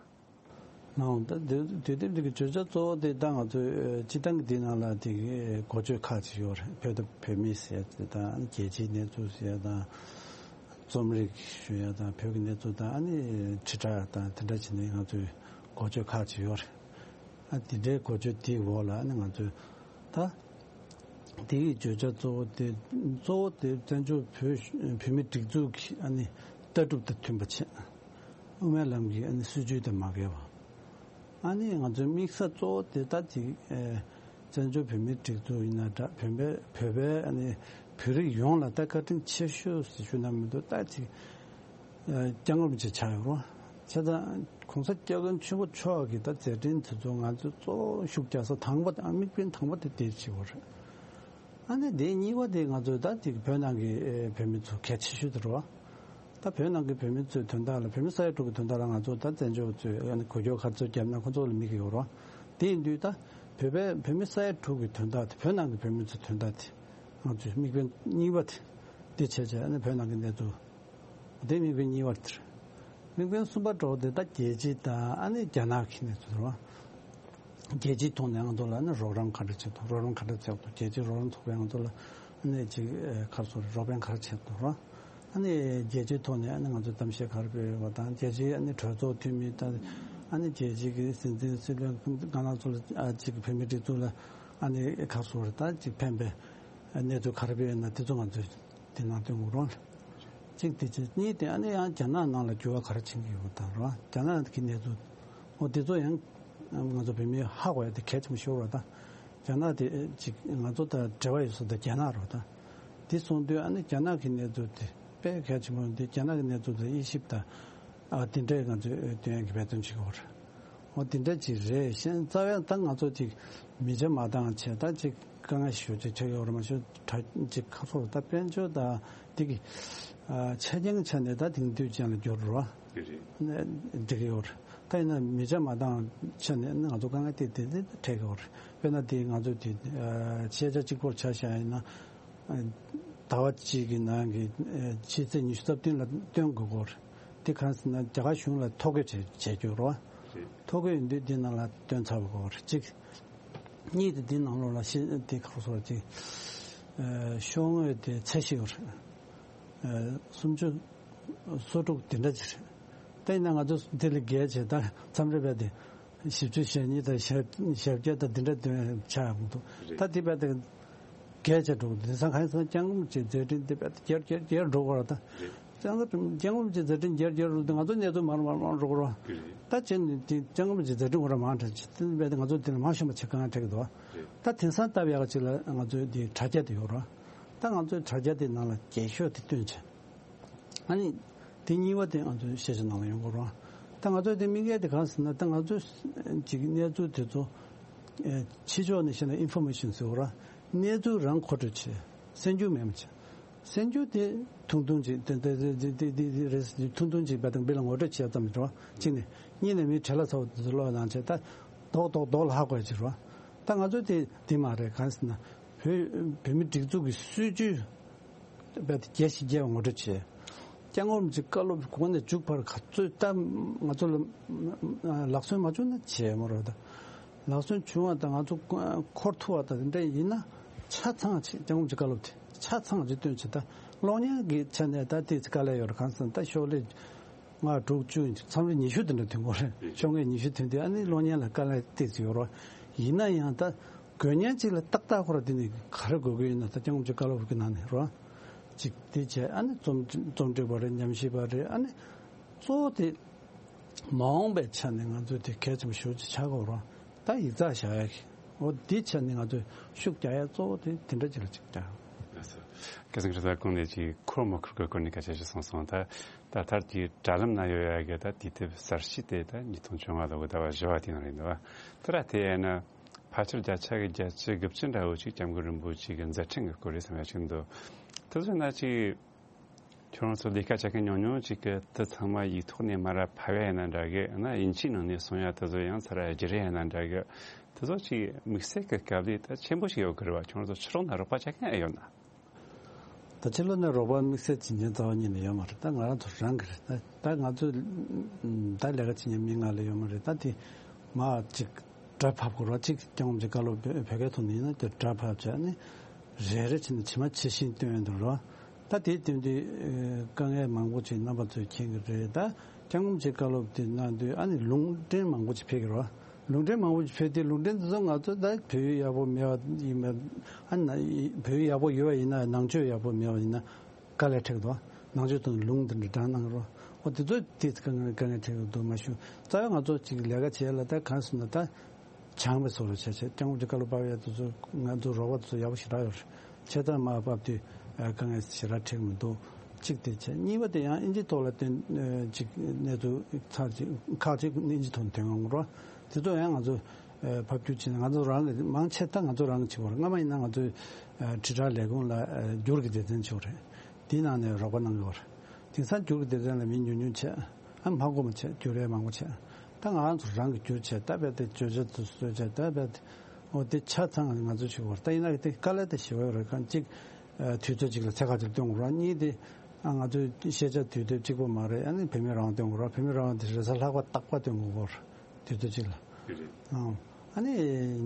ནའང་ད་དུས་དུས་དེབ་འདི་གི་བརྗོད་བྱ་གཙོ་བོ་དེ་ད་ང་ཚོའི་སྤྱི་བཏང་གི་འདི་ནང་ལ་དེ་གི་འགོ་བརྗོད་ཁག་ཅིག་ཡོད་རེད། བོད་དང་བོད་མི་ཟེར་ཡ་དེ་དང་རྒྱལ་སྤྱིའི་གནས་ཚུལ་ཟེར་ཡ་དང་། རྩོམ་རིག་ཞུ་ཡ་དང་བོད་ཀྱི་གནས་ཚུལ་དང་ཨ་ནི་དྲིལ་བསྒྲགས་དང་དེ་འདྲ་བྱས་ནས་ང་ཚོའི་འགོ་བརྗོད་ཁག་ཅིག་ཡོད་རེད། ཨ་དེ་འདྲའི་འགོ་བརྗོད་དེའི་འོག་ལ་ཨ་ནི་ང་ཚོས་ད་དེའི་བརྗོད་བྱ་གཙོ་བོ་དེ་གཙོ་བོ་དེ་བཙན་བྱོལ་བོད་བོད་མི་སྒྲིག་འཛུགས་ཀྱི་ཨ་ནི་ལྟ་གྲུབ་དང་མཐུན་པ་བྱས། དབུ་མའི་ལམ་གྱི་ཨ་ནི་སྲིད་བྱུས་དང་མ་འགལ་བ། ཨ་ནི་ང་ཚོའི་དམིགས་ས་གཙོ་བོ་དེ་ད་ཅིག་ཨེ་བཙན་བྱོལ་བོད་མིའི་སྒྲིག་འཛུགས་ཡིན་ན་འདྲ་བོད་པའི་བོད་པའི་ཨ་ནི་བོད་རིགས་ཡོངས་ལ་ད་བཀའ་དྲིན་ཆེ་ཤོས་ཟེར་ཞུ་ན་མི་འདུག་ད་ཅིག་ཨེ་སྐྱབས་མགོན་རིན་པོ་ཆེ་ཆགས་ཡོད་རེད། བྱས་ཙང་གོང་ས་སྐྱབས་མགོན་ཆེན་པོ་མཆོག་གི་ད་མཛད་འཕྲིན་དེ་ཚོ་ང་ཚོས་གཙོ་བོ་ཤུགས་རྒྱག་ས་དང་པོ་དང་དམིགས་འབེན་དང་པོ་དེ་དེ་བྱེད་དགོས་རེད། ཨ་ནི་དེ་གཉིས་པ་དེ་ང་ཚོས་ད་ཅིག་བོད་ནང་གི་ཨེ་བོད་མི་ཚོ་གལ་ཆེ་ཤོས་དེ་རེད་བ། ད་བོད་ནང་གི་བོད་མི་ཚོའི་དོན་དག་ལ་བོད་མི་ས་ཡ་དྲུག་གི་དོན་དག་ལ་ང་ཚོ་ད་བཙན་བྱོལ་ཚོས་ཨ་ནི་འགུལ་སྐྱོད་ག་ཚོད་བརྒྱབ་ན་ཁོ་ཚོ་ལ་དམིགས་ཀྱི་ཡོད་རེད་བ། དེ་ཡིན་དུས་ད་ བོད་པའི་བོད་མི་ས་ཡ་དྲུག་གི་དོན་དག་དེ། བོད་ནང་གི་བོད་མི་ཚོའི་དོན་དག་དེ། ང་ཚོའི་དམིགས་འབེན་གཉིས་པ་དེ་འདི་བྱས་བྱས། ཨ་ནི་བོད་ནང་གི་གནས་ཚུལ་དེ་དམིགས་འབེན་གཉིས་པ་དེ་རེད། དམིགས་འབེན་གསུམ་པ་འདྲ་བོ་དེ་ད་རྒྱལ་སྤྱི་དང་ཨ་ནི་རྒྱ་ནག་གི་གནས་ཚུལ་རེད་བ། རྒྱལ་སྤྱིའི་ཐོག་ནས་ང་ཚོ་ལ་ཨ་ནི་རོགས་རམ་ག་འདྲ་བྱེད་ཐུབ། རོགས་རམ་ག་འདྲ་བྱེད་ཐུབ། རྒྱལ་སྤྱིའི་རོགས་རམ་ཚོགས་པས་ང་ཚོ་ལ་ཨ་ནི་ཅིག་ཨེ་ག་རེ་ཟེར་དགོས་རེད། རོགས་ཕན་ག་རེ་བྱེད་ཐུབ་རེད་བ། ཨ་ནི་རྒྱལ་སྤྱིའི་ཐོག་ནས་ཨ་ནི་ང་ཚོས་གཏམ་བཤད་ག་རེ་སྤེལ་ཡོད་པ་དང་། རྒྱལ་སྤྱིའི་ཨ་ནི་གྲོས་ཚོགས་འཐུས་མི་དང་། ཨ་ནི་རྒྱལ་སྤྱིའི་གི་སྲིད་འཛིན་སྲིད་བློན་ཁག་ནང་ཚོ་ལ་ཨ་ཅིག་བོད་མིའི་སྒྲིག་འཛུགས་ལ་ཨ་ནི་ག་རེ་ཟེར་དགོས་རེད། ད་ཅིག་ཕན་པའི་གནས་ཚུལ་ག་རེ་སྤེལ་ཡོད་ན་དེ་ཚོ་ང་ཚོས་དེ་ནང་སྟོན་དགོས་རེད། གཅིག་དེ་བྱས། གཉིས་དེ་ཨ་ནི་ཡང་རྒྱ་ནག་ནང་ལ་འགྱུར་བ་ག་རེ་ཕྱིན་གྱི་ཡོད་པ་དང་རེད་བ། རྒྱ་ནག་གི་གནས་ཚུལ་འོ་དེ་ཚོ་ཡང་ང་ཚོ་བོད་མིས་ཧ་གོ་ཡ་དེ་གལ་ཆེན་པོ་ཞིག་རེད་བ། ད་རྒྱ་ནག་དེ་ཅིག་ང་ཚོ་དང་འབྲེལ་བ་ཡོད་ས་དེ་རྒྱ་ནག་རེད་བ། ད་དེ་སོང་དུས་ཨ་ནི་རྒྱ་ནག་གི་གནས་ཚུལ་དེ་དཔེ་གལ་ཆེན་པོ་འདི། རྒྱ་ནག་གི་གནས་ཚུལ་དེ་དབྱེ་ཞིབ་དང་ཨ་དེ་འདྲས་ང་ཚོས་སྟོན་ཡ་གི་འབད་བརྩོན་བྱེད་ཀྱི་ཡོད་རེད། འོ་དེ་འདྲ་ཅིག་རེད། གཞན་རྩ་བའི་ད་ང་ཚོ་ཅིག་མི་ཆ་མ་འདང་བྱས། ད་ཅིག་དཀའ་ངལ་ཞེ་པོ་ཅིག་ཆགས་ཡོད་རེད། མ་གཞི་གྲ་ཅིག་ཁ་ཕྱོགས་ད་དཔལ་འབྱོར་ད་འདི་གི་ཨ་ཆ་རྐྱེན་ཆ་ནས་ད་དེང་དུས་ཅན་ལ་འགྱུར་རོ། རེད་རེད། འགྲིག་གི་ཡོད་རེད། ད་ཡིན་ན་མི་ཆ་མ་འདང་ཆ་ནས་ང་ཚོ་དཀའ་ངལ་དེ་དེ་དེ་འཕྲད་ཀྱི་ཡོད་རེད། དཔེར་ན་དེ་ང་ཚོ་དེ་ཨ་ཤེས་བྱ་གཅིག་པོར་ཆ་བཞག་ཡིན་ན། ཨ་ཟླ་བ་གཅིག་གི་ནང་གི་ཨ་ཕྱི་ཚེས་ཉི་ཤུ་རྩ་བདུན་ལ་སྟོན་དགོས་ཀྱི་ཡོད་རེད། དེ་གང་ཟེར་ན་རྒྱ་གར་གཞུང་ལ་ཐོ་འགོད་བྱས་བྱས་རྒྱུ་རེད་བ། ཐོ་འགོད་ཡིན་དུས་འདི་ནང་ལ་སྟོན་ཚར་བ་དགོས་པ་རེད། གཅིག་གཉིས་དེ་འདི་ནང་ལོགས་ལ་ཤེས་དེ་ཁག་སོགས་ཅིག་ཨ་ཤོག་ངོས་དེ་ཚད་གཞི་ཡོད་རེད། ཨ་སུམ་ཅུ་སོ་དྲུག་དེ་འདྲ་ཅིག་རེད། ད་ཡིན་ན་ང་ཚོ་འདི་ལས་བརྒལ་བྱས་ད་མཚམས་རེ་བས་དེ་བཞི་བཅུ་ཞེ་གཉིས་དང་ཞེ་བརྒྱད་དང་འདི་འདྲ་དེ་ཆགས་ཡོང་གི་འདུག། རེད། ད་དེ་བས་དེ་བརྒལ་བྱས་འགྲོ་གི་འདུག། དེང་སང་གང་ཡིན་ཟེར་ན་སྐྱབས་མགོན་རིན་པོ་ཆེའི་མཛད་འཕྲིན་དེ་བས་དེ་བརྒྱར་བརྒྱར་བརྒྱར་འགྲོ་གི་རེད། ད་རེད། སྐྱབས་མགོན་རིན་པོ་ཆེའི་མཛད་འཕྲིན་བརྒྱར་བརྒྱར་འགྲོ་དུས་ང་ཚོ་གནས་ཚུལ་མར་མར་མར་འགྲོ་གི་རེད། རེད། ད་བྱས་ནས་དེ་སྐྱབས་མགོན་རིན་པོ་ཆེའི་མཛད་འཕྲིན་ཁོ་རང་མང་དྲགས་ཅིག་དེ་བས་དེ་ང་ཚོ་དེ་ལ་མང་ཤོས་མ་བྱེད་དཀའ་ངལ་འཕྲད་ཀྱི་འདུག། རེད། ད་དེང་སང་ལྟ་བ་ཡག་ཅིག་ལ་ང་ཚོའི་དེ་དྲ་རྒྱ་དེ་ཡོད་རེད། ད་ང་ཚོའི་དྲ་རྒྱ་དེ་ནང་ལ་རྒྱས་ཤོས་དེ་བཏོན་བྱས། ཨ་ནི་དེ་གཉིས་པ་དེ་ང་ཚོའི་ཤེས་བྱ་ནང་ལ་ཡོང་གི་རེད། ད་ང་ཚོའི་དེ་དམིགས་ཡུལ་དེ་གང་ཟེར་ན། ད་ང་ཚོའི་ཅིག་གནས་ཚུལ་དེ་ཚོ་ཨེ་ཕྱི་ཕྱོགས་ནས་བཤད་ན་ཨིན་ཕོར་མེ་ཤན་ཟེར་བ་རེད། གནས་ཚུལ་རང་མཁོ་སྤྲོད་བྱེད། གསར་འགྱུར་མེད་མ་བྱེད། གསར་འགྱུར་དེ་ཐུང་ཐུང་ཅིག་དེ་དེ་དེ་དེ་དེ་དེ་རེད། ཐུང་ཐུང་ཅིག་བས་དང་བི་ལ་ངོ་སྤྲོད་བྱེད་ཙམ་རེད་བ། གཅིག་ནས། གཉིས་ནས་མི་བྲེལ་བ་ཚ་བོ་དེ་ཚོ་ཀློག་གནང་བྱས། ད་རྡོག་རྡོག་རྡོག་ལ་ཧ་གོ་ཡ་ཅིག་རེད་བ། ད་ང་ཚོ་དེ་དེ་མ་རེད། གང་ཟེར་ན་བོད་བོད་མི་སྒྲིག་འཛུགས་ཀྱི་སྲིད་ཇུས་རྦད་དེ་རྒྱས་ཤིང་རྒྱས་པ་ངོ་སྤྲོད་བྱས། སྐྱབས་མགོན་རིན་པོ་ཆེའི་བཀའ་སློབ་གོང་ནས་མཇུག་བར་ག་ཚོད་ད་ང་ཚོ་ལ་ལག་སོན་མ་བྱུང་ན་བྱས་མ་རེད། ད་ལག་སོན་བྱུང་བ་དང་ང་ཚོ་འཁོར་ཐུབ་པ་དང་དེ་འདྲ་ཡིན་ན། ཆ་ཚང་ཅིག་སྐྱབས་མགོན་རིན་པོ་ཆེའི་བཀའ་སློབ་དེ་ཆ་ཚང་ཅིག་བཏོན་བྱས། ད་གློག་བརྙན་གྱི་ཆ་ནས་ད་ཏོག་ཙམ་དཀའ་ལས་ཡོད་རེད། གང་ཟེར་ན་ད་ཤོག་ལྷེ་ལྔ་དྲུག་བཅུ་མཚམས་རེ་ཉི་ཤུ་དེ་འདྲ་ཐོན་གྱི་ཡོད་རེད། ཤོག་ངོས་ཉི་ཤུ་ཐོན་དུས་ཨ་ནི་གློག་བརྙན་ལ་དཀའ་ལས་ཏོག་ཙམ་ཡོད་རེད། ཡིན་ན་ཡང་ད་དགོས་མཁན་ཅིག་ལ་ཏག་ཏག་ཁོ་རང་དེ་ནས་ག་རེ་དགོས་ཀྱི་ཡོད་ན། ད་སྐྱབས་མགོན་རིན་པོ་ཆེའི་བཀའ་སློབ་ཀྱི་ནང་ནས་རེད། ཅིག་དེ་བྱས། ཨ་ནི་རྩོམ་རྩོམ་སྒྲིག་པ་རེད། ཉམས་ཞིབ་པ་རེད། ཨ་ནི་གཙོ་བོ་དེ་མ་འོངས་པའི་ཆ་ནས་ང་ཚོས་དེ་གལ་ཆེན་པོ་ཞེ་པོ་ཅིག་ཆགས་ཀྱི་ཡོད་རེད། ད་ཡིག་ཚགས་བཞག་ཡ་གི། འོ་འདི་ཆ་ནས་ང་ཚོས་ཤུགས་རྒྱག་ཡ་གཙོ་བོ་དེ་དེ་འདྲ་ཅིག་ལ་ཅིག་རྒྱག། ལགས་སོ། སྐལ་བཟང་གིས་ད་གོང་ནས་ཅིག་འཁོར་མི་འཁོར་གྱི་སྐོར་ནས་སྐད་ཆ་ཞིག་གསུངས་སོང་། ད་ད་ལྟར་གྱི་དྲ་ལམ་ན་ཡོད་ཡ་གི་ད་དུས་དེབ་གསར་ཤོས་དེ་ད་ཉིས་སྟོང་བཅོ་ལྔ་ལོ་གི་ཟླ་བ་བཞི་པ་དེ་ནང་རེད་འདུག་བ། དེ་ར་དེ་ཡིན་ན་ཕལ་ཆེར་བརྒྱ་ཆ་གི་བརྒྱད་ཅུ་དགུ་བཅུ་འདྲ་བོ་ཅིག་སྐྱབས་མགོན་རིན་པོ་ཆེ་གི་མཛད་འཕྲིན་གྱི་སྐོར་རེད་བསམ་ཡ་ཅིག་འདུག། དེ་ཚོ་ན་ཅིག་ཁྱོད་རང་ཚོ་ལས་ཀ་བྱེད་མཁན་ཉུང་ཉུང་ཅིག་གིས་དེ་ཚང་མ་ཡིག་ཐོག་ནས་མར་ར་ཕབ་ཡ་ཡིན་ན་འདྲ་གི། ཡང་ན་དབྱིན་ཇིའི་ནང་ནས་གསུང་ཡ་དེ་ཚོ་ཡང་ཚུར་ར་བསྒྱུར་ཡ་ཡིན་ན་འདྲ་གི། དེ་ཚོ་ཅིག་དམིགས་བསལ་གྱི་དཀའ་ལས་ད་ཆེན་པོ་ཞིག་ཡོད་གི་རེད་བ། ཁྱོད་རང་ཚོ་ཕྱི་ལོགས་ན་རོགས་པ་བྱེད་མཁན་ཨེ་ཡོད་ན། ད་ཕྱི་ལོགས་ནས་རོགས་པ་དམིགས་བསལ་བྱེད་མཁན་རྩ་བ་ཉིད་ནས་ཡོད་མ་རེད། ད་ང་རང་ཚོ་རང་གི་རེད། ད་ད་ང་ཚོ་ད་ལས་ཀ་བྱེད་མཁན་མི་ལྔ་ལས་ཡོད་མ་རེད། ད་དེ་མར་ཅིག་སྒྲ་ཕབ་དགོས་རེད་བ། ཅིག་སྐྱབས་མགོན་རིན་པོ་ཆེའི་བཀའ་སློབ་བོད་བོད་སྐད་ཐོག་ནས་ཡིན་ན་དེ་སྒྲ་ཕབ་བྱས་ནས་རེ་རེ་བྱས་ནས་ཇི་མ་ཇི་བཞིན་སྟོན་ཡོང་དུས་རེད་བ། ད་དེ་སྟོན་དུས་ཨེ་དཀའ་ངལ་མང་པོ་ཅིག་རྣམ་པ་ཚོས་མཁྱེན་གྱི་རེད། ད་སྐྱབས་མགོན་རིན་པོ་ཆེའི་བཀའ་སློབ་དེ་གནང་དུས་ཨ་ནི་ལུང་འདྲེན་མང་པོ་ཅིག་ཕེབས་ཀྱི་རེད་བ། ལུང་འདྲེན་མང་པོ་ཞིག་ཕེབས་དུས། ལུང་འདྲེན་དེ་ཚོ་ང་ཚོ་ད་བོད་ཡིག་ཡག་པོ་མེད་པ་ཡིན་པ། ཨ་ནི་བོད་ཡིག་ཡག་པོ་ཡོད་པ་ཡིན་ན། ནང་ཆོས་ཡག་པོ་མེད་པ་ཡིན་ན་དཀའ་ལས་འཕྲད་ཀྱི་འདུག། ནང་ཆོས་དང་ལུང་དེ་འདྲ་དྲངས་གནང་རོགས། འོ་དེ་ཚོ་དེ་དཀའ་ངལ་དཀའ་ངལ་འཕྲད་ཀྱི་འདུག། མ་གཞི་རྩ་བའི་ང་ཚོ་ཅིག་ལས་ཀ་བྱེད་ཡ་ལ་ད་གང་ཟེར་ན་ད་སྦྱངས་པའི་བཟོ་འདྲ་བྱས་བྱས། སྐྱབས་མགོན་རིན་པོ་ཆེའི་བཀའ་སློབ་ཕབ་ཡ་དེ་ཚོ་ང་ཚོ་རོགས་པ་དེ་ཚོ་ཡག་པོ་ཞེ་དྲག་ཡོད་རེད། བྱས་ཙང་མར་ཕབ་དུས་ཨ་དཀའ་ངལ་ཞེ་དྲག་འཕྲད་ཀྱི་མི་འདུག། གཅིག་དེ་བྱས། གཉིས་པ་དེ་ཡང་དབྱིན་ཇིའི་ཐོག་ལ་བཏོན་ཨ་ཅིག་གནས་ཚུལ་ཁག་ཅིག་ཁག་ཅིག་དབྱིན་ཇིའི་ཐོག་ནས་ཐོན་ཡོང་གི་རེད། དེ་ཚོ་ཡང་ང་ཚོ་ཨ་ཕབ་བསྒྱུར་བྱས་ནས། ང་ཚོ་རང་གི་མང་ཆེ་ད་ང་ཚོ་རང་གིས་བྱེད་དགོས་རེད། སྔ་མ་ཡིན་ན་ང་ཚོའི་ཨ་དྲིལ་བསྒྲགས་ལས་ཁུངས་ལ་ཨ་བསྒྱུར་གྱི་སྡེ་ཚན་ཅིག་ཡོད་རེད། དེའི་ནང་ནས་རོགས་པ་གནང་གི་ཡོད་རེད། དེང་སང་བསྒྱུར་གྱི་སྡེ་ཚན་ལ་མི་ཉུང་ཉུང་བྱས། ཨ་མ་དགོས་པ་བྱས། བསྒྱུར་ཡ་མང་པོ་བྱས། ད་ང་རང་ཚོ་རང་གིས་བསྒྱུར་བྱས། ད་རྦད་དེ་བརྗོད་བྱ་དེ་བཟོས་བྱས། ད་རྦད་དེ་ འོ་དེ་ཆ་ཚང་ང་ཚོ་བྱེད་དགོས་རེད། ད་ཡིན་ན་དེ་དཀའ་ལས་དེ་ཞེ་པོ་རེད། གང་གཅིག་ཨ་དུས་ཚོད་གཅིག་ལ་ཚད་ག་ཚོད་སྟོན་དགོས་རེད། གཉིས་དེ་ཨ་ང་ཚོའི་ཤེས་བྱ་དུས་དེབ་གཅིག་པོ་མ་རེད། ཨ་ནི་བོད་མིའི་རང་དབང་སྟོན་དགོས་རེད། བོད་མིའི་རང་དབང་དེ་རེས་གཟའ་ལྷག་པ་རྟག་པར་སྟོན་དགོས་རེད། དུས་ཚོད་གཅིག་ལ། ཨང་། ཨ་ནི་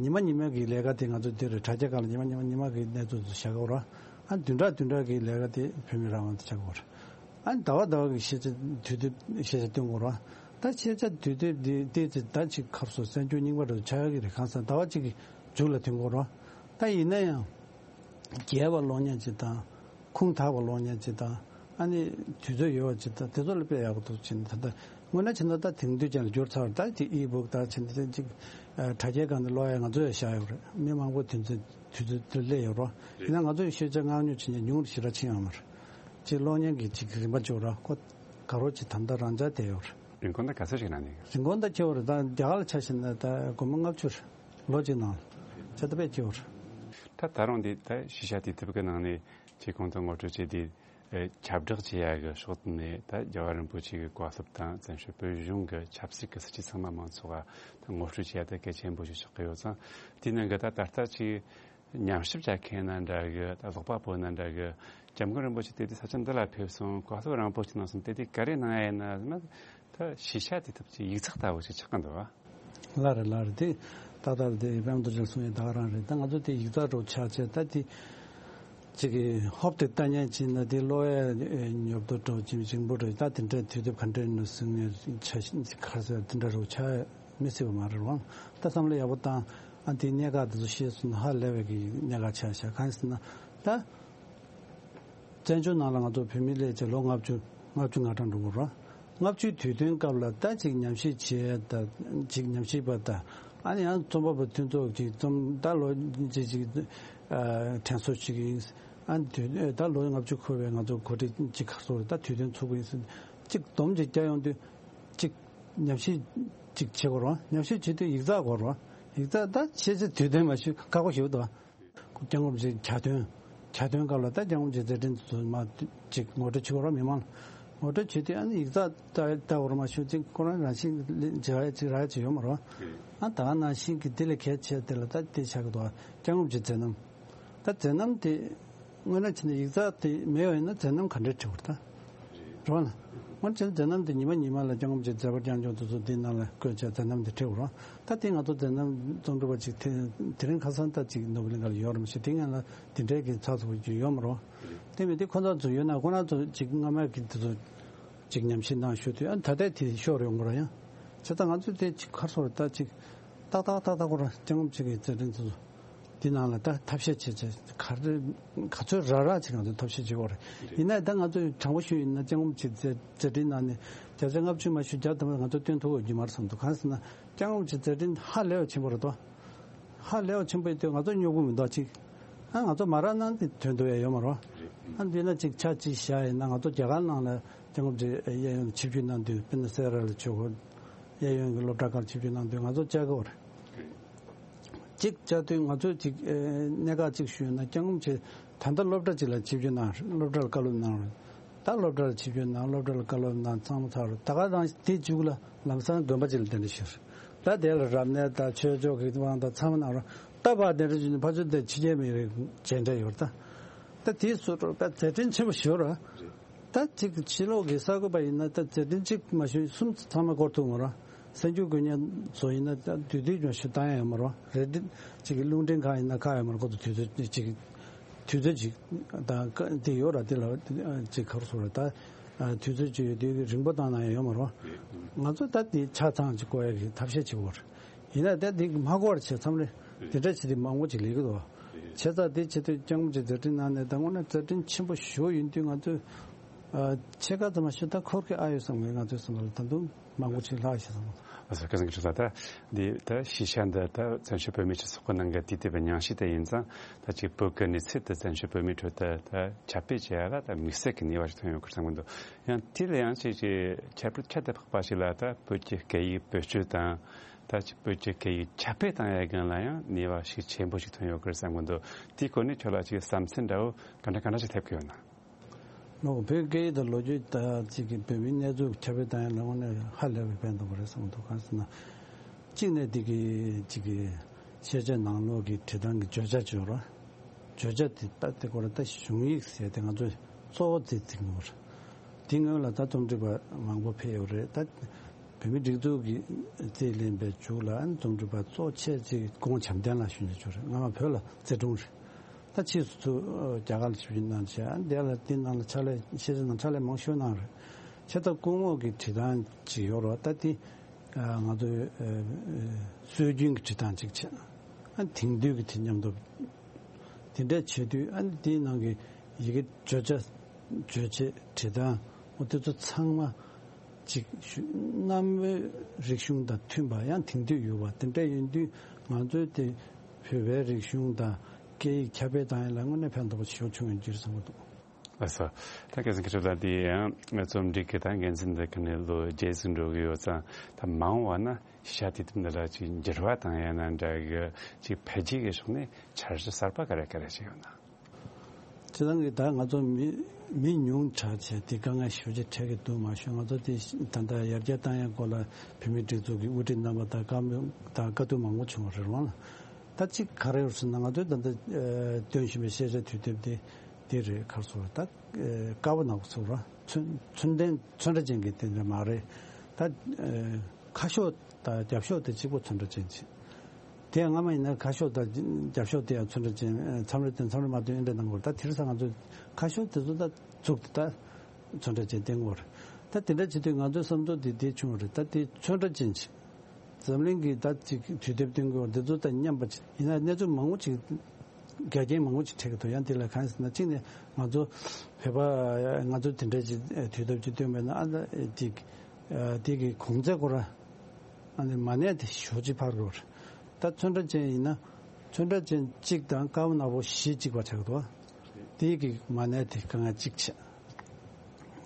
ཉི་མ་ཉི་མ་གི་ལས་ཀ་དེ་ང་ཚོ་འདི་རེད། དྲ་རྒྱ་སྒང་ལ་ཉི་མ་ཉི་མ་ཉི་མ་གི་གནས་ཚུལ་ཚོ་བཞག་གི་རེད། ཨ་བདུན་ཕྲག་བདུན་ཕྲག་གི་ལས་ཀ་དེ་བོད་མིའི་རང་དབང་དེ་བྱ་དགོས་རེད། ཨ་ནི་ཟླ་བ་ཟླ་བ་གི་ཤེས་བྱ་དུས་དེབ་ཤེས་བྱ་སྟོན་དགོས་རེད། ད་ཤེས་བྱ་དུས་དེབ་འདི་ཏོག་ཙམ་ད་ཅིག་ཁ་སང་གསར་འགྱུར་རྙིང་པ་རུ་ཆགས་ཡོད་ཀྱི་རེད། གང་ཟག་ཟླ་བ་གཅིག་གི་མཇུག་ལ་ཐོན་དགོས་རེད། ད་ཡིན་ན་ཡང་རྒྱས་པ་ཀློག་མཁན་ཅིག་དང་། ཁུངས་དག་པ་ཀློག་མཁན་ཅིག་དང་། ཨ་ནི་དུས་ཚོད་ཡོད་པ་ཅིག་དང་། དེ་ཚོ་ལ་དཔེ་ཡག་པོ་འདུག་ཅེས་ནས། ད་ལྟ་དངོས་གནས་བྱས་ན་ད་དེང་དུས་ཅན་ལ་འགྱུར་ཚར་བ་རེད། ད་དེ་ཨི་བུག་ད་བྱས་ན་དེ་ཅིག་ཨ་དྲ་རྒྱའི་སྒང་ནས་ཀློག་ཡ་ང་ཚོ་ཡང་བཞག་ཡོད་རེད། མི་མང་པོ་དེ་ཚོ་དུས་ཚོད་དེ་སླེབས་ཡོད་རེད། ཡིན་ན་ང་ཚོ་ཡི་ཤེས་བྱ་མངགས་ཉོ་བྱེད་མཁན་ཉུང་རུ་ཞེ་དྲག་ཕྱིན་ཡོད་མ་རེད། ཅིག་ཀློག་མཁན་གྱི་ཅིག་རིམ་པ་ཅིག་ཡོད་རེད། ཁོ་དགའ་རོགས་ཅིག་ད་ལྟ་རང་འཇགས་བསྡད་ཡོད་རེད། རིན་གོང་ད་ག་ཚོད་ཞིག་ན་ནི། རིན་གོང་ད་ཆེ་བ་རེད། ད་རྒྱ་གར་ལ་ཆ་བཞག་ན་ད་སྒོར་མོ་ལྔ་བཅུ་རེད། ལོ་གཅིག་ནང་ལ་ཆ་ད་དཔེ་ཆེ་བ་རེད། ད་ད་རུང་འདི་ད་ཤེས་བྱ་དུས་དེབ་ཀྱི་ནང་ནས་ཅིག་གོང་དུ་ངོ་སྤྲོད་བྱས་དེ། ཨེ་ཁྱབ་བསྒྲགས་བྱེད་ཡ་གི་ཕྱོགས་ནས་ད་རྒྱལ་བ་རིན་པོ་ཆེ་གི་བཀའ་སློབ་དང་བཙན་བྱོལ་བོད་གཞུང་གི་ཆབ་སྲིད་ཀྱི་སྲིད་ཇུས་ཚང་མ་མང་ཚོགས་ལ་ད་ངོ་སྤྲོད་བྱེད་ཡ་ད་གལ་ཆེན་པོ་ཞིག་ཆགས་ཀྱི་ཡོད་ཙང་། དེའི་ནང་གི་ད་ད་ལྟ་ཅིག་ཉམས་ཞིབ་བྱ་མཁན་ན་འདྲ་གི། ད་ཀློག་པ་པོ་ན་འདྲ་གི། སྐྱབས་མགོན་རིན་པོ་ཆེ་དེ་དུས་ས་ཆ་འདི་ལ་ཕེབས་སོང་། བཀའ་སློབ་རིན་པོ་ཆེ་གནང་སོང་། དེ་དུས་ག་རེ་གནང་ཡ་ཡིན་ན་ཟེར་ན། ད་ཤེས་བྱ་དེ་ཐུབ་ཀྱི་ཡིག་ཚགས་ལྟ་བུ་ཞིག་ཆགས་ཀྱི་འདུག་བ། ལགས་རེད། ལགས་རེད། དེ་ཏག་ཏག་རེད། དེ་དཔལ་རྡོ་རྗེ་གསུང་ཡས་ད་ག་རང་རེད། ད་ང་ཚོ་དེ་ཡིག་ཚགས་འདྲ་བོ་ཆགས་བྱས། ད་དེ་ཅིག་གི་ཧོབ་དེ་ལྟ་ཉན་བྱས་ན་དེ་ཀློག་ཡས་ཨེ་ཉོབ་ཏོ་འདྲ་བོ་ཅིག་ཞིམ་པོ་འདྲ་བོ། ད་དེ་འདྲའི་དུས་དེབ་ག་འདྲ་ཡིན་ནོ་ཟེར་ངས་ཆ་ཤས་ཁ་གསལ་དེ་འདྲ་འདྲ་བོ་ཆགས་མི་སྲིད་པ་མ་རེད་བ། ད་བསམ་བློ་ཡག་པོ་བཏང་། ཨ་དེའི་གནད་འགག་དེ་ཚོ་ཤེས་སོང་ན་ཧ་ལས་པའི་གི་གནད་འགག་ཆགས་ཤག། གང་ཡིན་ཟེར་ན་ད། བཙན་བྱོལ་ནང་ལ་ང་ཚོ་བོད་མི་སླེབས་བྱས་ལོ་ལྔ་བཅུ་ལྔ་བཅུ་ང་གྲངས་འགྲོ་གི་རེད། ལྔ་བཅུའི་དུས་སྟོན་སྐབས་ལ་ད་ཅིག་ཉམས་ཞིབ་བྱས་དང་། ཅིག་ཉམས་ཞིབ་པ་དང་། ཨ་ནི་ཡང་རྩོམ་པ་པོ་མཐུན་ཚོགས་ཀྱི་རྩོམ་ད་ལོ་ཅིག་ཅིག་ཨ་དྲན་གསོ་བྱེད་ཀྱི་ཡིན། ཨ་ནི་དུས་ད་ལོ་ལྔ་བཅུ་འཁོར་བའི་ང་ཚོ་གོ་སྒྲིག་ཅིག་ཁ་སོ་རེད། ད་དུས་སྟོན་ཚུགས་ཀྱི་ཡིན་ཟེར་ཅིག་སྡོམ་ཅིག་བརྒྱབ་ཡོང་དུས། ཅིག་ཉམས་ཞིབ་ཅིག་བྱེད་དགོས་རེད། ཉམས་ཞིབ་བྱེད་དུས་ཡིག་ཚགས་དགོས་རེད། ཡིག་ཚགས་ད་ཆེས་ཆེ་དུས་སྟོན་མ་ཞུ་ཁག་པོ་ཞིག་འདུག། སྐྱབས་མགོན་རིན་པོ་ཆེའི་གྱ་སྟོན། གྱ་སྟོན་སྐབས་ལ་ད་སྐྱབས་མགོན་རིན་པོ་ཆེའི་མཛད་འཕྲིན་དེ་ཚོ་མར་ཅིག་ངོ་སྤྲོད་བྱེད་དགོས་རེད། མི་མང་ལ་ངོ་སྤྲོད་བྱེད་དུས་ཨ་ནི་ཡིག་ཚགས་ལྟ་ལྟ་དགོས་རེད་མ་གཞི་ཅིག་ཁོ་རང་རང་བཞིན་གྱི་ལས་བྱེད་ཡ་ཅིག་རག་ཡ་ཅིག་ཡོད་མ་རེད། ཨ་ད་ག་ནང་བཞིན་གྱི་དེ་ལས་གལ་ཆེ་དེ་ལ་ད་དེ་ཆགས་ཀྱི་འདུག། སྐྱབས་མགོན་རིན་པོ་ཆེའི་མཛད་རྣམ། ད་མཛད་རྣམ་དེ་དངོས་གནས་བྱས་ན་ཡིག་ཚགས་དེ་མེད་པ་ཡིན་ན་མཛད་རྣམ་ག་འདྲས་བྲིས་པ་རེད་ད། རེད་བ། དངོས་གནས་བྱས་ན་མཛད་རྣམ་དེ་ཉི་མ་ཉི་མ་ལ་སྐྱབས་མགོན་རིན་པོ་ཆེའི་མཛད་པ་རྐྱང་རྐྱང་དེ་ཚོ་འདི་ནང་ལ་བཀོད་བྱས་མཛད་རྣམ་དེ་བྲིས་པ་རེད། ད་དེ་ང་ཚོ་མཛད་རྣམ་རྩོམ་སྒྲིག་པ་ཅིག་དེ་དེ་རིང་ཁ་སང་ད་ཅིག་ནོར་བུ་གླིང་ག་ལ་ཡོད་རེད་མ་གཞི། དེ་སྔོན་ལ་དེ་འདྲའི་གི་ཚགས་ཚུད་པོ་ཅིག་ཡོད་མ་རེད། དེ་མིན་དེ་ཁོ་ཚོ་ཚོ་ཡོད་ན་ཁོ་རང་ཚོ་ཅིག་སྔ་མའི་གི་དེ་ཚོ་ཅིག་ཉམས་ཞིབ་གནང་ཞུ་དུས་ཨ་ད་ལྟའི་དེ་ཤོར་ཡོང་གི་རེད། ཡང་བྱས་ཙང་ང་ཚོས་དེ་ཅིག་ཁར་སོར་ད་ཅིག་ཏག་ཏག་ཏག་ཏག་ཁོ་རང་སྐྱབས་མགོན་རིན་པོ་ཆེ་གི་མཛད་འཕྲིན་དེ་ཚོ་འདི་ནང་ལ་ད་ཐབས་ཤེས་བྱེད་ཆེད་ག་རེ་ག་ཚོད་རག་རག་ཅིག་ང་ཚོས་ཐབས་ཤེས་བྱེད་དགོས་རེད། ཡིན་ན་ད་ང་ཚོས་དྲང་པོ་ཞུས་ཡིན་ན་སྐྱབས་མགོན་རིན་པོ་ཆེའི་མཛད་མཛད་འཕྲིན་ནང་ནས་བརྒྱ་ཆ་ལྔ་བཅུ་མ་ཞུ་བརྒྱ་ཐམ་པ་ང་ཚོས་སྟོན་ཐུབ་ཡོད་ཀྱི་མ་རེད་བསམ་འདུག། གང་ཟེར་ན་སྐྱབས་མགོན་རིན་པོ་ཆེའི་མཛད་འཕྲིན་ཧ་ལས་པ་ཆེན་པོ་རེད་དོ། ཧ་ལས་པ་ཆེན་པོ་ཡིན་དུས་ང་ཚོ་སྨྱོ་དགོས་མི་འདུག་ཅིག། ཨ་ང་ཚོ་མ་རག་ན་དེ་དོན་དུ་ཡ་ཡོད་མ་རེད། ཨ་འདི་ན་ཅིག་ཆ་གཅིག་བཞག་ཡིན་ན་ང་ཚོ་རྒྱ་གར་ནང་ལ་སྐྱབས་མགོན་རིན་པོ་ཆེ་གཡས་གཡོན་ཆིབས་བསྒྱུར་གནང་དུས་དཔེར་ན་སེ་ར་ལ་ཆོས་སྒོ་གཡས་གཡོན་གྱི་སློབ་གྲྭ་ཁག་ཆིབས་བསྒྱུར་གནང་དུས་ང་ཚོ་བཅར་གི་ཡོད་རེད། གཅིག་བཅར་དུས་ང་ཚོས་ཅིག་ཨེ་གནད་འགག་ཅིག་ཞུས་ན་སྐྱབས་མགོན་རིན་པོ་ཆེ་ད་ལྟ་སློབ་གྲྭ་ཅིག་ལ་ཆིབས་བསྒྱུར་གནང་། སློབ་གྲྭ་ལ་བཀའ་སློབ་གནང་རེད། ད་སློབ་གྲྭ་ལ་ཆིབས་བསྒྱུར་གནང་། སློབ་གྲྭ་ལ་བཀའ་སློབ་གནང་། ཚང་མ་ཚར་རེད། ད་ག་རང་དེ་མཇུག་ལ་ལམ་སང་དགོན་པ་ཅིག་ལ་གདན་འདྲེན་ཞུས་རེད། ད་དེ་ལ་རབ་གནས་དང་ཆོས་ཕྱོགས་ཀྱི་དབང་དང་ཚང་མ་གནང་རེད། ད་ཕར་གདན་འདྲེན་ཞུས་ནས་ཕར་ཚུར་དེ་ཕྱི་རྒྱལ་མི་རིགས་མཇལ་འཕྲད་ཡོད་རེད་ད། ད་དེའི་སོ་སོར་དཔེ་མཛད་འཕྲིན་ཆེན་པོ་ཞིག་ཡོད་རེད། ད་ཅིག་ཕྱི་ལོགས་ཀྱི་གསར་འགོད་པ་ཡིན་ན་ད་མཛད་འཕྲིན་གཅིག་མ་ཞུས་གསུམ་ཚང་མ་སྐོར་ཐུབ་མ་རེད། གསར་འགྱུར་འགོད་མཁན་ཚོ་ཡིན་ན་ད་དུས་དུས་ཀྱང་ཞུ་བཏང་ཡ་ཡོད་མ་རེད། རེད་དེ་ཅིག་གི་རླུང་འཕྲིན་ཁང་ཡིན་ན་ཁག་ཡོད་མ་རེད། ཁོ་ཚོ་དུས་ཚོད་ཅིག་དུས་ཚོད་ཅིག་དང་ཀ་དེ་ཡོད་ར། དེ་ལ་ཅིག་ག་རེ་ཟེར་ར། ད་དུས་ཚོད་ཅིག་ཡོད་དུས་རིང་པོ་བཏང་ན་ཡང་ཡོད་མ་རེད། ང་ཚོ་ད་དེ་ཆ་ཚང་ཅིག་བཀོད་ཡ་གི་ཐབས་ཤེས་བྱེད་དགོས་རེད། ཡིན་ན་ད་དེ་མ་བཀོད་བྱས་མཚམས་རེ་དེ་འདྲ་བྱས་ཏེ་མང་པོ་ཅིག་ལས་ཀྱི་འདུག། བྱས་ཙང་དེ་བྱེད་དུས་སྐྱབས་མགོན་རིན་པོ་ཆེའི་མཛད་འཕྲིན་ནང་ནས་ད་དངོས་གནས་མཛད་འཕྲིན་ཆེན་པོ་ཞིག་ཡིན་དུས་ང་ཚོས་ཨ་ཕྱེད་ཀ་ཙམ་མ་ཞིག་ད་འཁོར་གྱི་ཨ་ཡོད་བསམ་གི། ང་ཚོའི་བསམ་པ་ལ་ད་དུང་མང་པོ་ཅིག་ལྷག་ཡོད་བསམ། ཨ་ས་སྐལ་བཟང་གི་ཁྲི་ལ་ད་འདི་ད་ཤེས་བྱ་འདི་ད་བཙན་བྱོལ་བོད་མིའི་སྤྱི་ཚོགས་ཀྱི་ནང་གི་དུས་དེབ་ཉམས་ཞིབ་དེ་ཡིན་ཙང་ད་ཅིག་བོད་ཀྱི་གནས་ཚུལ་དེ་བཙན་བྱོལ་བོད་མིའི་ཁྲོད་དུ་ད་ཁྱབ་སྤེལ་བྱེད་ཡ་ལ་ད་དམིགས་བསལ་གྱི་ནུས་པ་ཞིག་ཐོན་ཡོད་ཀྱི་བསམ་གི་འདུག། ཡང་དེ་ལ་ཡང་ཅིག་ཅིག་ཁྱད་པར་ཁྱད་དུ་འཕགས་པ་ཞིག་ལ་ད་བོད་ཀྱི་སྐད་ཡིག་བེད་སྤྱོད་དང་ད་ཅིག་བོད་ཀྱི་སྐད་ཡིག་ཁྱབ་སྤེལ་བཏང་ཡ་སྒང་ལ་ཡང་ནུས་པ་ཞིག་ཆེན་པོ་ཞིག་ཐོན་ཡོད་ཀྱི་རེད་བསམ་གི་འདུག། དེའི་སྐོར་ནས་ཁྱོད་ལ་ཅིག་བསམ་ཚུལ་འདྲ་བོ་ག་འདྲ་ག་འདྲ་ཞིག་སླེབས་ཀྱི་ཡོད་ན། ལོ་བོད་སྐད་ཡིག་དང་ལོ་རྒྱུས་ད་ཅིག་གི་བོད་མིའི་གནས་ཚུལ་ཁྱབ་སྤེལ་བཏང་ཡ་ལ་དངོས་གནས་ཧ་ལས་པའི་ཕན་ཐོགས་པ་རེད་བསམ་གི་འདུག། གང་ཟེར་ན་གཅིག་ནས་དེ་གི་ཅིག་གི་ ཤེས་བྱ་ནང་ལོགས་ཀྱི་བྲིས་ཐངས་ཀྱི་བརྗོད་བྱ་བརྗོད་རོགས། བརྗོད་བྱ་དེ་ལྟ་དེ་སྐོར་ལ་ད་གཞུང་ཡིག་ཟེར་དེ་ང་ཚོས་གཙོ་བོ་དེ་བརྩི་གི་ཡོད་རེད། དེ་སྔོན་ལ་ད་རྩོམ་སྒྲིག་པ་མང་པོ་ཕེབས་ཡོད་རེད། ད་བོད་མིའི་སྒྲིག་འཛུགས་ཀྱི་རྩིས་ལེན་པའི་མཇུག་ལ་རྩོམ་སྒྲིག་པ་གཙོ་ཆེ་ཅིག་སྐུ་ངོ་བྱམས་ལྡན་ལགས་ཞུ་ཉེ་ཆོག་རེད། སྔ་མ་བོད་ལ་རྩིས་དྲུང་རེད། ད་ཕྱིས་སུ་ཚུར་རྒྱ་གར་ལ་ཞབས་ཞུ་གནང་བྱས་དེ་ལ་དེ་ནང་ལ་ཕྱག་ལས་ཤེས་བྱ་ནང་ཕྱག་ལས་མང་ཤོས་གནང་རེད། ཆེ་ད་སྐུ་ངོ་གི་བྲིས་ཐངས་ཅིག་ཡོད་རེད། ད་དེ་ང་ཚོའི་སྲོལ་རྒྱུན་གྱི་བྲིས་ཐངས་ཅིག་བྱས། ཨ་དེང་དུས་ཀྱི་དེ་མཉམ་དུ་དེ་འདྲ་བྱེད་དུས་ཨ་དེའི་ནང་གི་ཡི་གེ་བརྗོད་བྱ་བརྗོད་བྱེད་བྲིས་ཐངས་འོ་དེ་ཚོ་ཚང་མ་ཅིག་གནའ་བོའི་རིག་གཞུང་དང་མཐུན་པ་ཡང་དེང་དུས་ཡོད་པ་དེ་འདྲ་ཡིན་དུས་ང་ཚོའི་དེ་བོད་པའི་རིག་གཞུང་དང་སྐད་ཡིག་ཁྱབ་སྤེལ་བཏང་ཡ་ལ་དངོས་གནས་ཕན་ཐོགས་པ་ཞེ་པོ་བྱུང་ཡོད་ཀྱི་རེད་བསམ་གྱི་འདུག་ལགས་སོ། ད་སྐལ་བཟང་མཁས་གྲུབ་ལགས་འདི་ཡང་རྩོམ་སྒྲིག་གི་ད་འགན་འཛིན་འདི་ག་ནས་ལོ་རྗེས་སུ་འགྲོ་གི་ཡོད་ཙང་ད་མང་བ་ན་ཤ་དེ་དེ་འདི་ལ་ཅིག་འགྱུར་བ་བཏང་ཡ་ན་འདྲ་གི་ཅིག་འཕེལ་རྒྱས་ཀྱི་ཕྱོགས་ནས་འཆར་གཞི་གསར་པ་ག་རེ་ག་རེ་ཅིག་ཡོད་ན། ཁྱེད་རང་གིས་ད་ང་ཚོ་མི་མི་ཉུང་དྲགས་བྱས་དེ་དཀའ་ངལ་ཞེ་པོ་ཅིག་འཕྲད་ཀྱི་འདུག་མ་གཞི་ང་ཚོ་དེ་ད་ལྟ་ཡར་རྒྱས་བཏང་ཡ་སྐོར་ལ་བོད་མིའི་སྒྲིག་འཛུགས་ཀྱི་དབུ་ཁྲིད་རྣམ་པ་དང་བཀའ་མོལ་དང་བཀའ་བསྡུར་མང་པོ་བྱུང་བ་རེད་རོང་ལ། ད་ཅིག་ག་རེ་ཡོད་ཟེར་ན་ང་ཚོའི་ད་ལྟ་ཨ་སྟོན་བཞིན་པའི་ཤེས་བྱ་དུས་དེབ་དེ་དེ་རེད། ག་རེ་ཟེར་ད་ཨ་དཀར་པོ་ནག་པོ་ཟེར་བ་ཚོན་ཚོན་ལྡན་ཚོན་ཁྲ་ཅན་གྱི་དེ་འདྲ་མ་རེད། ད་ཨ་ཁ་ཤོག་དང་རྒྱབ་ཤོག་དེ་གཅིག་པོ་ཚོན་ཁྲ་ཅན་ཅིག་དེ་སྔ་མ་ཡིན་ན་ཁ་ཤོག་དང་རྒྱབ་ཤོག་དེ་ཡང་ཚོན་ཁྲ་ཅན་ཨ་མཚམས་རེ་བསྟན་མཚམས་རེ་མ་བསྟན་འདྲ་གནང་དགོས་རེད། ད་དེང་སང་ང་ཚོས་ཁ་ཤོག་དེ་ཚོ་ད་བཙུགས་ཏེ་ད་ཚོན་ཁྲ་ཅན་བསྟན་དགོས་རེད། ད་དེ་འདྲ་བྱེད་དུས་ང་ཚོའི་བསམ་ཚུལ་དེ་དེ་བྱུང་བ་རེད། ད་དེ་ཚོན་ཁྲ་ཅན་ཅིག་འཛམ་གླིང་གི་ད་ཅིག་དུས་དེབ་སྟོན་དགོས་འདི་ཚོ་དང་མཉམ་པ་ཅིག་ཡིན་ན་གནས་ཚུལ་མང་པོ་ཅིག་འགལ་རྐྱེན་མང་པོ་ཅིག་འཕྲད་ཀྱི་འདུག་ཡང་དེ་ལ་གང་ཡིན་ཟེར་ན་གཅིག་ནས་ང་ཚོ་བོད་པ་ང་ཚོ་དེ་འདྲ་ཅིག་དུས་དེབ་ཅིག་སྟོན་པ་ཡིན་ན་ཨ་ད་ཅིག་དེ་གི་གོང་ཚད་སྐོར་ཨ་ནི་མ་གནས་དེ་ཞོ་ཅིག་ཕར་རོར་ད་ཚོན་ཁྲ་ཅན་ཡིན་ན་ཚོན་ཁྲ་ཅན་གཅིག་དང་དཀར་པོ་ནག་པོ་བཞི་གཅིག་པ་ཆགས་འདུག་དེ་གི་མ་གནས་དེ་དཀའ་ངལ་གཅིག་བྱས།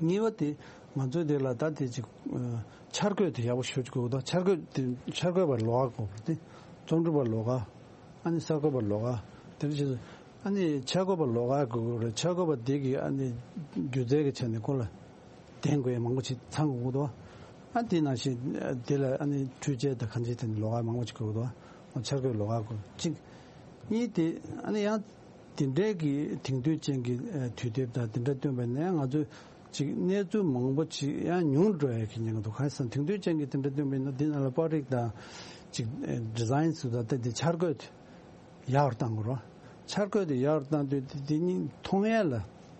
གཉིས་པ་དེ་ང་ཚོའི་དེ་ལ་ད་དེ་ཅིག་ཨ་འཆར་འགོད་དེ་ཡག་པོ་ཞུ་དགོས་འདུག་འཆར་འགོད་དེ་འཆར་འགོད་པ་ལོགས་ཀ་དགོས་པ་དེ་རྩོམ་སྒྲིག་པ་ལོགས་ཀ་ཨ་ནི་གསར་འགོད་པ་ལོགས་ཀ་དེ་འདྲ་བྱས་ཨ་ནི་འཆར་འགོད་པ་ལོགས་ཀ་དགོས་རེད། འཆར་འགོད་པ་དེ་གི་ཨ་ནི་སྒྱུ་རྩལ་གྱི་ཆ་ནས་ཁོ་ལ་ལྡན་དགོས་ཡ་མང་པོ་ཞིག་ཚང་དགོས་འདུག་ཨ་དེ་ནང་བཞིན་དེ་ལ་ཨ་ནི་འཕྲུལ་ཆས་དང་གང་ཅི་དེ་ནི་ལོགས་ཀ་མང་པོ་ཞིག་དགོས་འདུག་འཆར་འགོད་ལོགས་ཀ་དགོས་གཅིག་གཉིས་དེ་ཨ་ནི་ཡང་དེ་འདྲའི་གི་དེང་དུས་ཅན་གྱི་ཨ་དུས་དེབ་དང་དེ་འདྲ་བཏོན་པ་ནས་ང་ཚོས་ཅིག་གནས་ཚུལ་མང་པོ་ཅིག་ཡང་ཉུང་འགྲོ་ཡ་གི་ཉེན་ཁ་འདུག་གང་ཡིན་ཟེར་ན་དེང་དུས་ཅན་གྱི་དེ་འདྲ་བཏོན་པ་ཡིན་ན་འདི་ནང་ལ་པར་རིས་དང་ཅིག་ཨ་ཌི་ཛ་ཡིན་ཟེར་དང་དེ་འཆར་འགོད་དེ་ཡག་རུ་བཏང་དགོས་རེད། འཆར་འགོད་དེ་ཡག་རུ་བཏང་དུས་དེ་དེ་གཉིས་མཐོང་ཡ་ལ་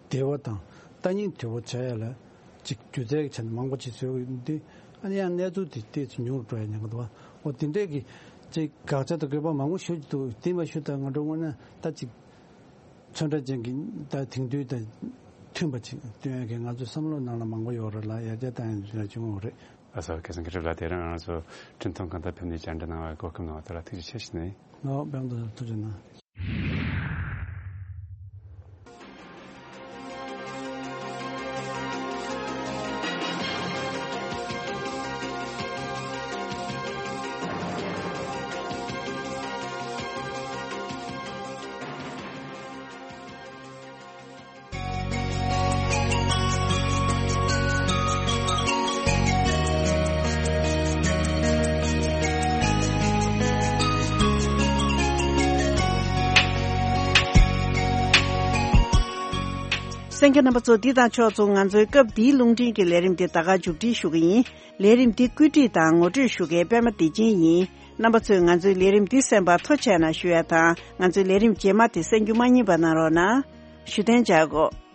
བདེ་བ་དང་ལྟ་སྙིང་བདེ་བོ་བྱ་ཡ་ལ་ཅིག་སྒྱུ་རྩལ་གྱི་ཆ་ནས་མང་པོ་ཅིག་བཟོས་ཡོད་དུས་ཨ་ནི་ཡང་གནས་ཚུལ་དེ་ཏོག་ཙམ་ཉུང་རུ་འགྲོ་ཡ་ཉེན་ཁ་འདུག་འོ་དེ་འདྲས་ཀྱི་ཅིག་དགག་བྱ་དང་དགོས་པ་མང་པོ་ཞུ་རྒྱུ་འདུག་དེ་མ་ཞུ་ད་ང་ཚོ་དངོས་གནས་ད་ཅིག་ཚོན་ཁྲ་ཅན་གྱི་ད་དེང་དུས་དང་མཐུན་པ་ཅིག་སྟོན་ཡ་གི་ང་ཚོའི་བསམ་བློ་ནང་ལ་མང་པོ་ཡོད་རེད་ལ་ཡར་རྒྱས་བཏང་ཡ་ལ་བྱུང་ཡོད་རེད། ལགས་སོ། སྐལ་བཟང་མཁས་གྲུབ་ལགས་དེ་རིང་ང་ཚོ་འཕྲིན་ཐུང་གང་ལྟར་ཕེབས་ནས་བཅར་འདྲི་གནང་བར་གོ་སྐབས་གནང་བ་དེ་ལ་ཐུགས་རྗེ་ཆེ་ཞུ་ནས། ལགས་སོ། ཐུགས་རྗེ་གནང་། གསན་མཁན་རྣམ་པ་ཚོ། འདི་དང་ཕྱོགས་མཚུངས་ང་ཚོའི་སྐབས་འདིའི་རླུང་འཕྲིན་གྱི་ལས་རིམ་འདི་ད་ག་མཇུག་སྒྲིལ་ཞུ་གི་ཡིན། ལས་རིམ་འདི་བཀོད་སྒྲིག་དང་ངོ་སྤྲོད་ཞུ་མཁན་པད་མ་བདེ་ཆེན་ཡིན། རྣམ་པ་ཚོས་ང་ཚོའི་ལས་རིམ་འདི་གསན་པར་ཐུགས་རྗེ་གནང་ཞུ་ཡ་དང་། ང་ཚོའི་ལས་རིམ་རྗེས་མ་དེ་གསན་རྒྱུ་མ་བསྙེལ་བ་གནང་རོགས་གནང་། ཞུ་གཏན་འཇགས་སྒོ།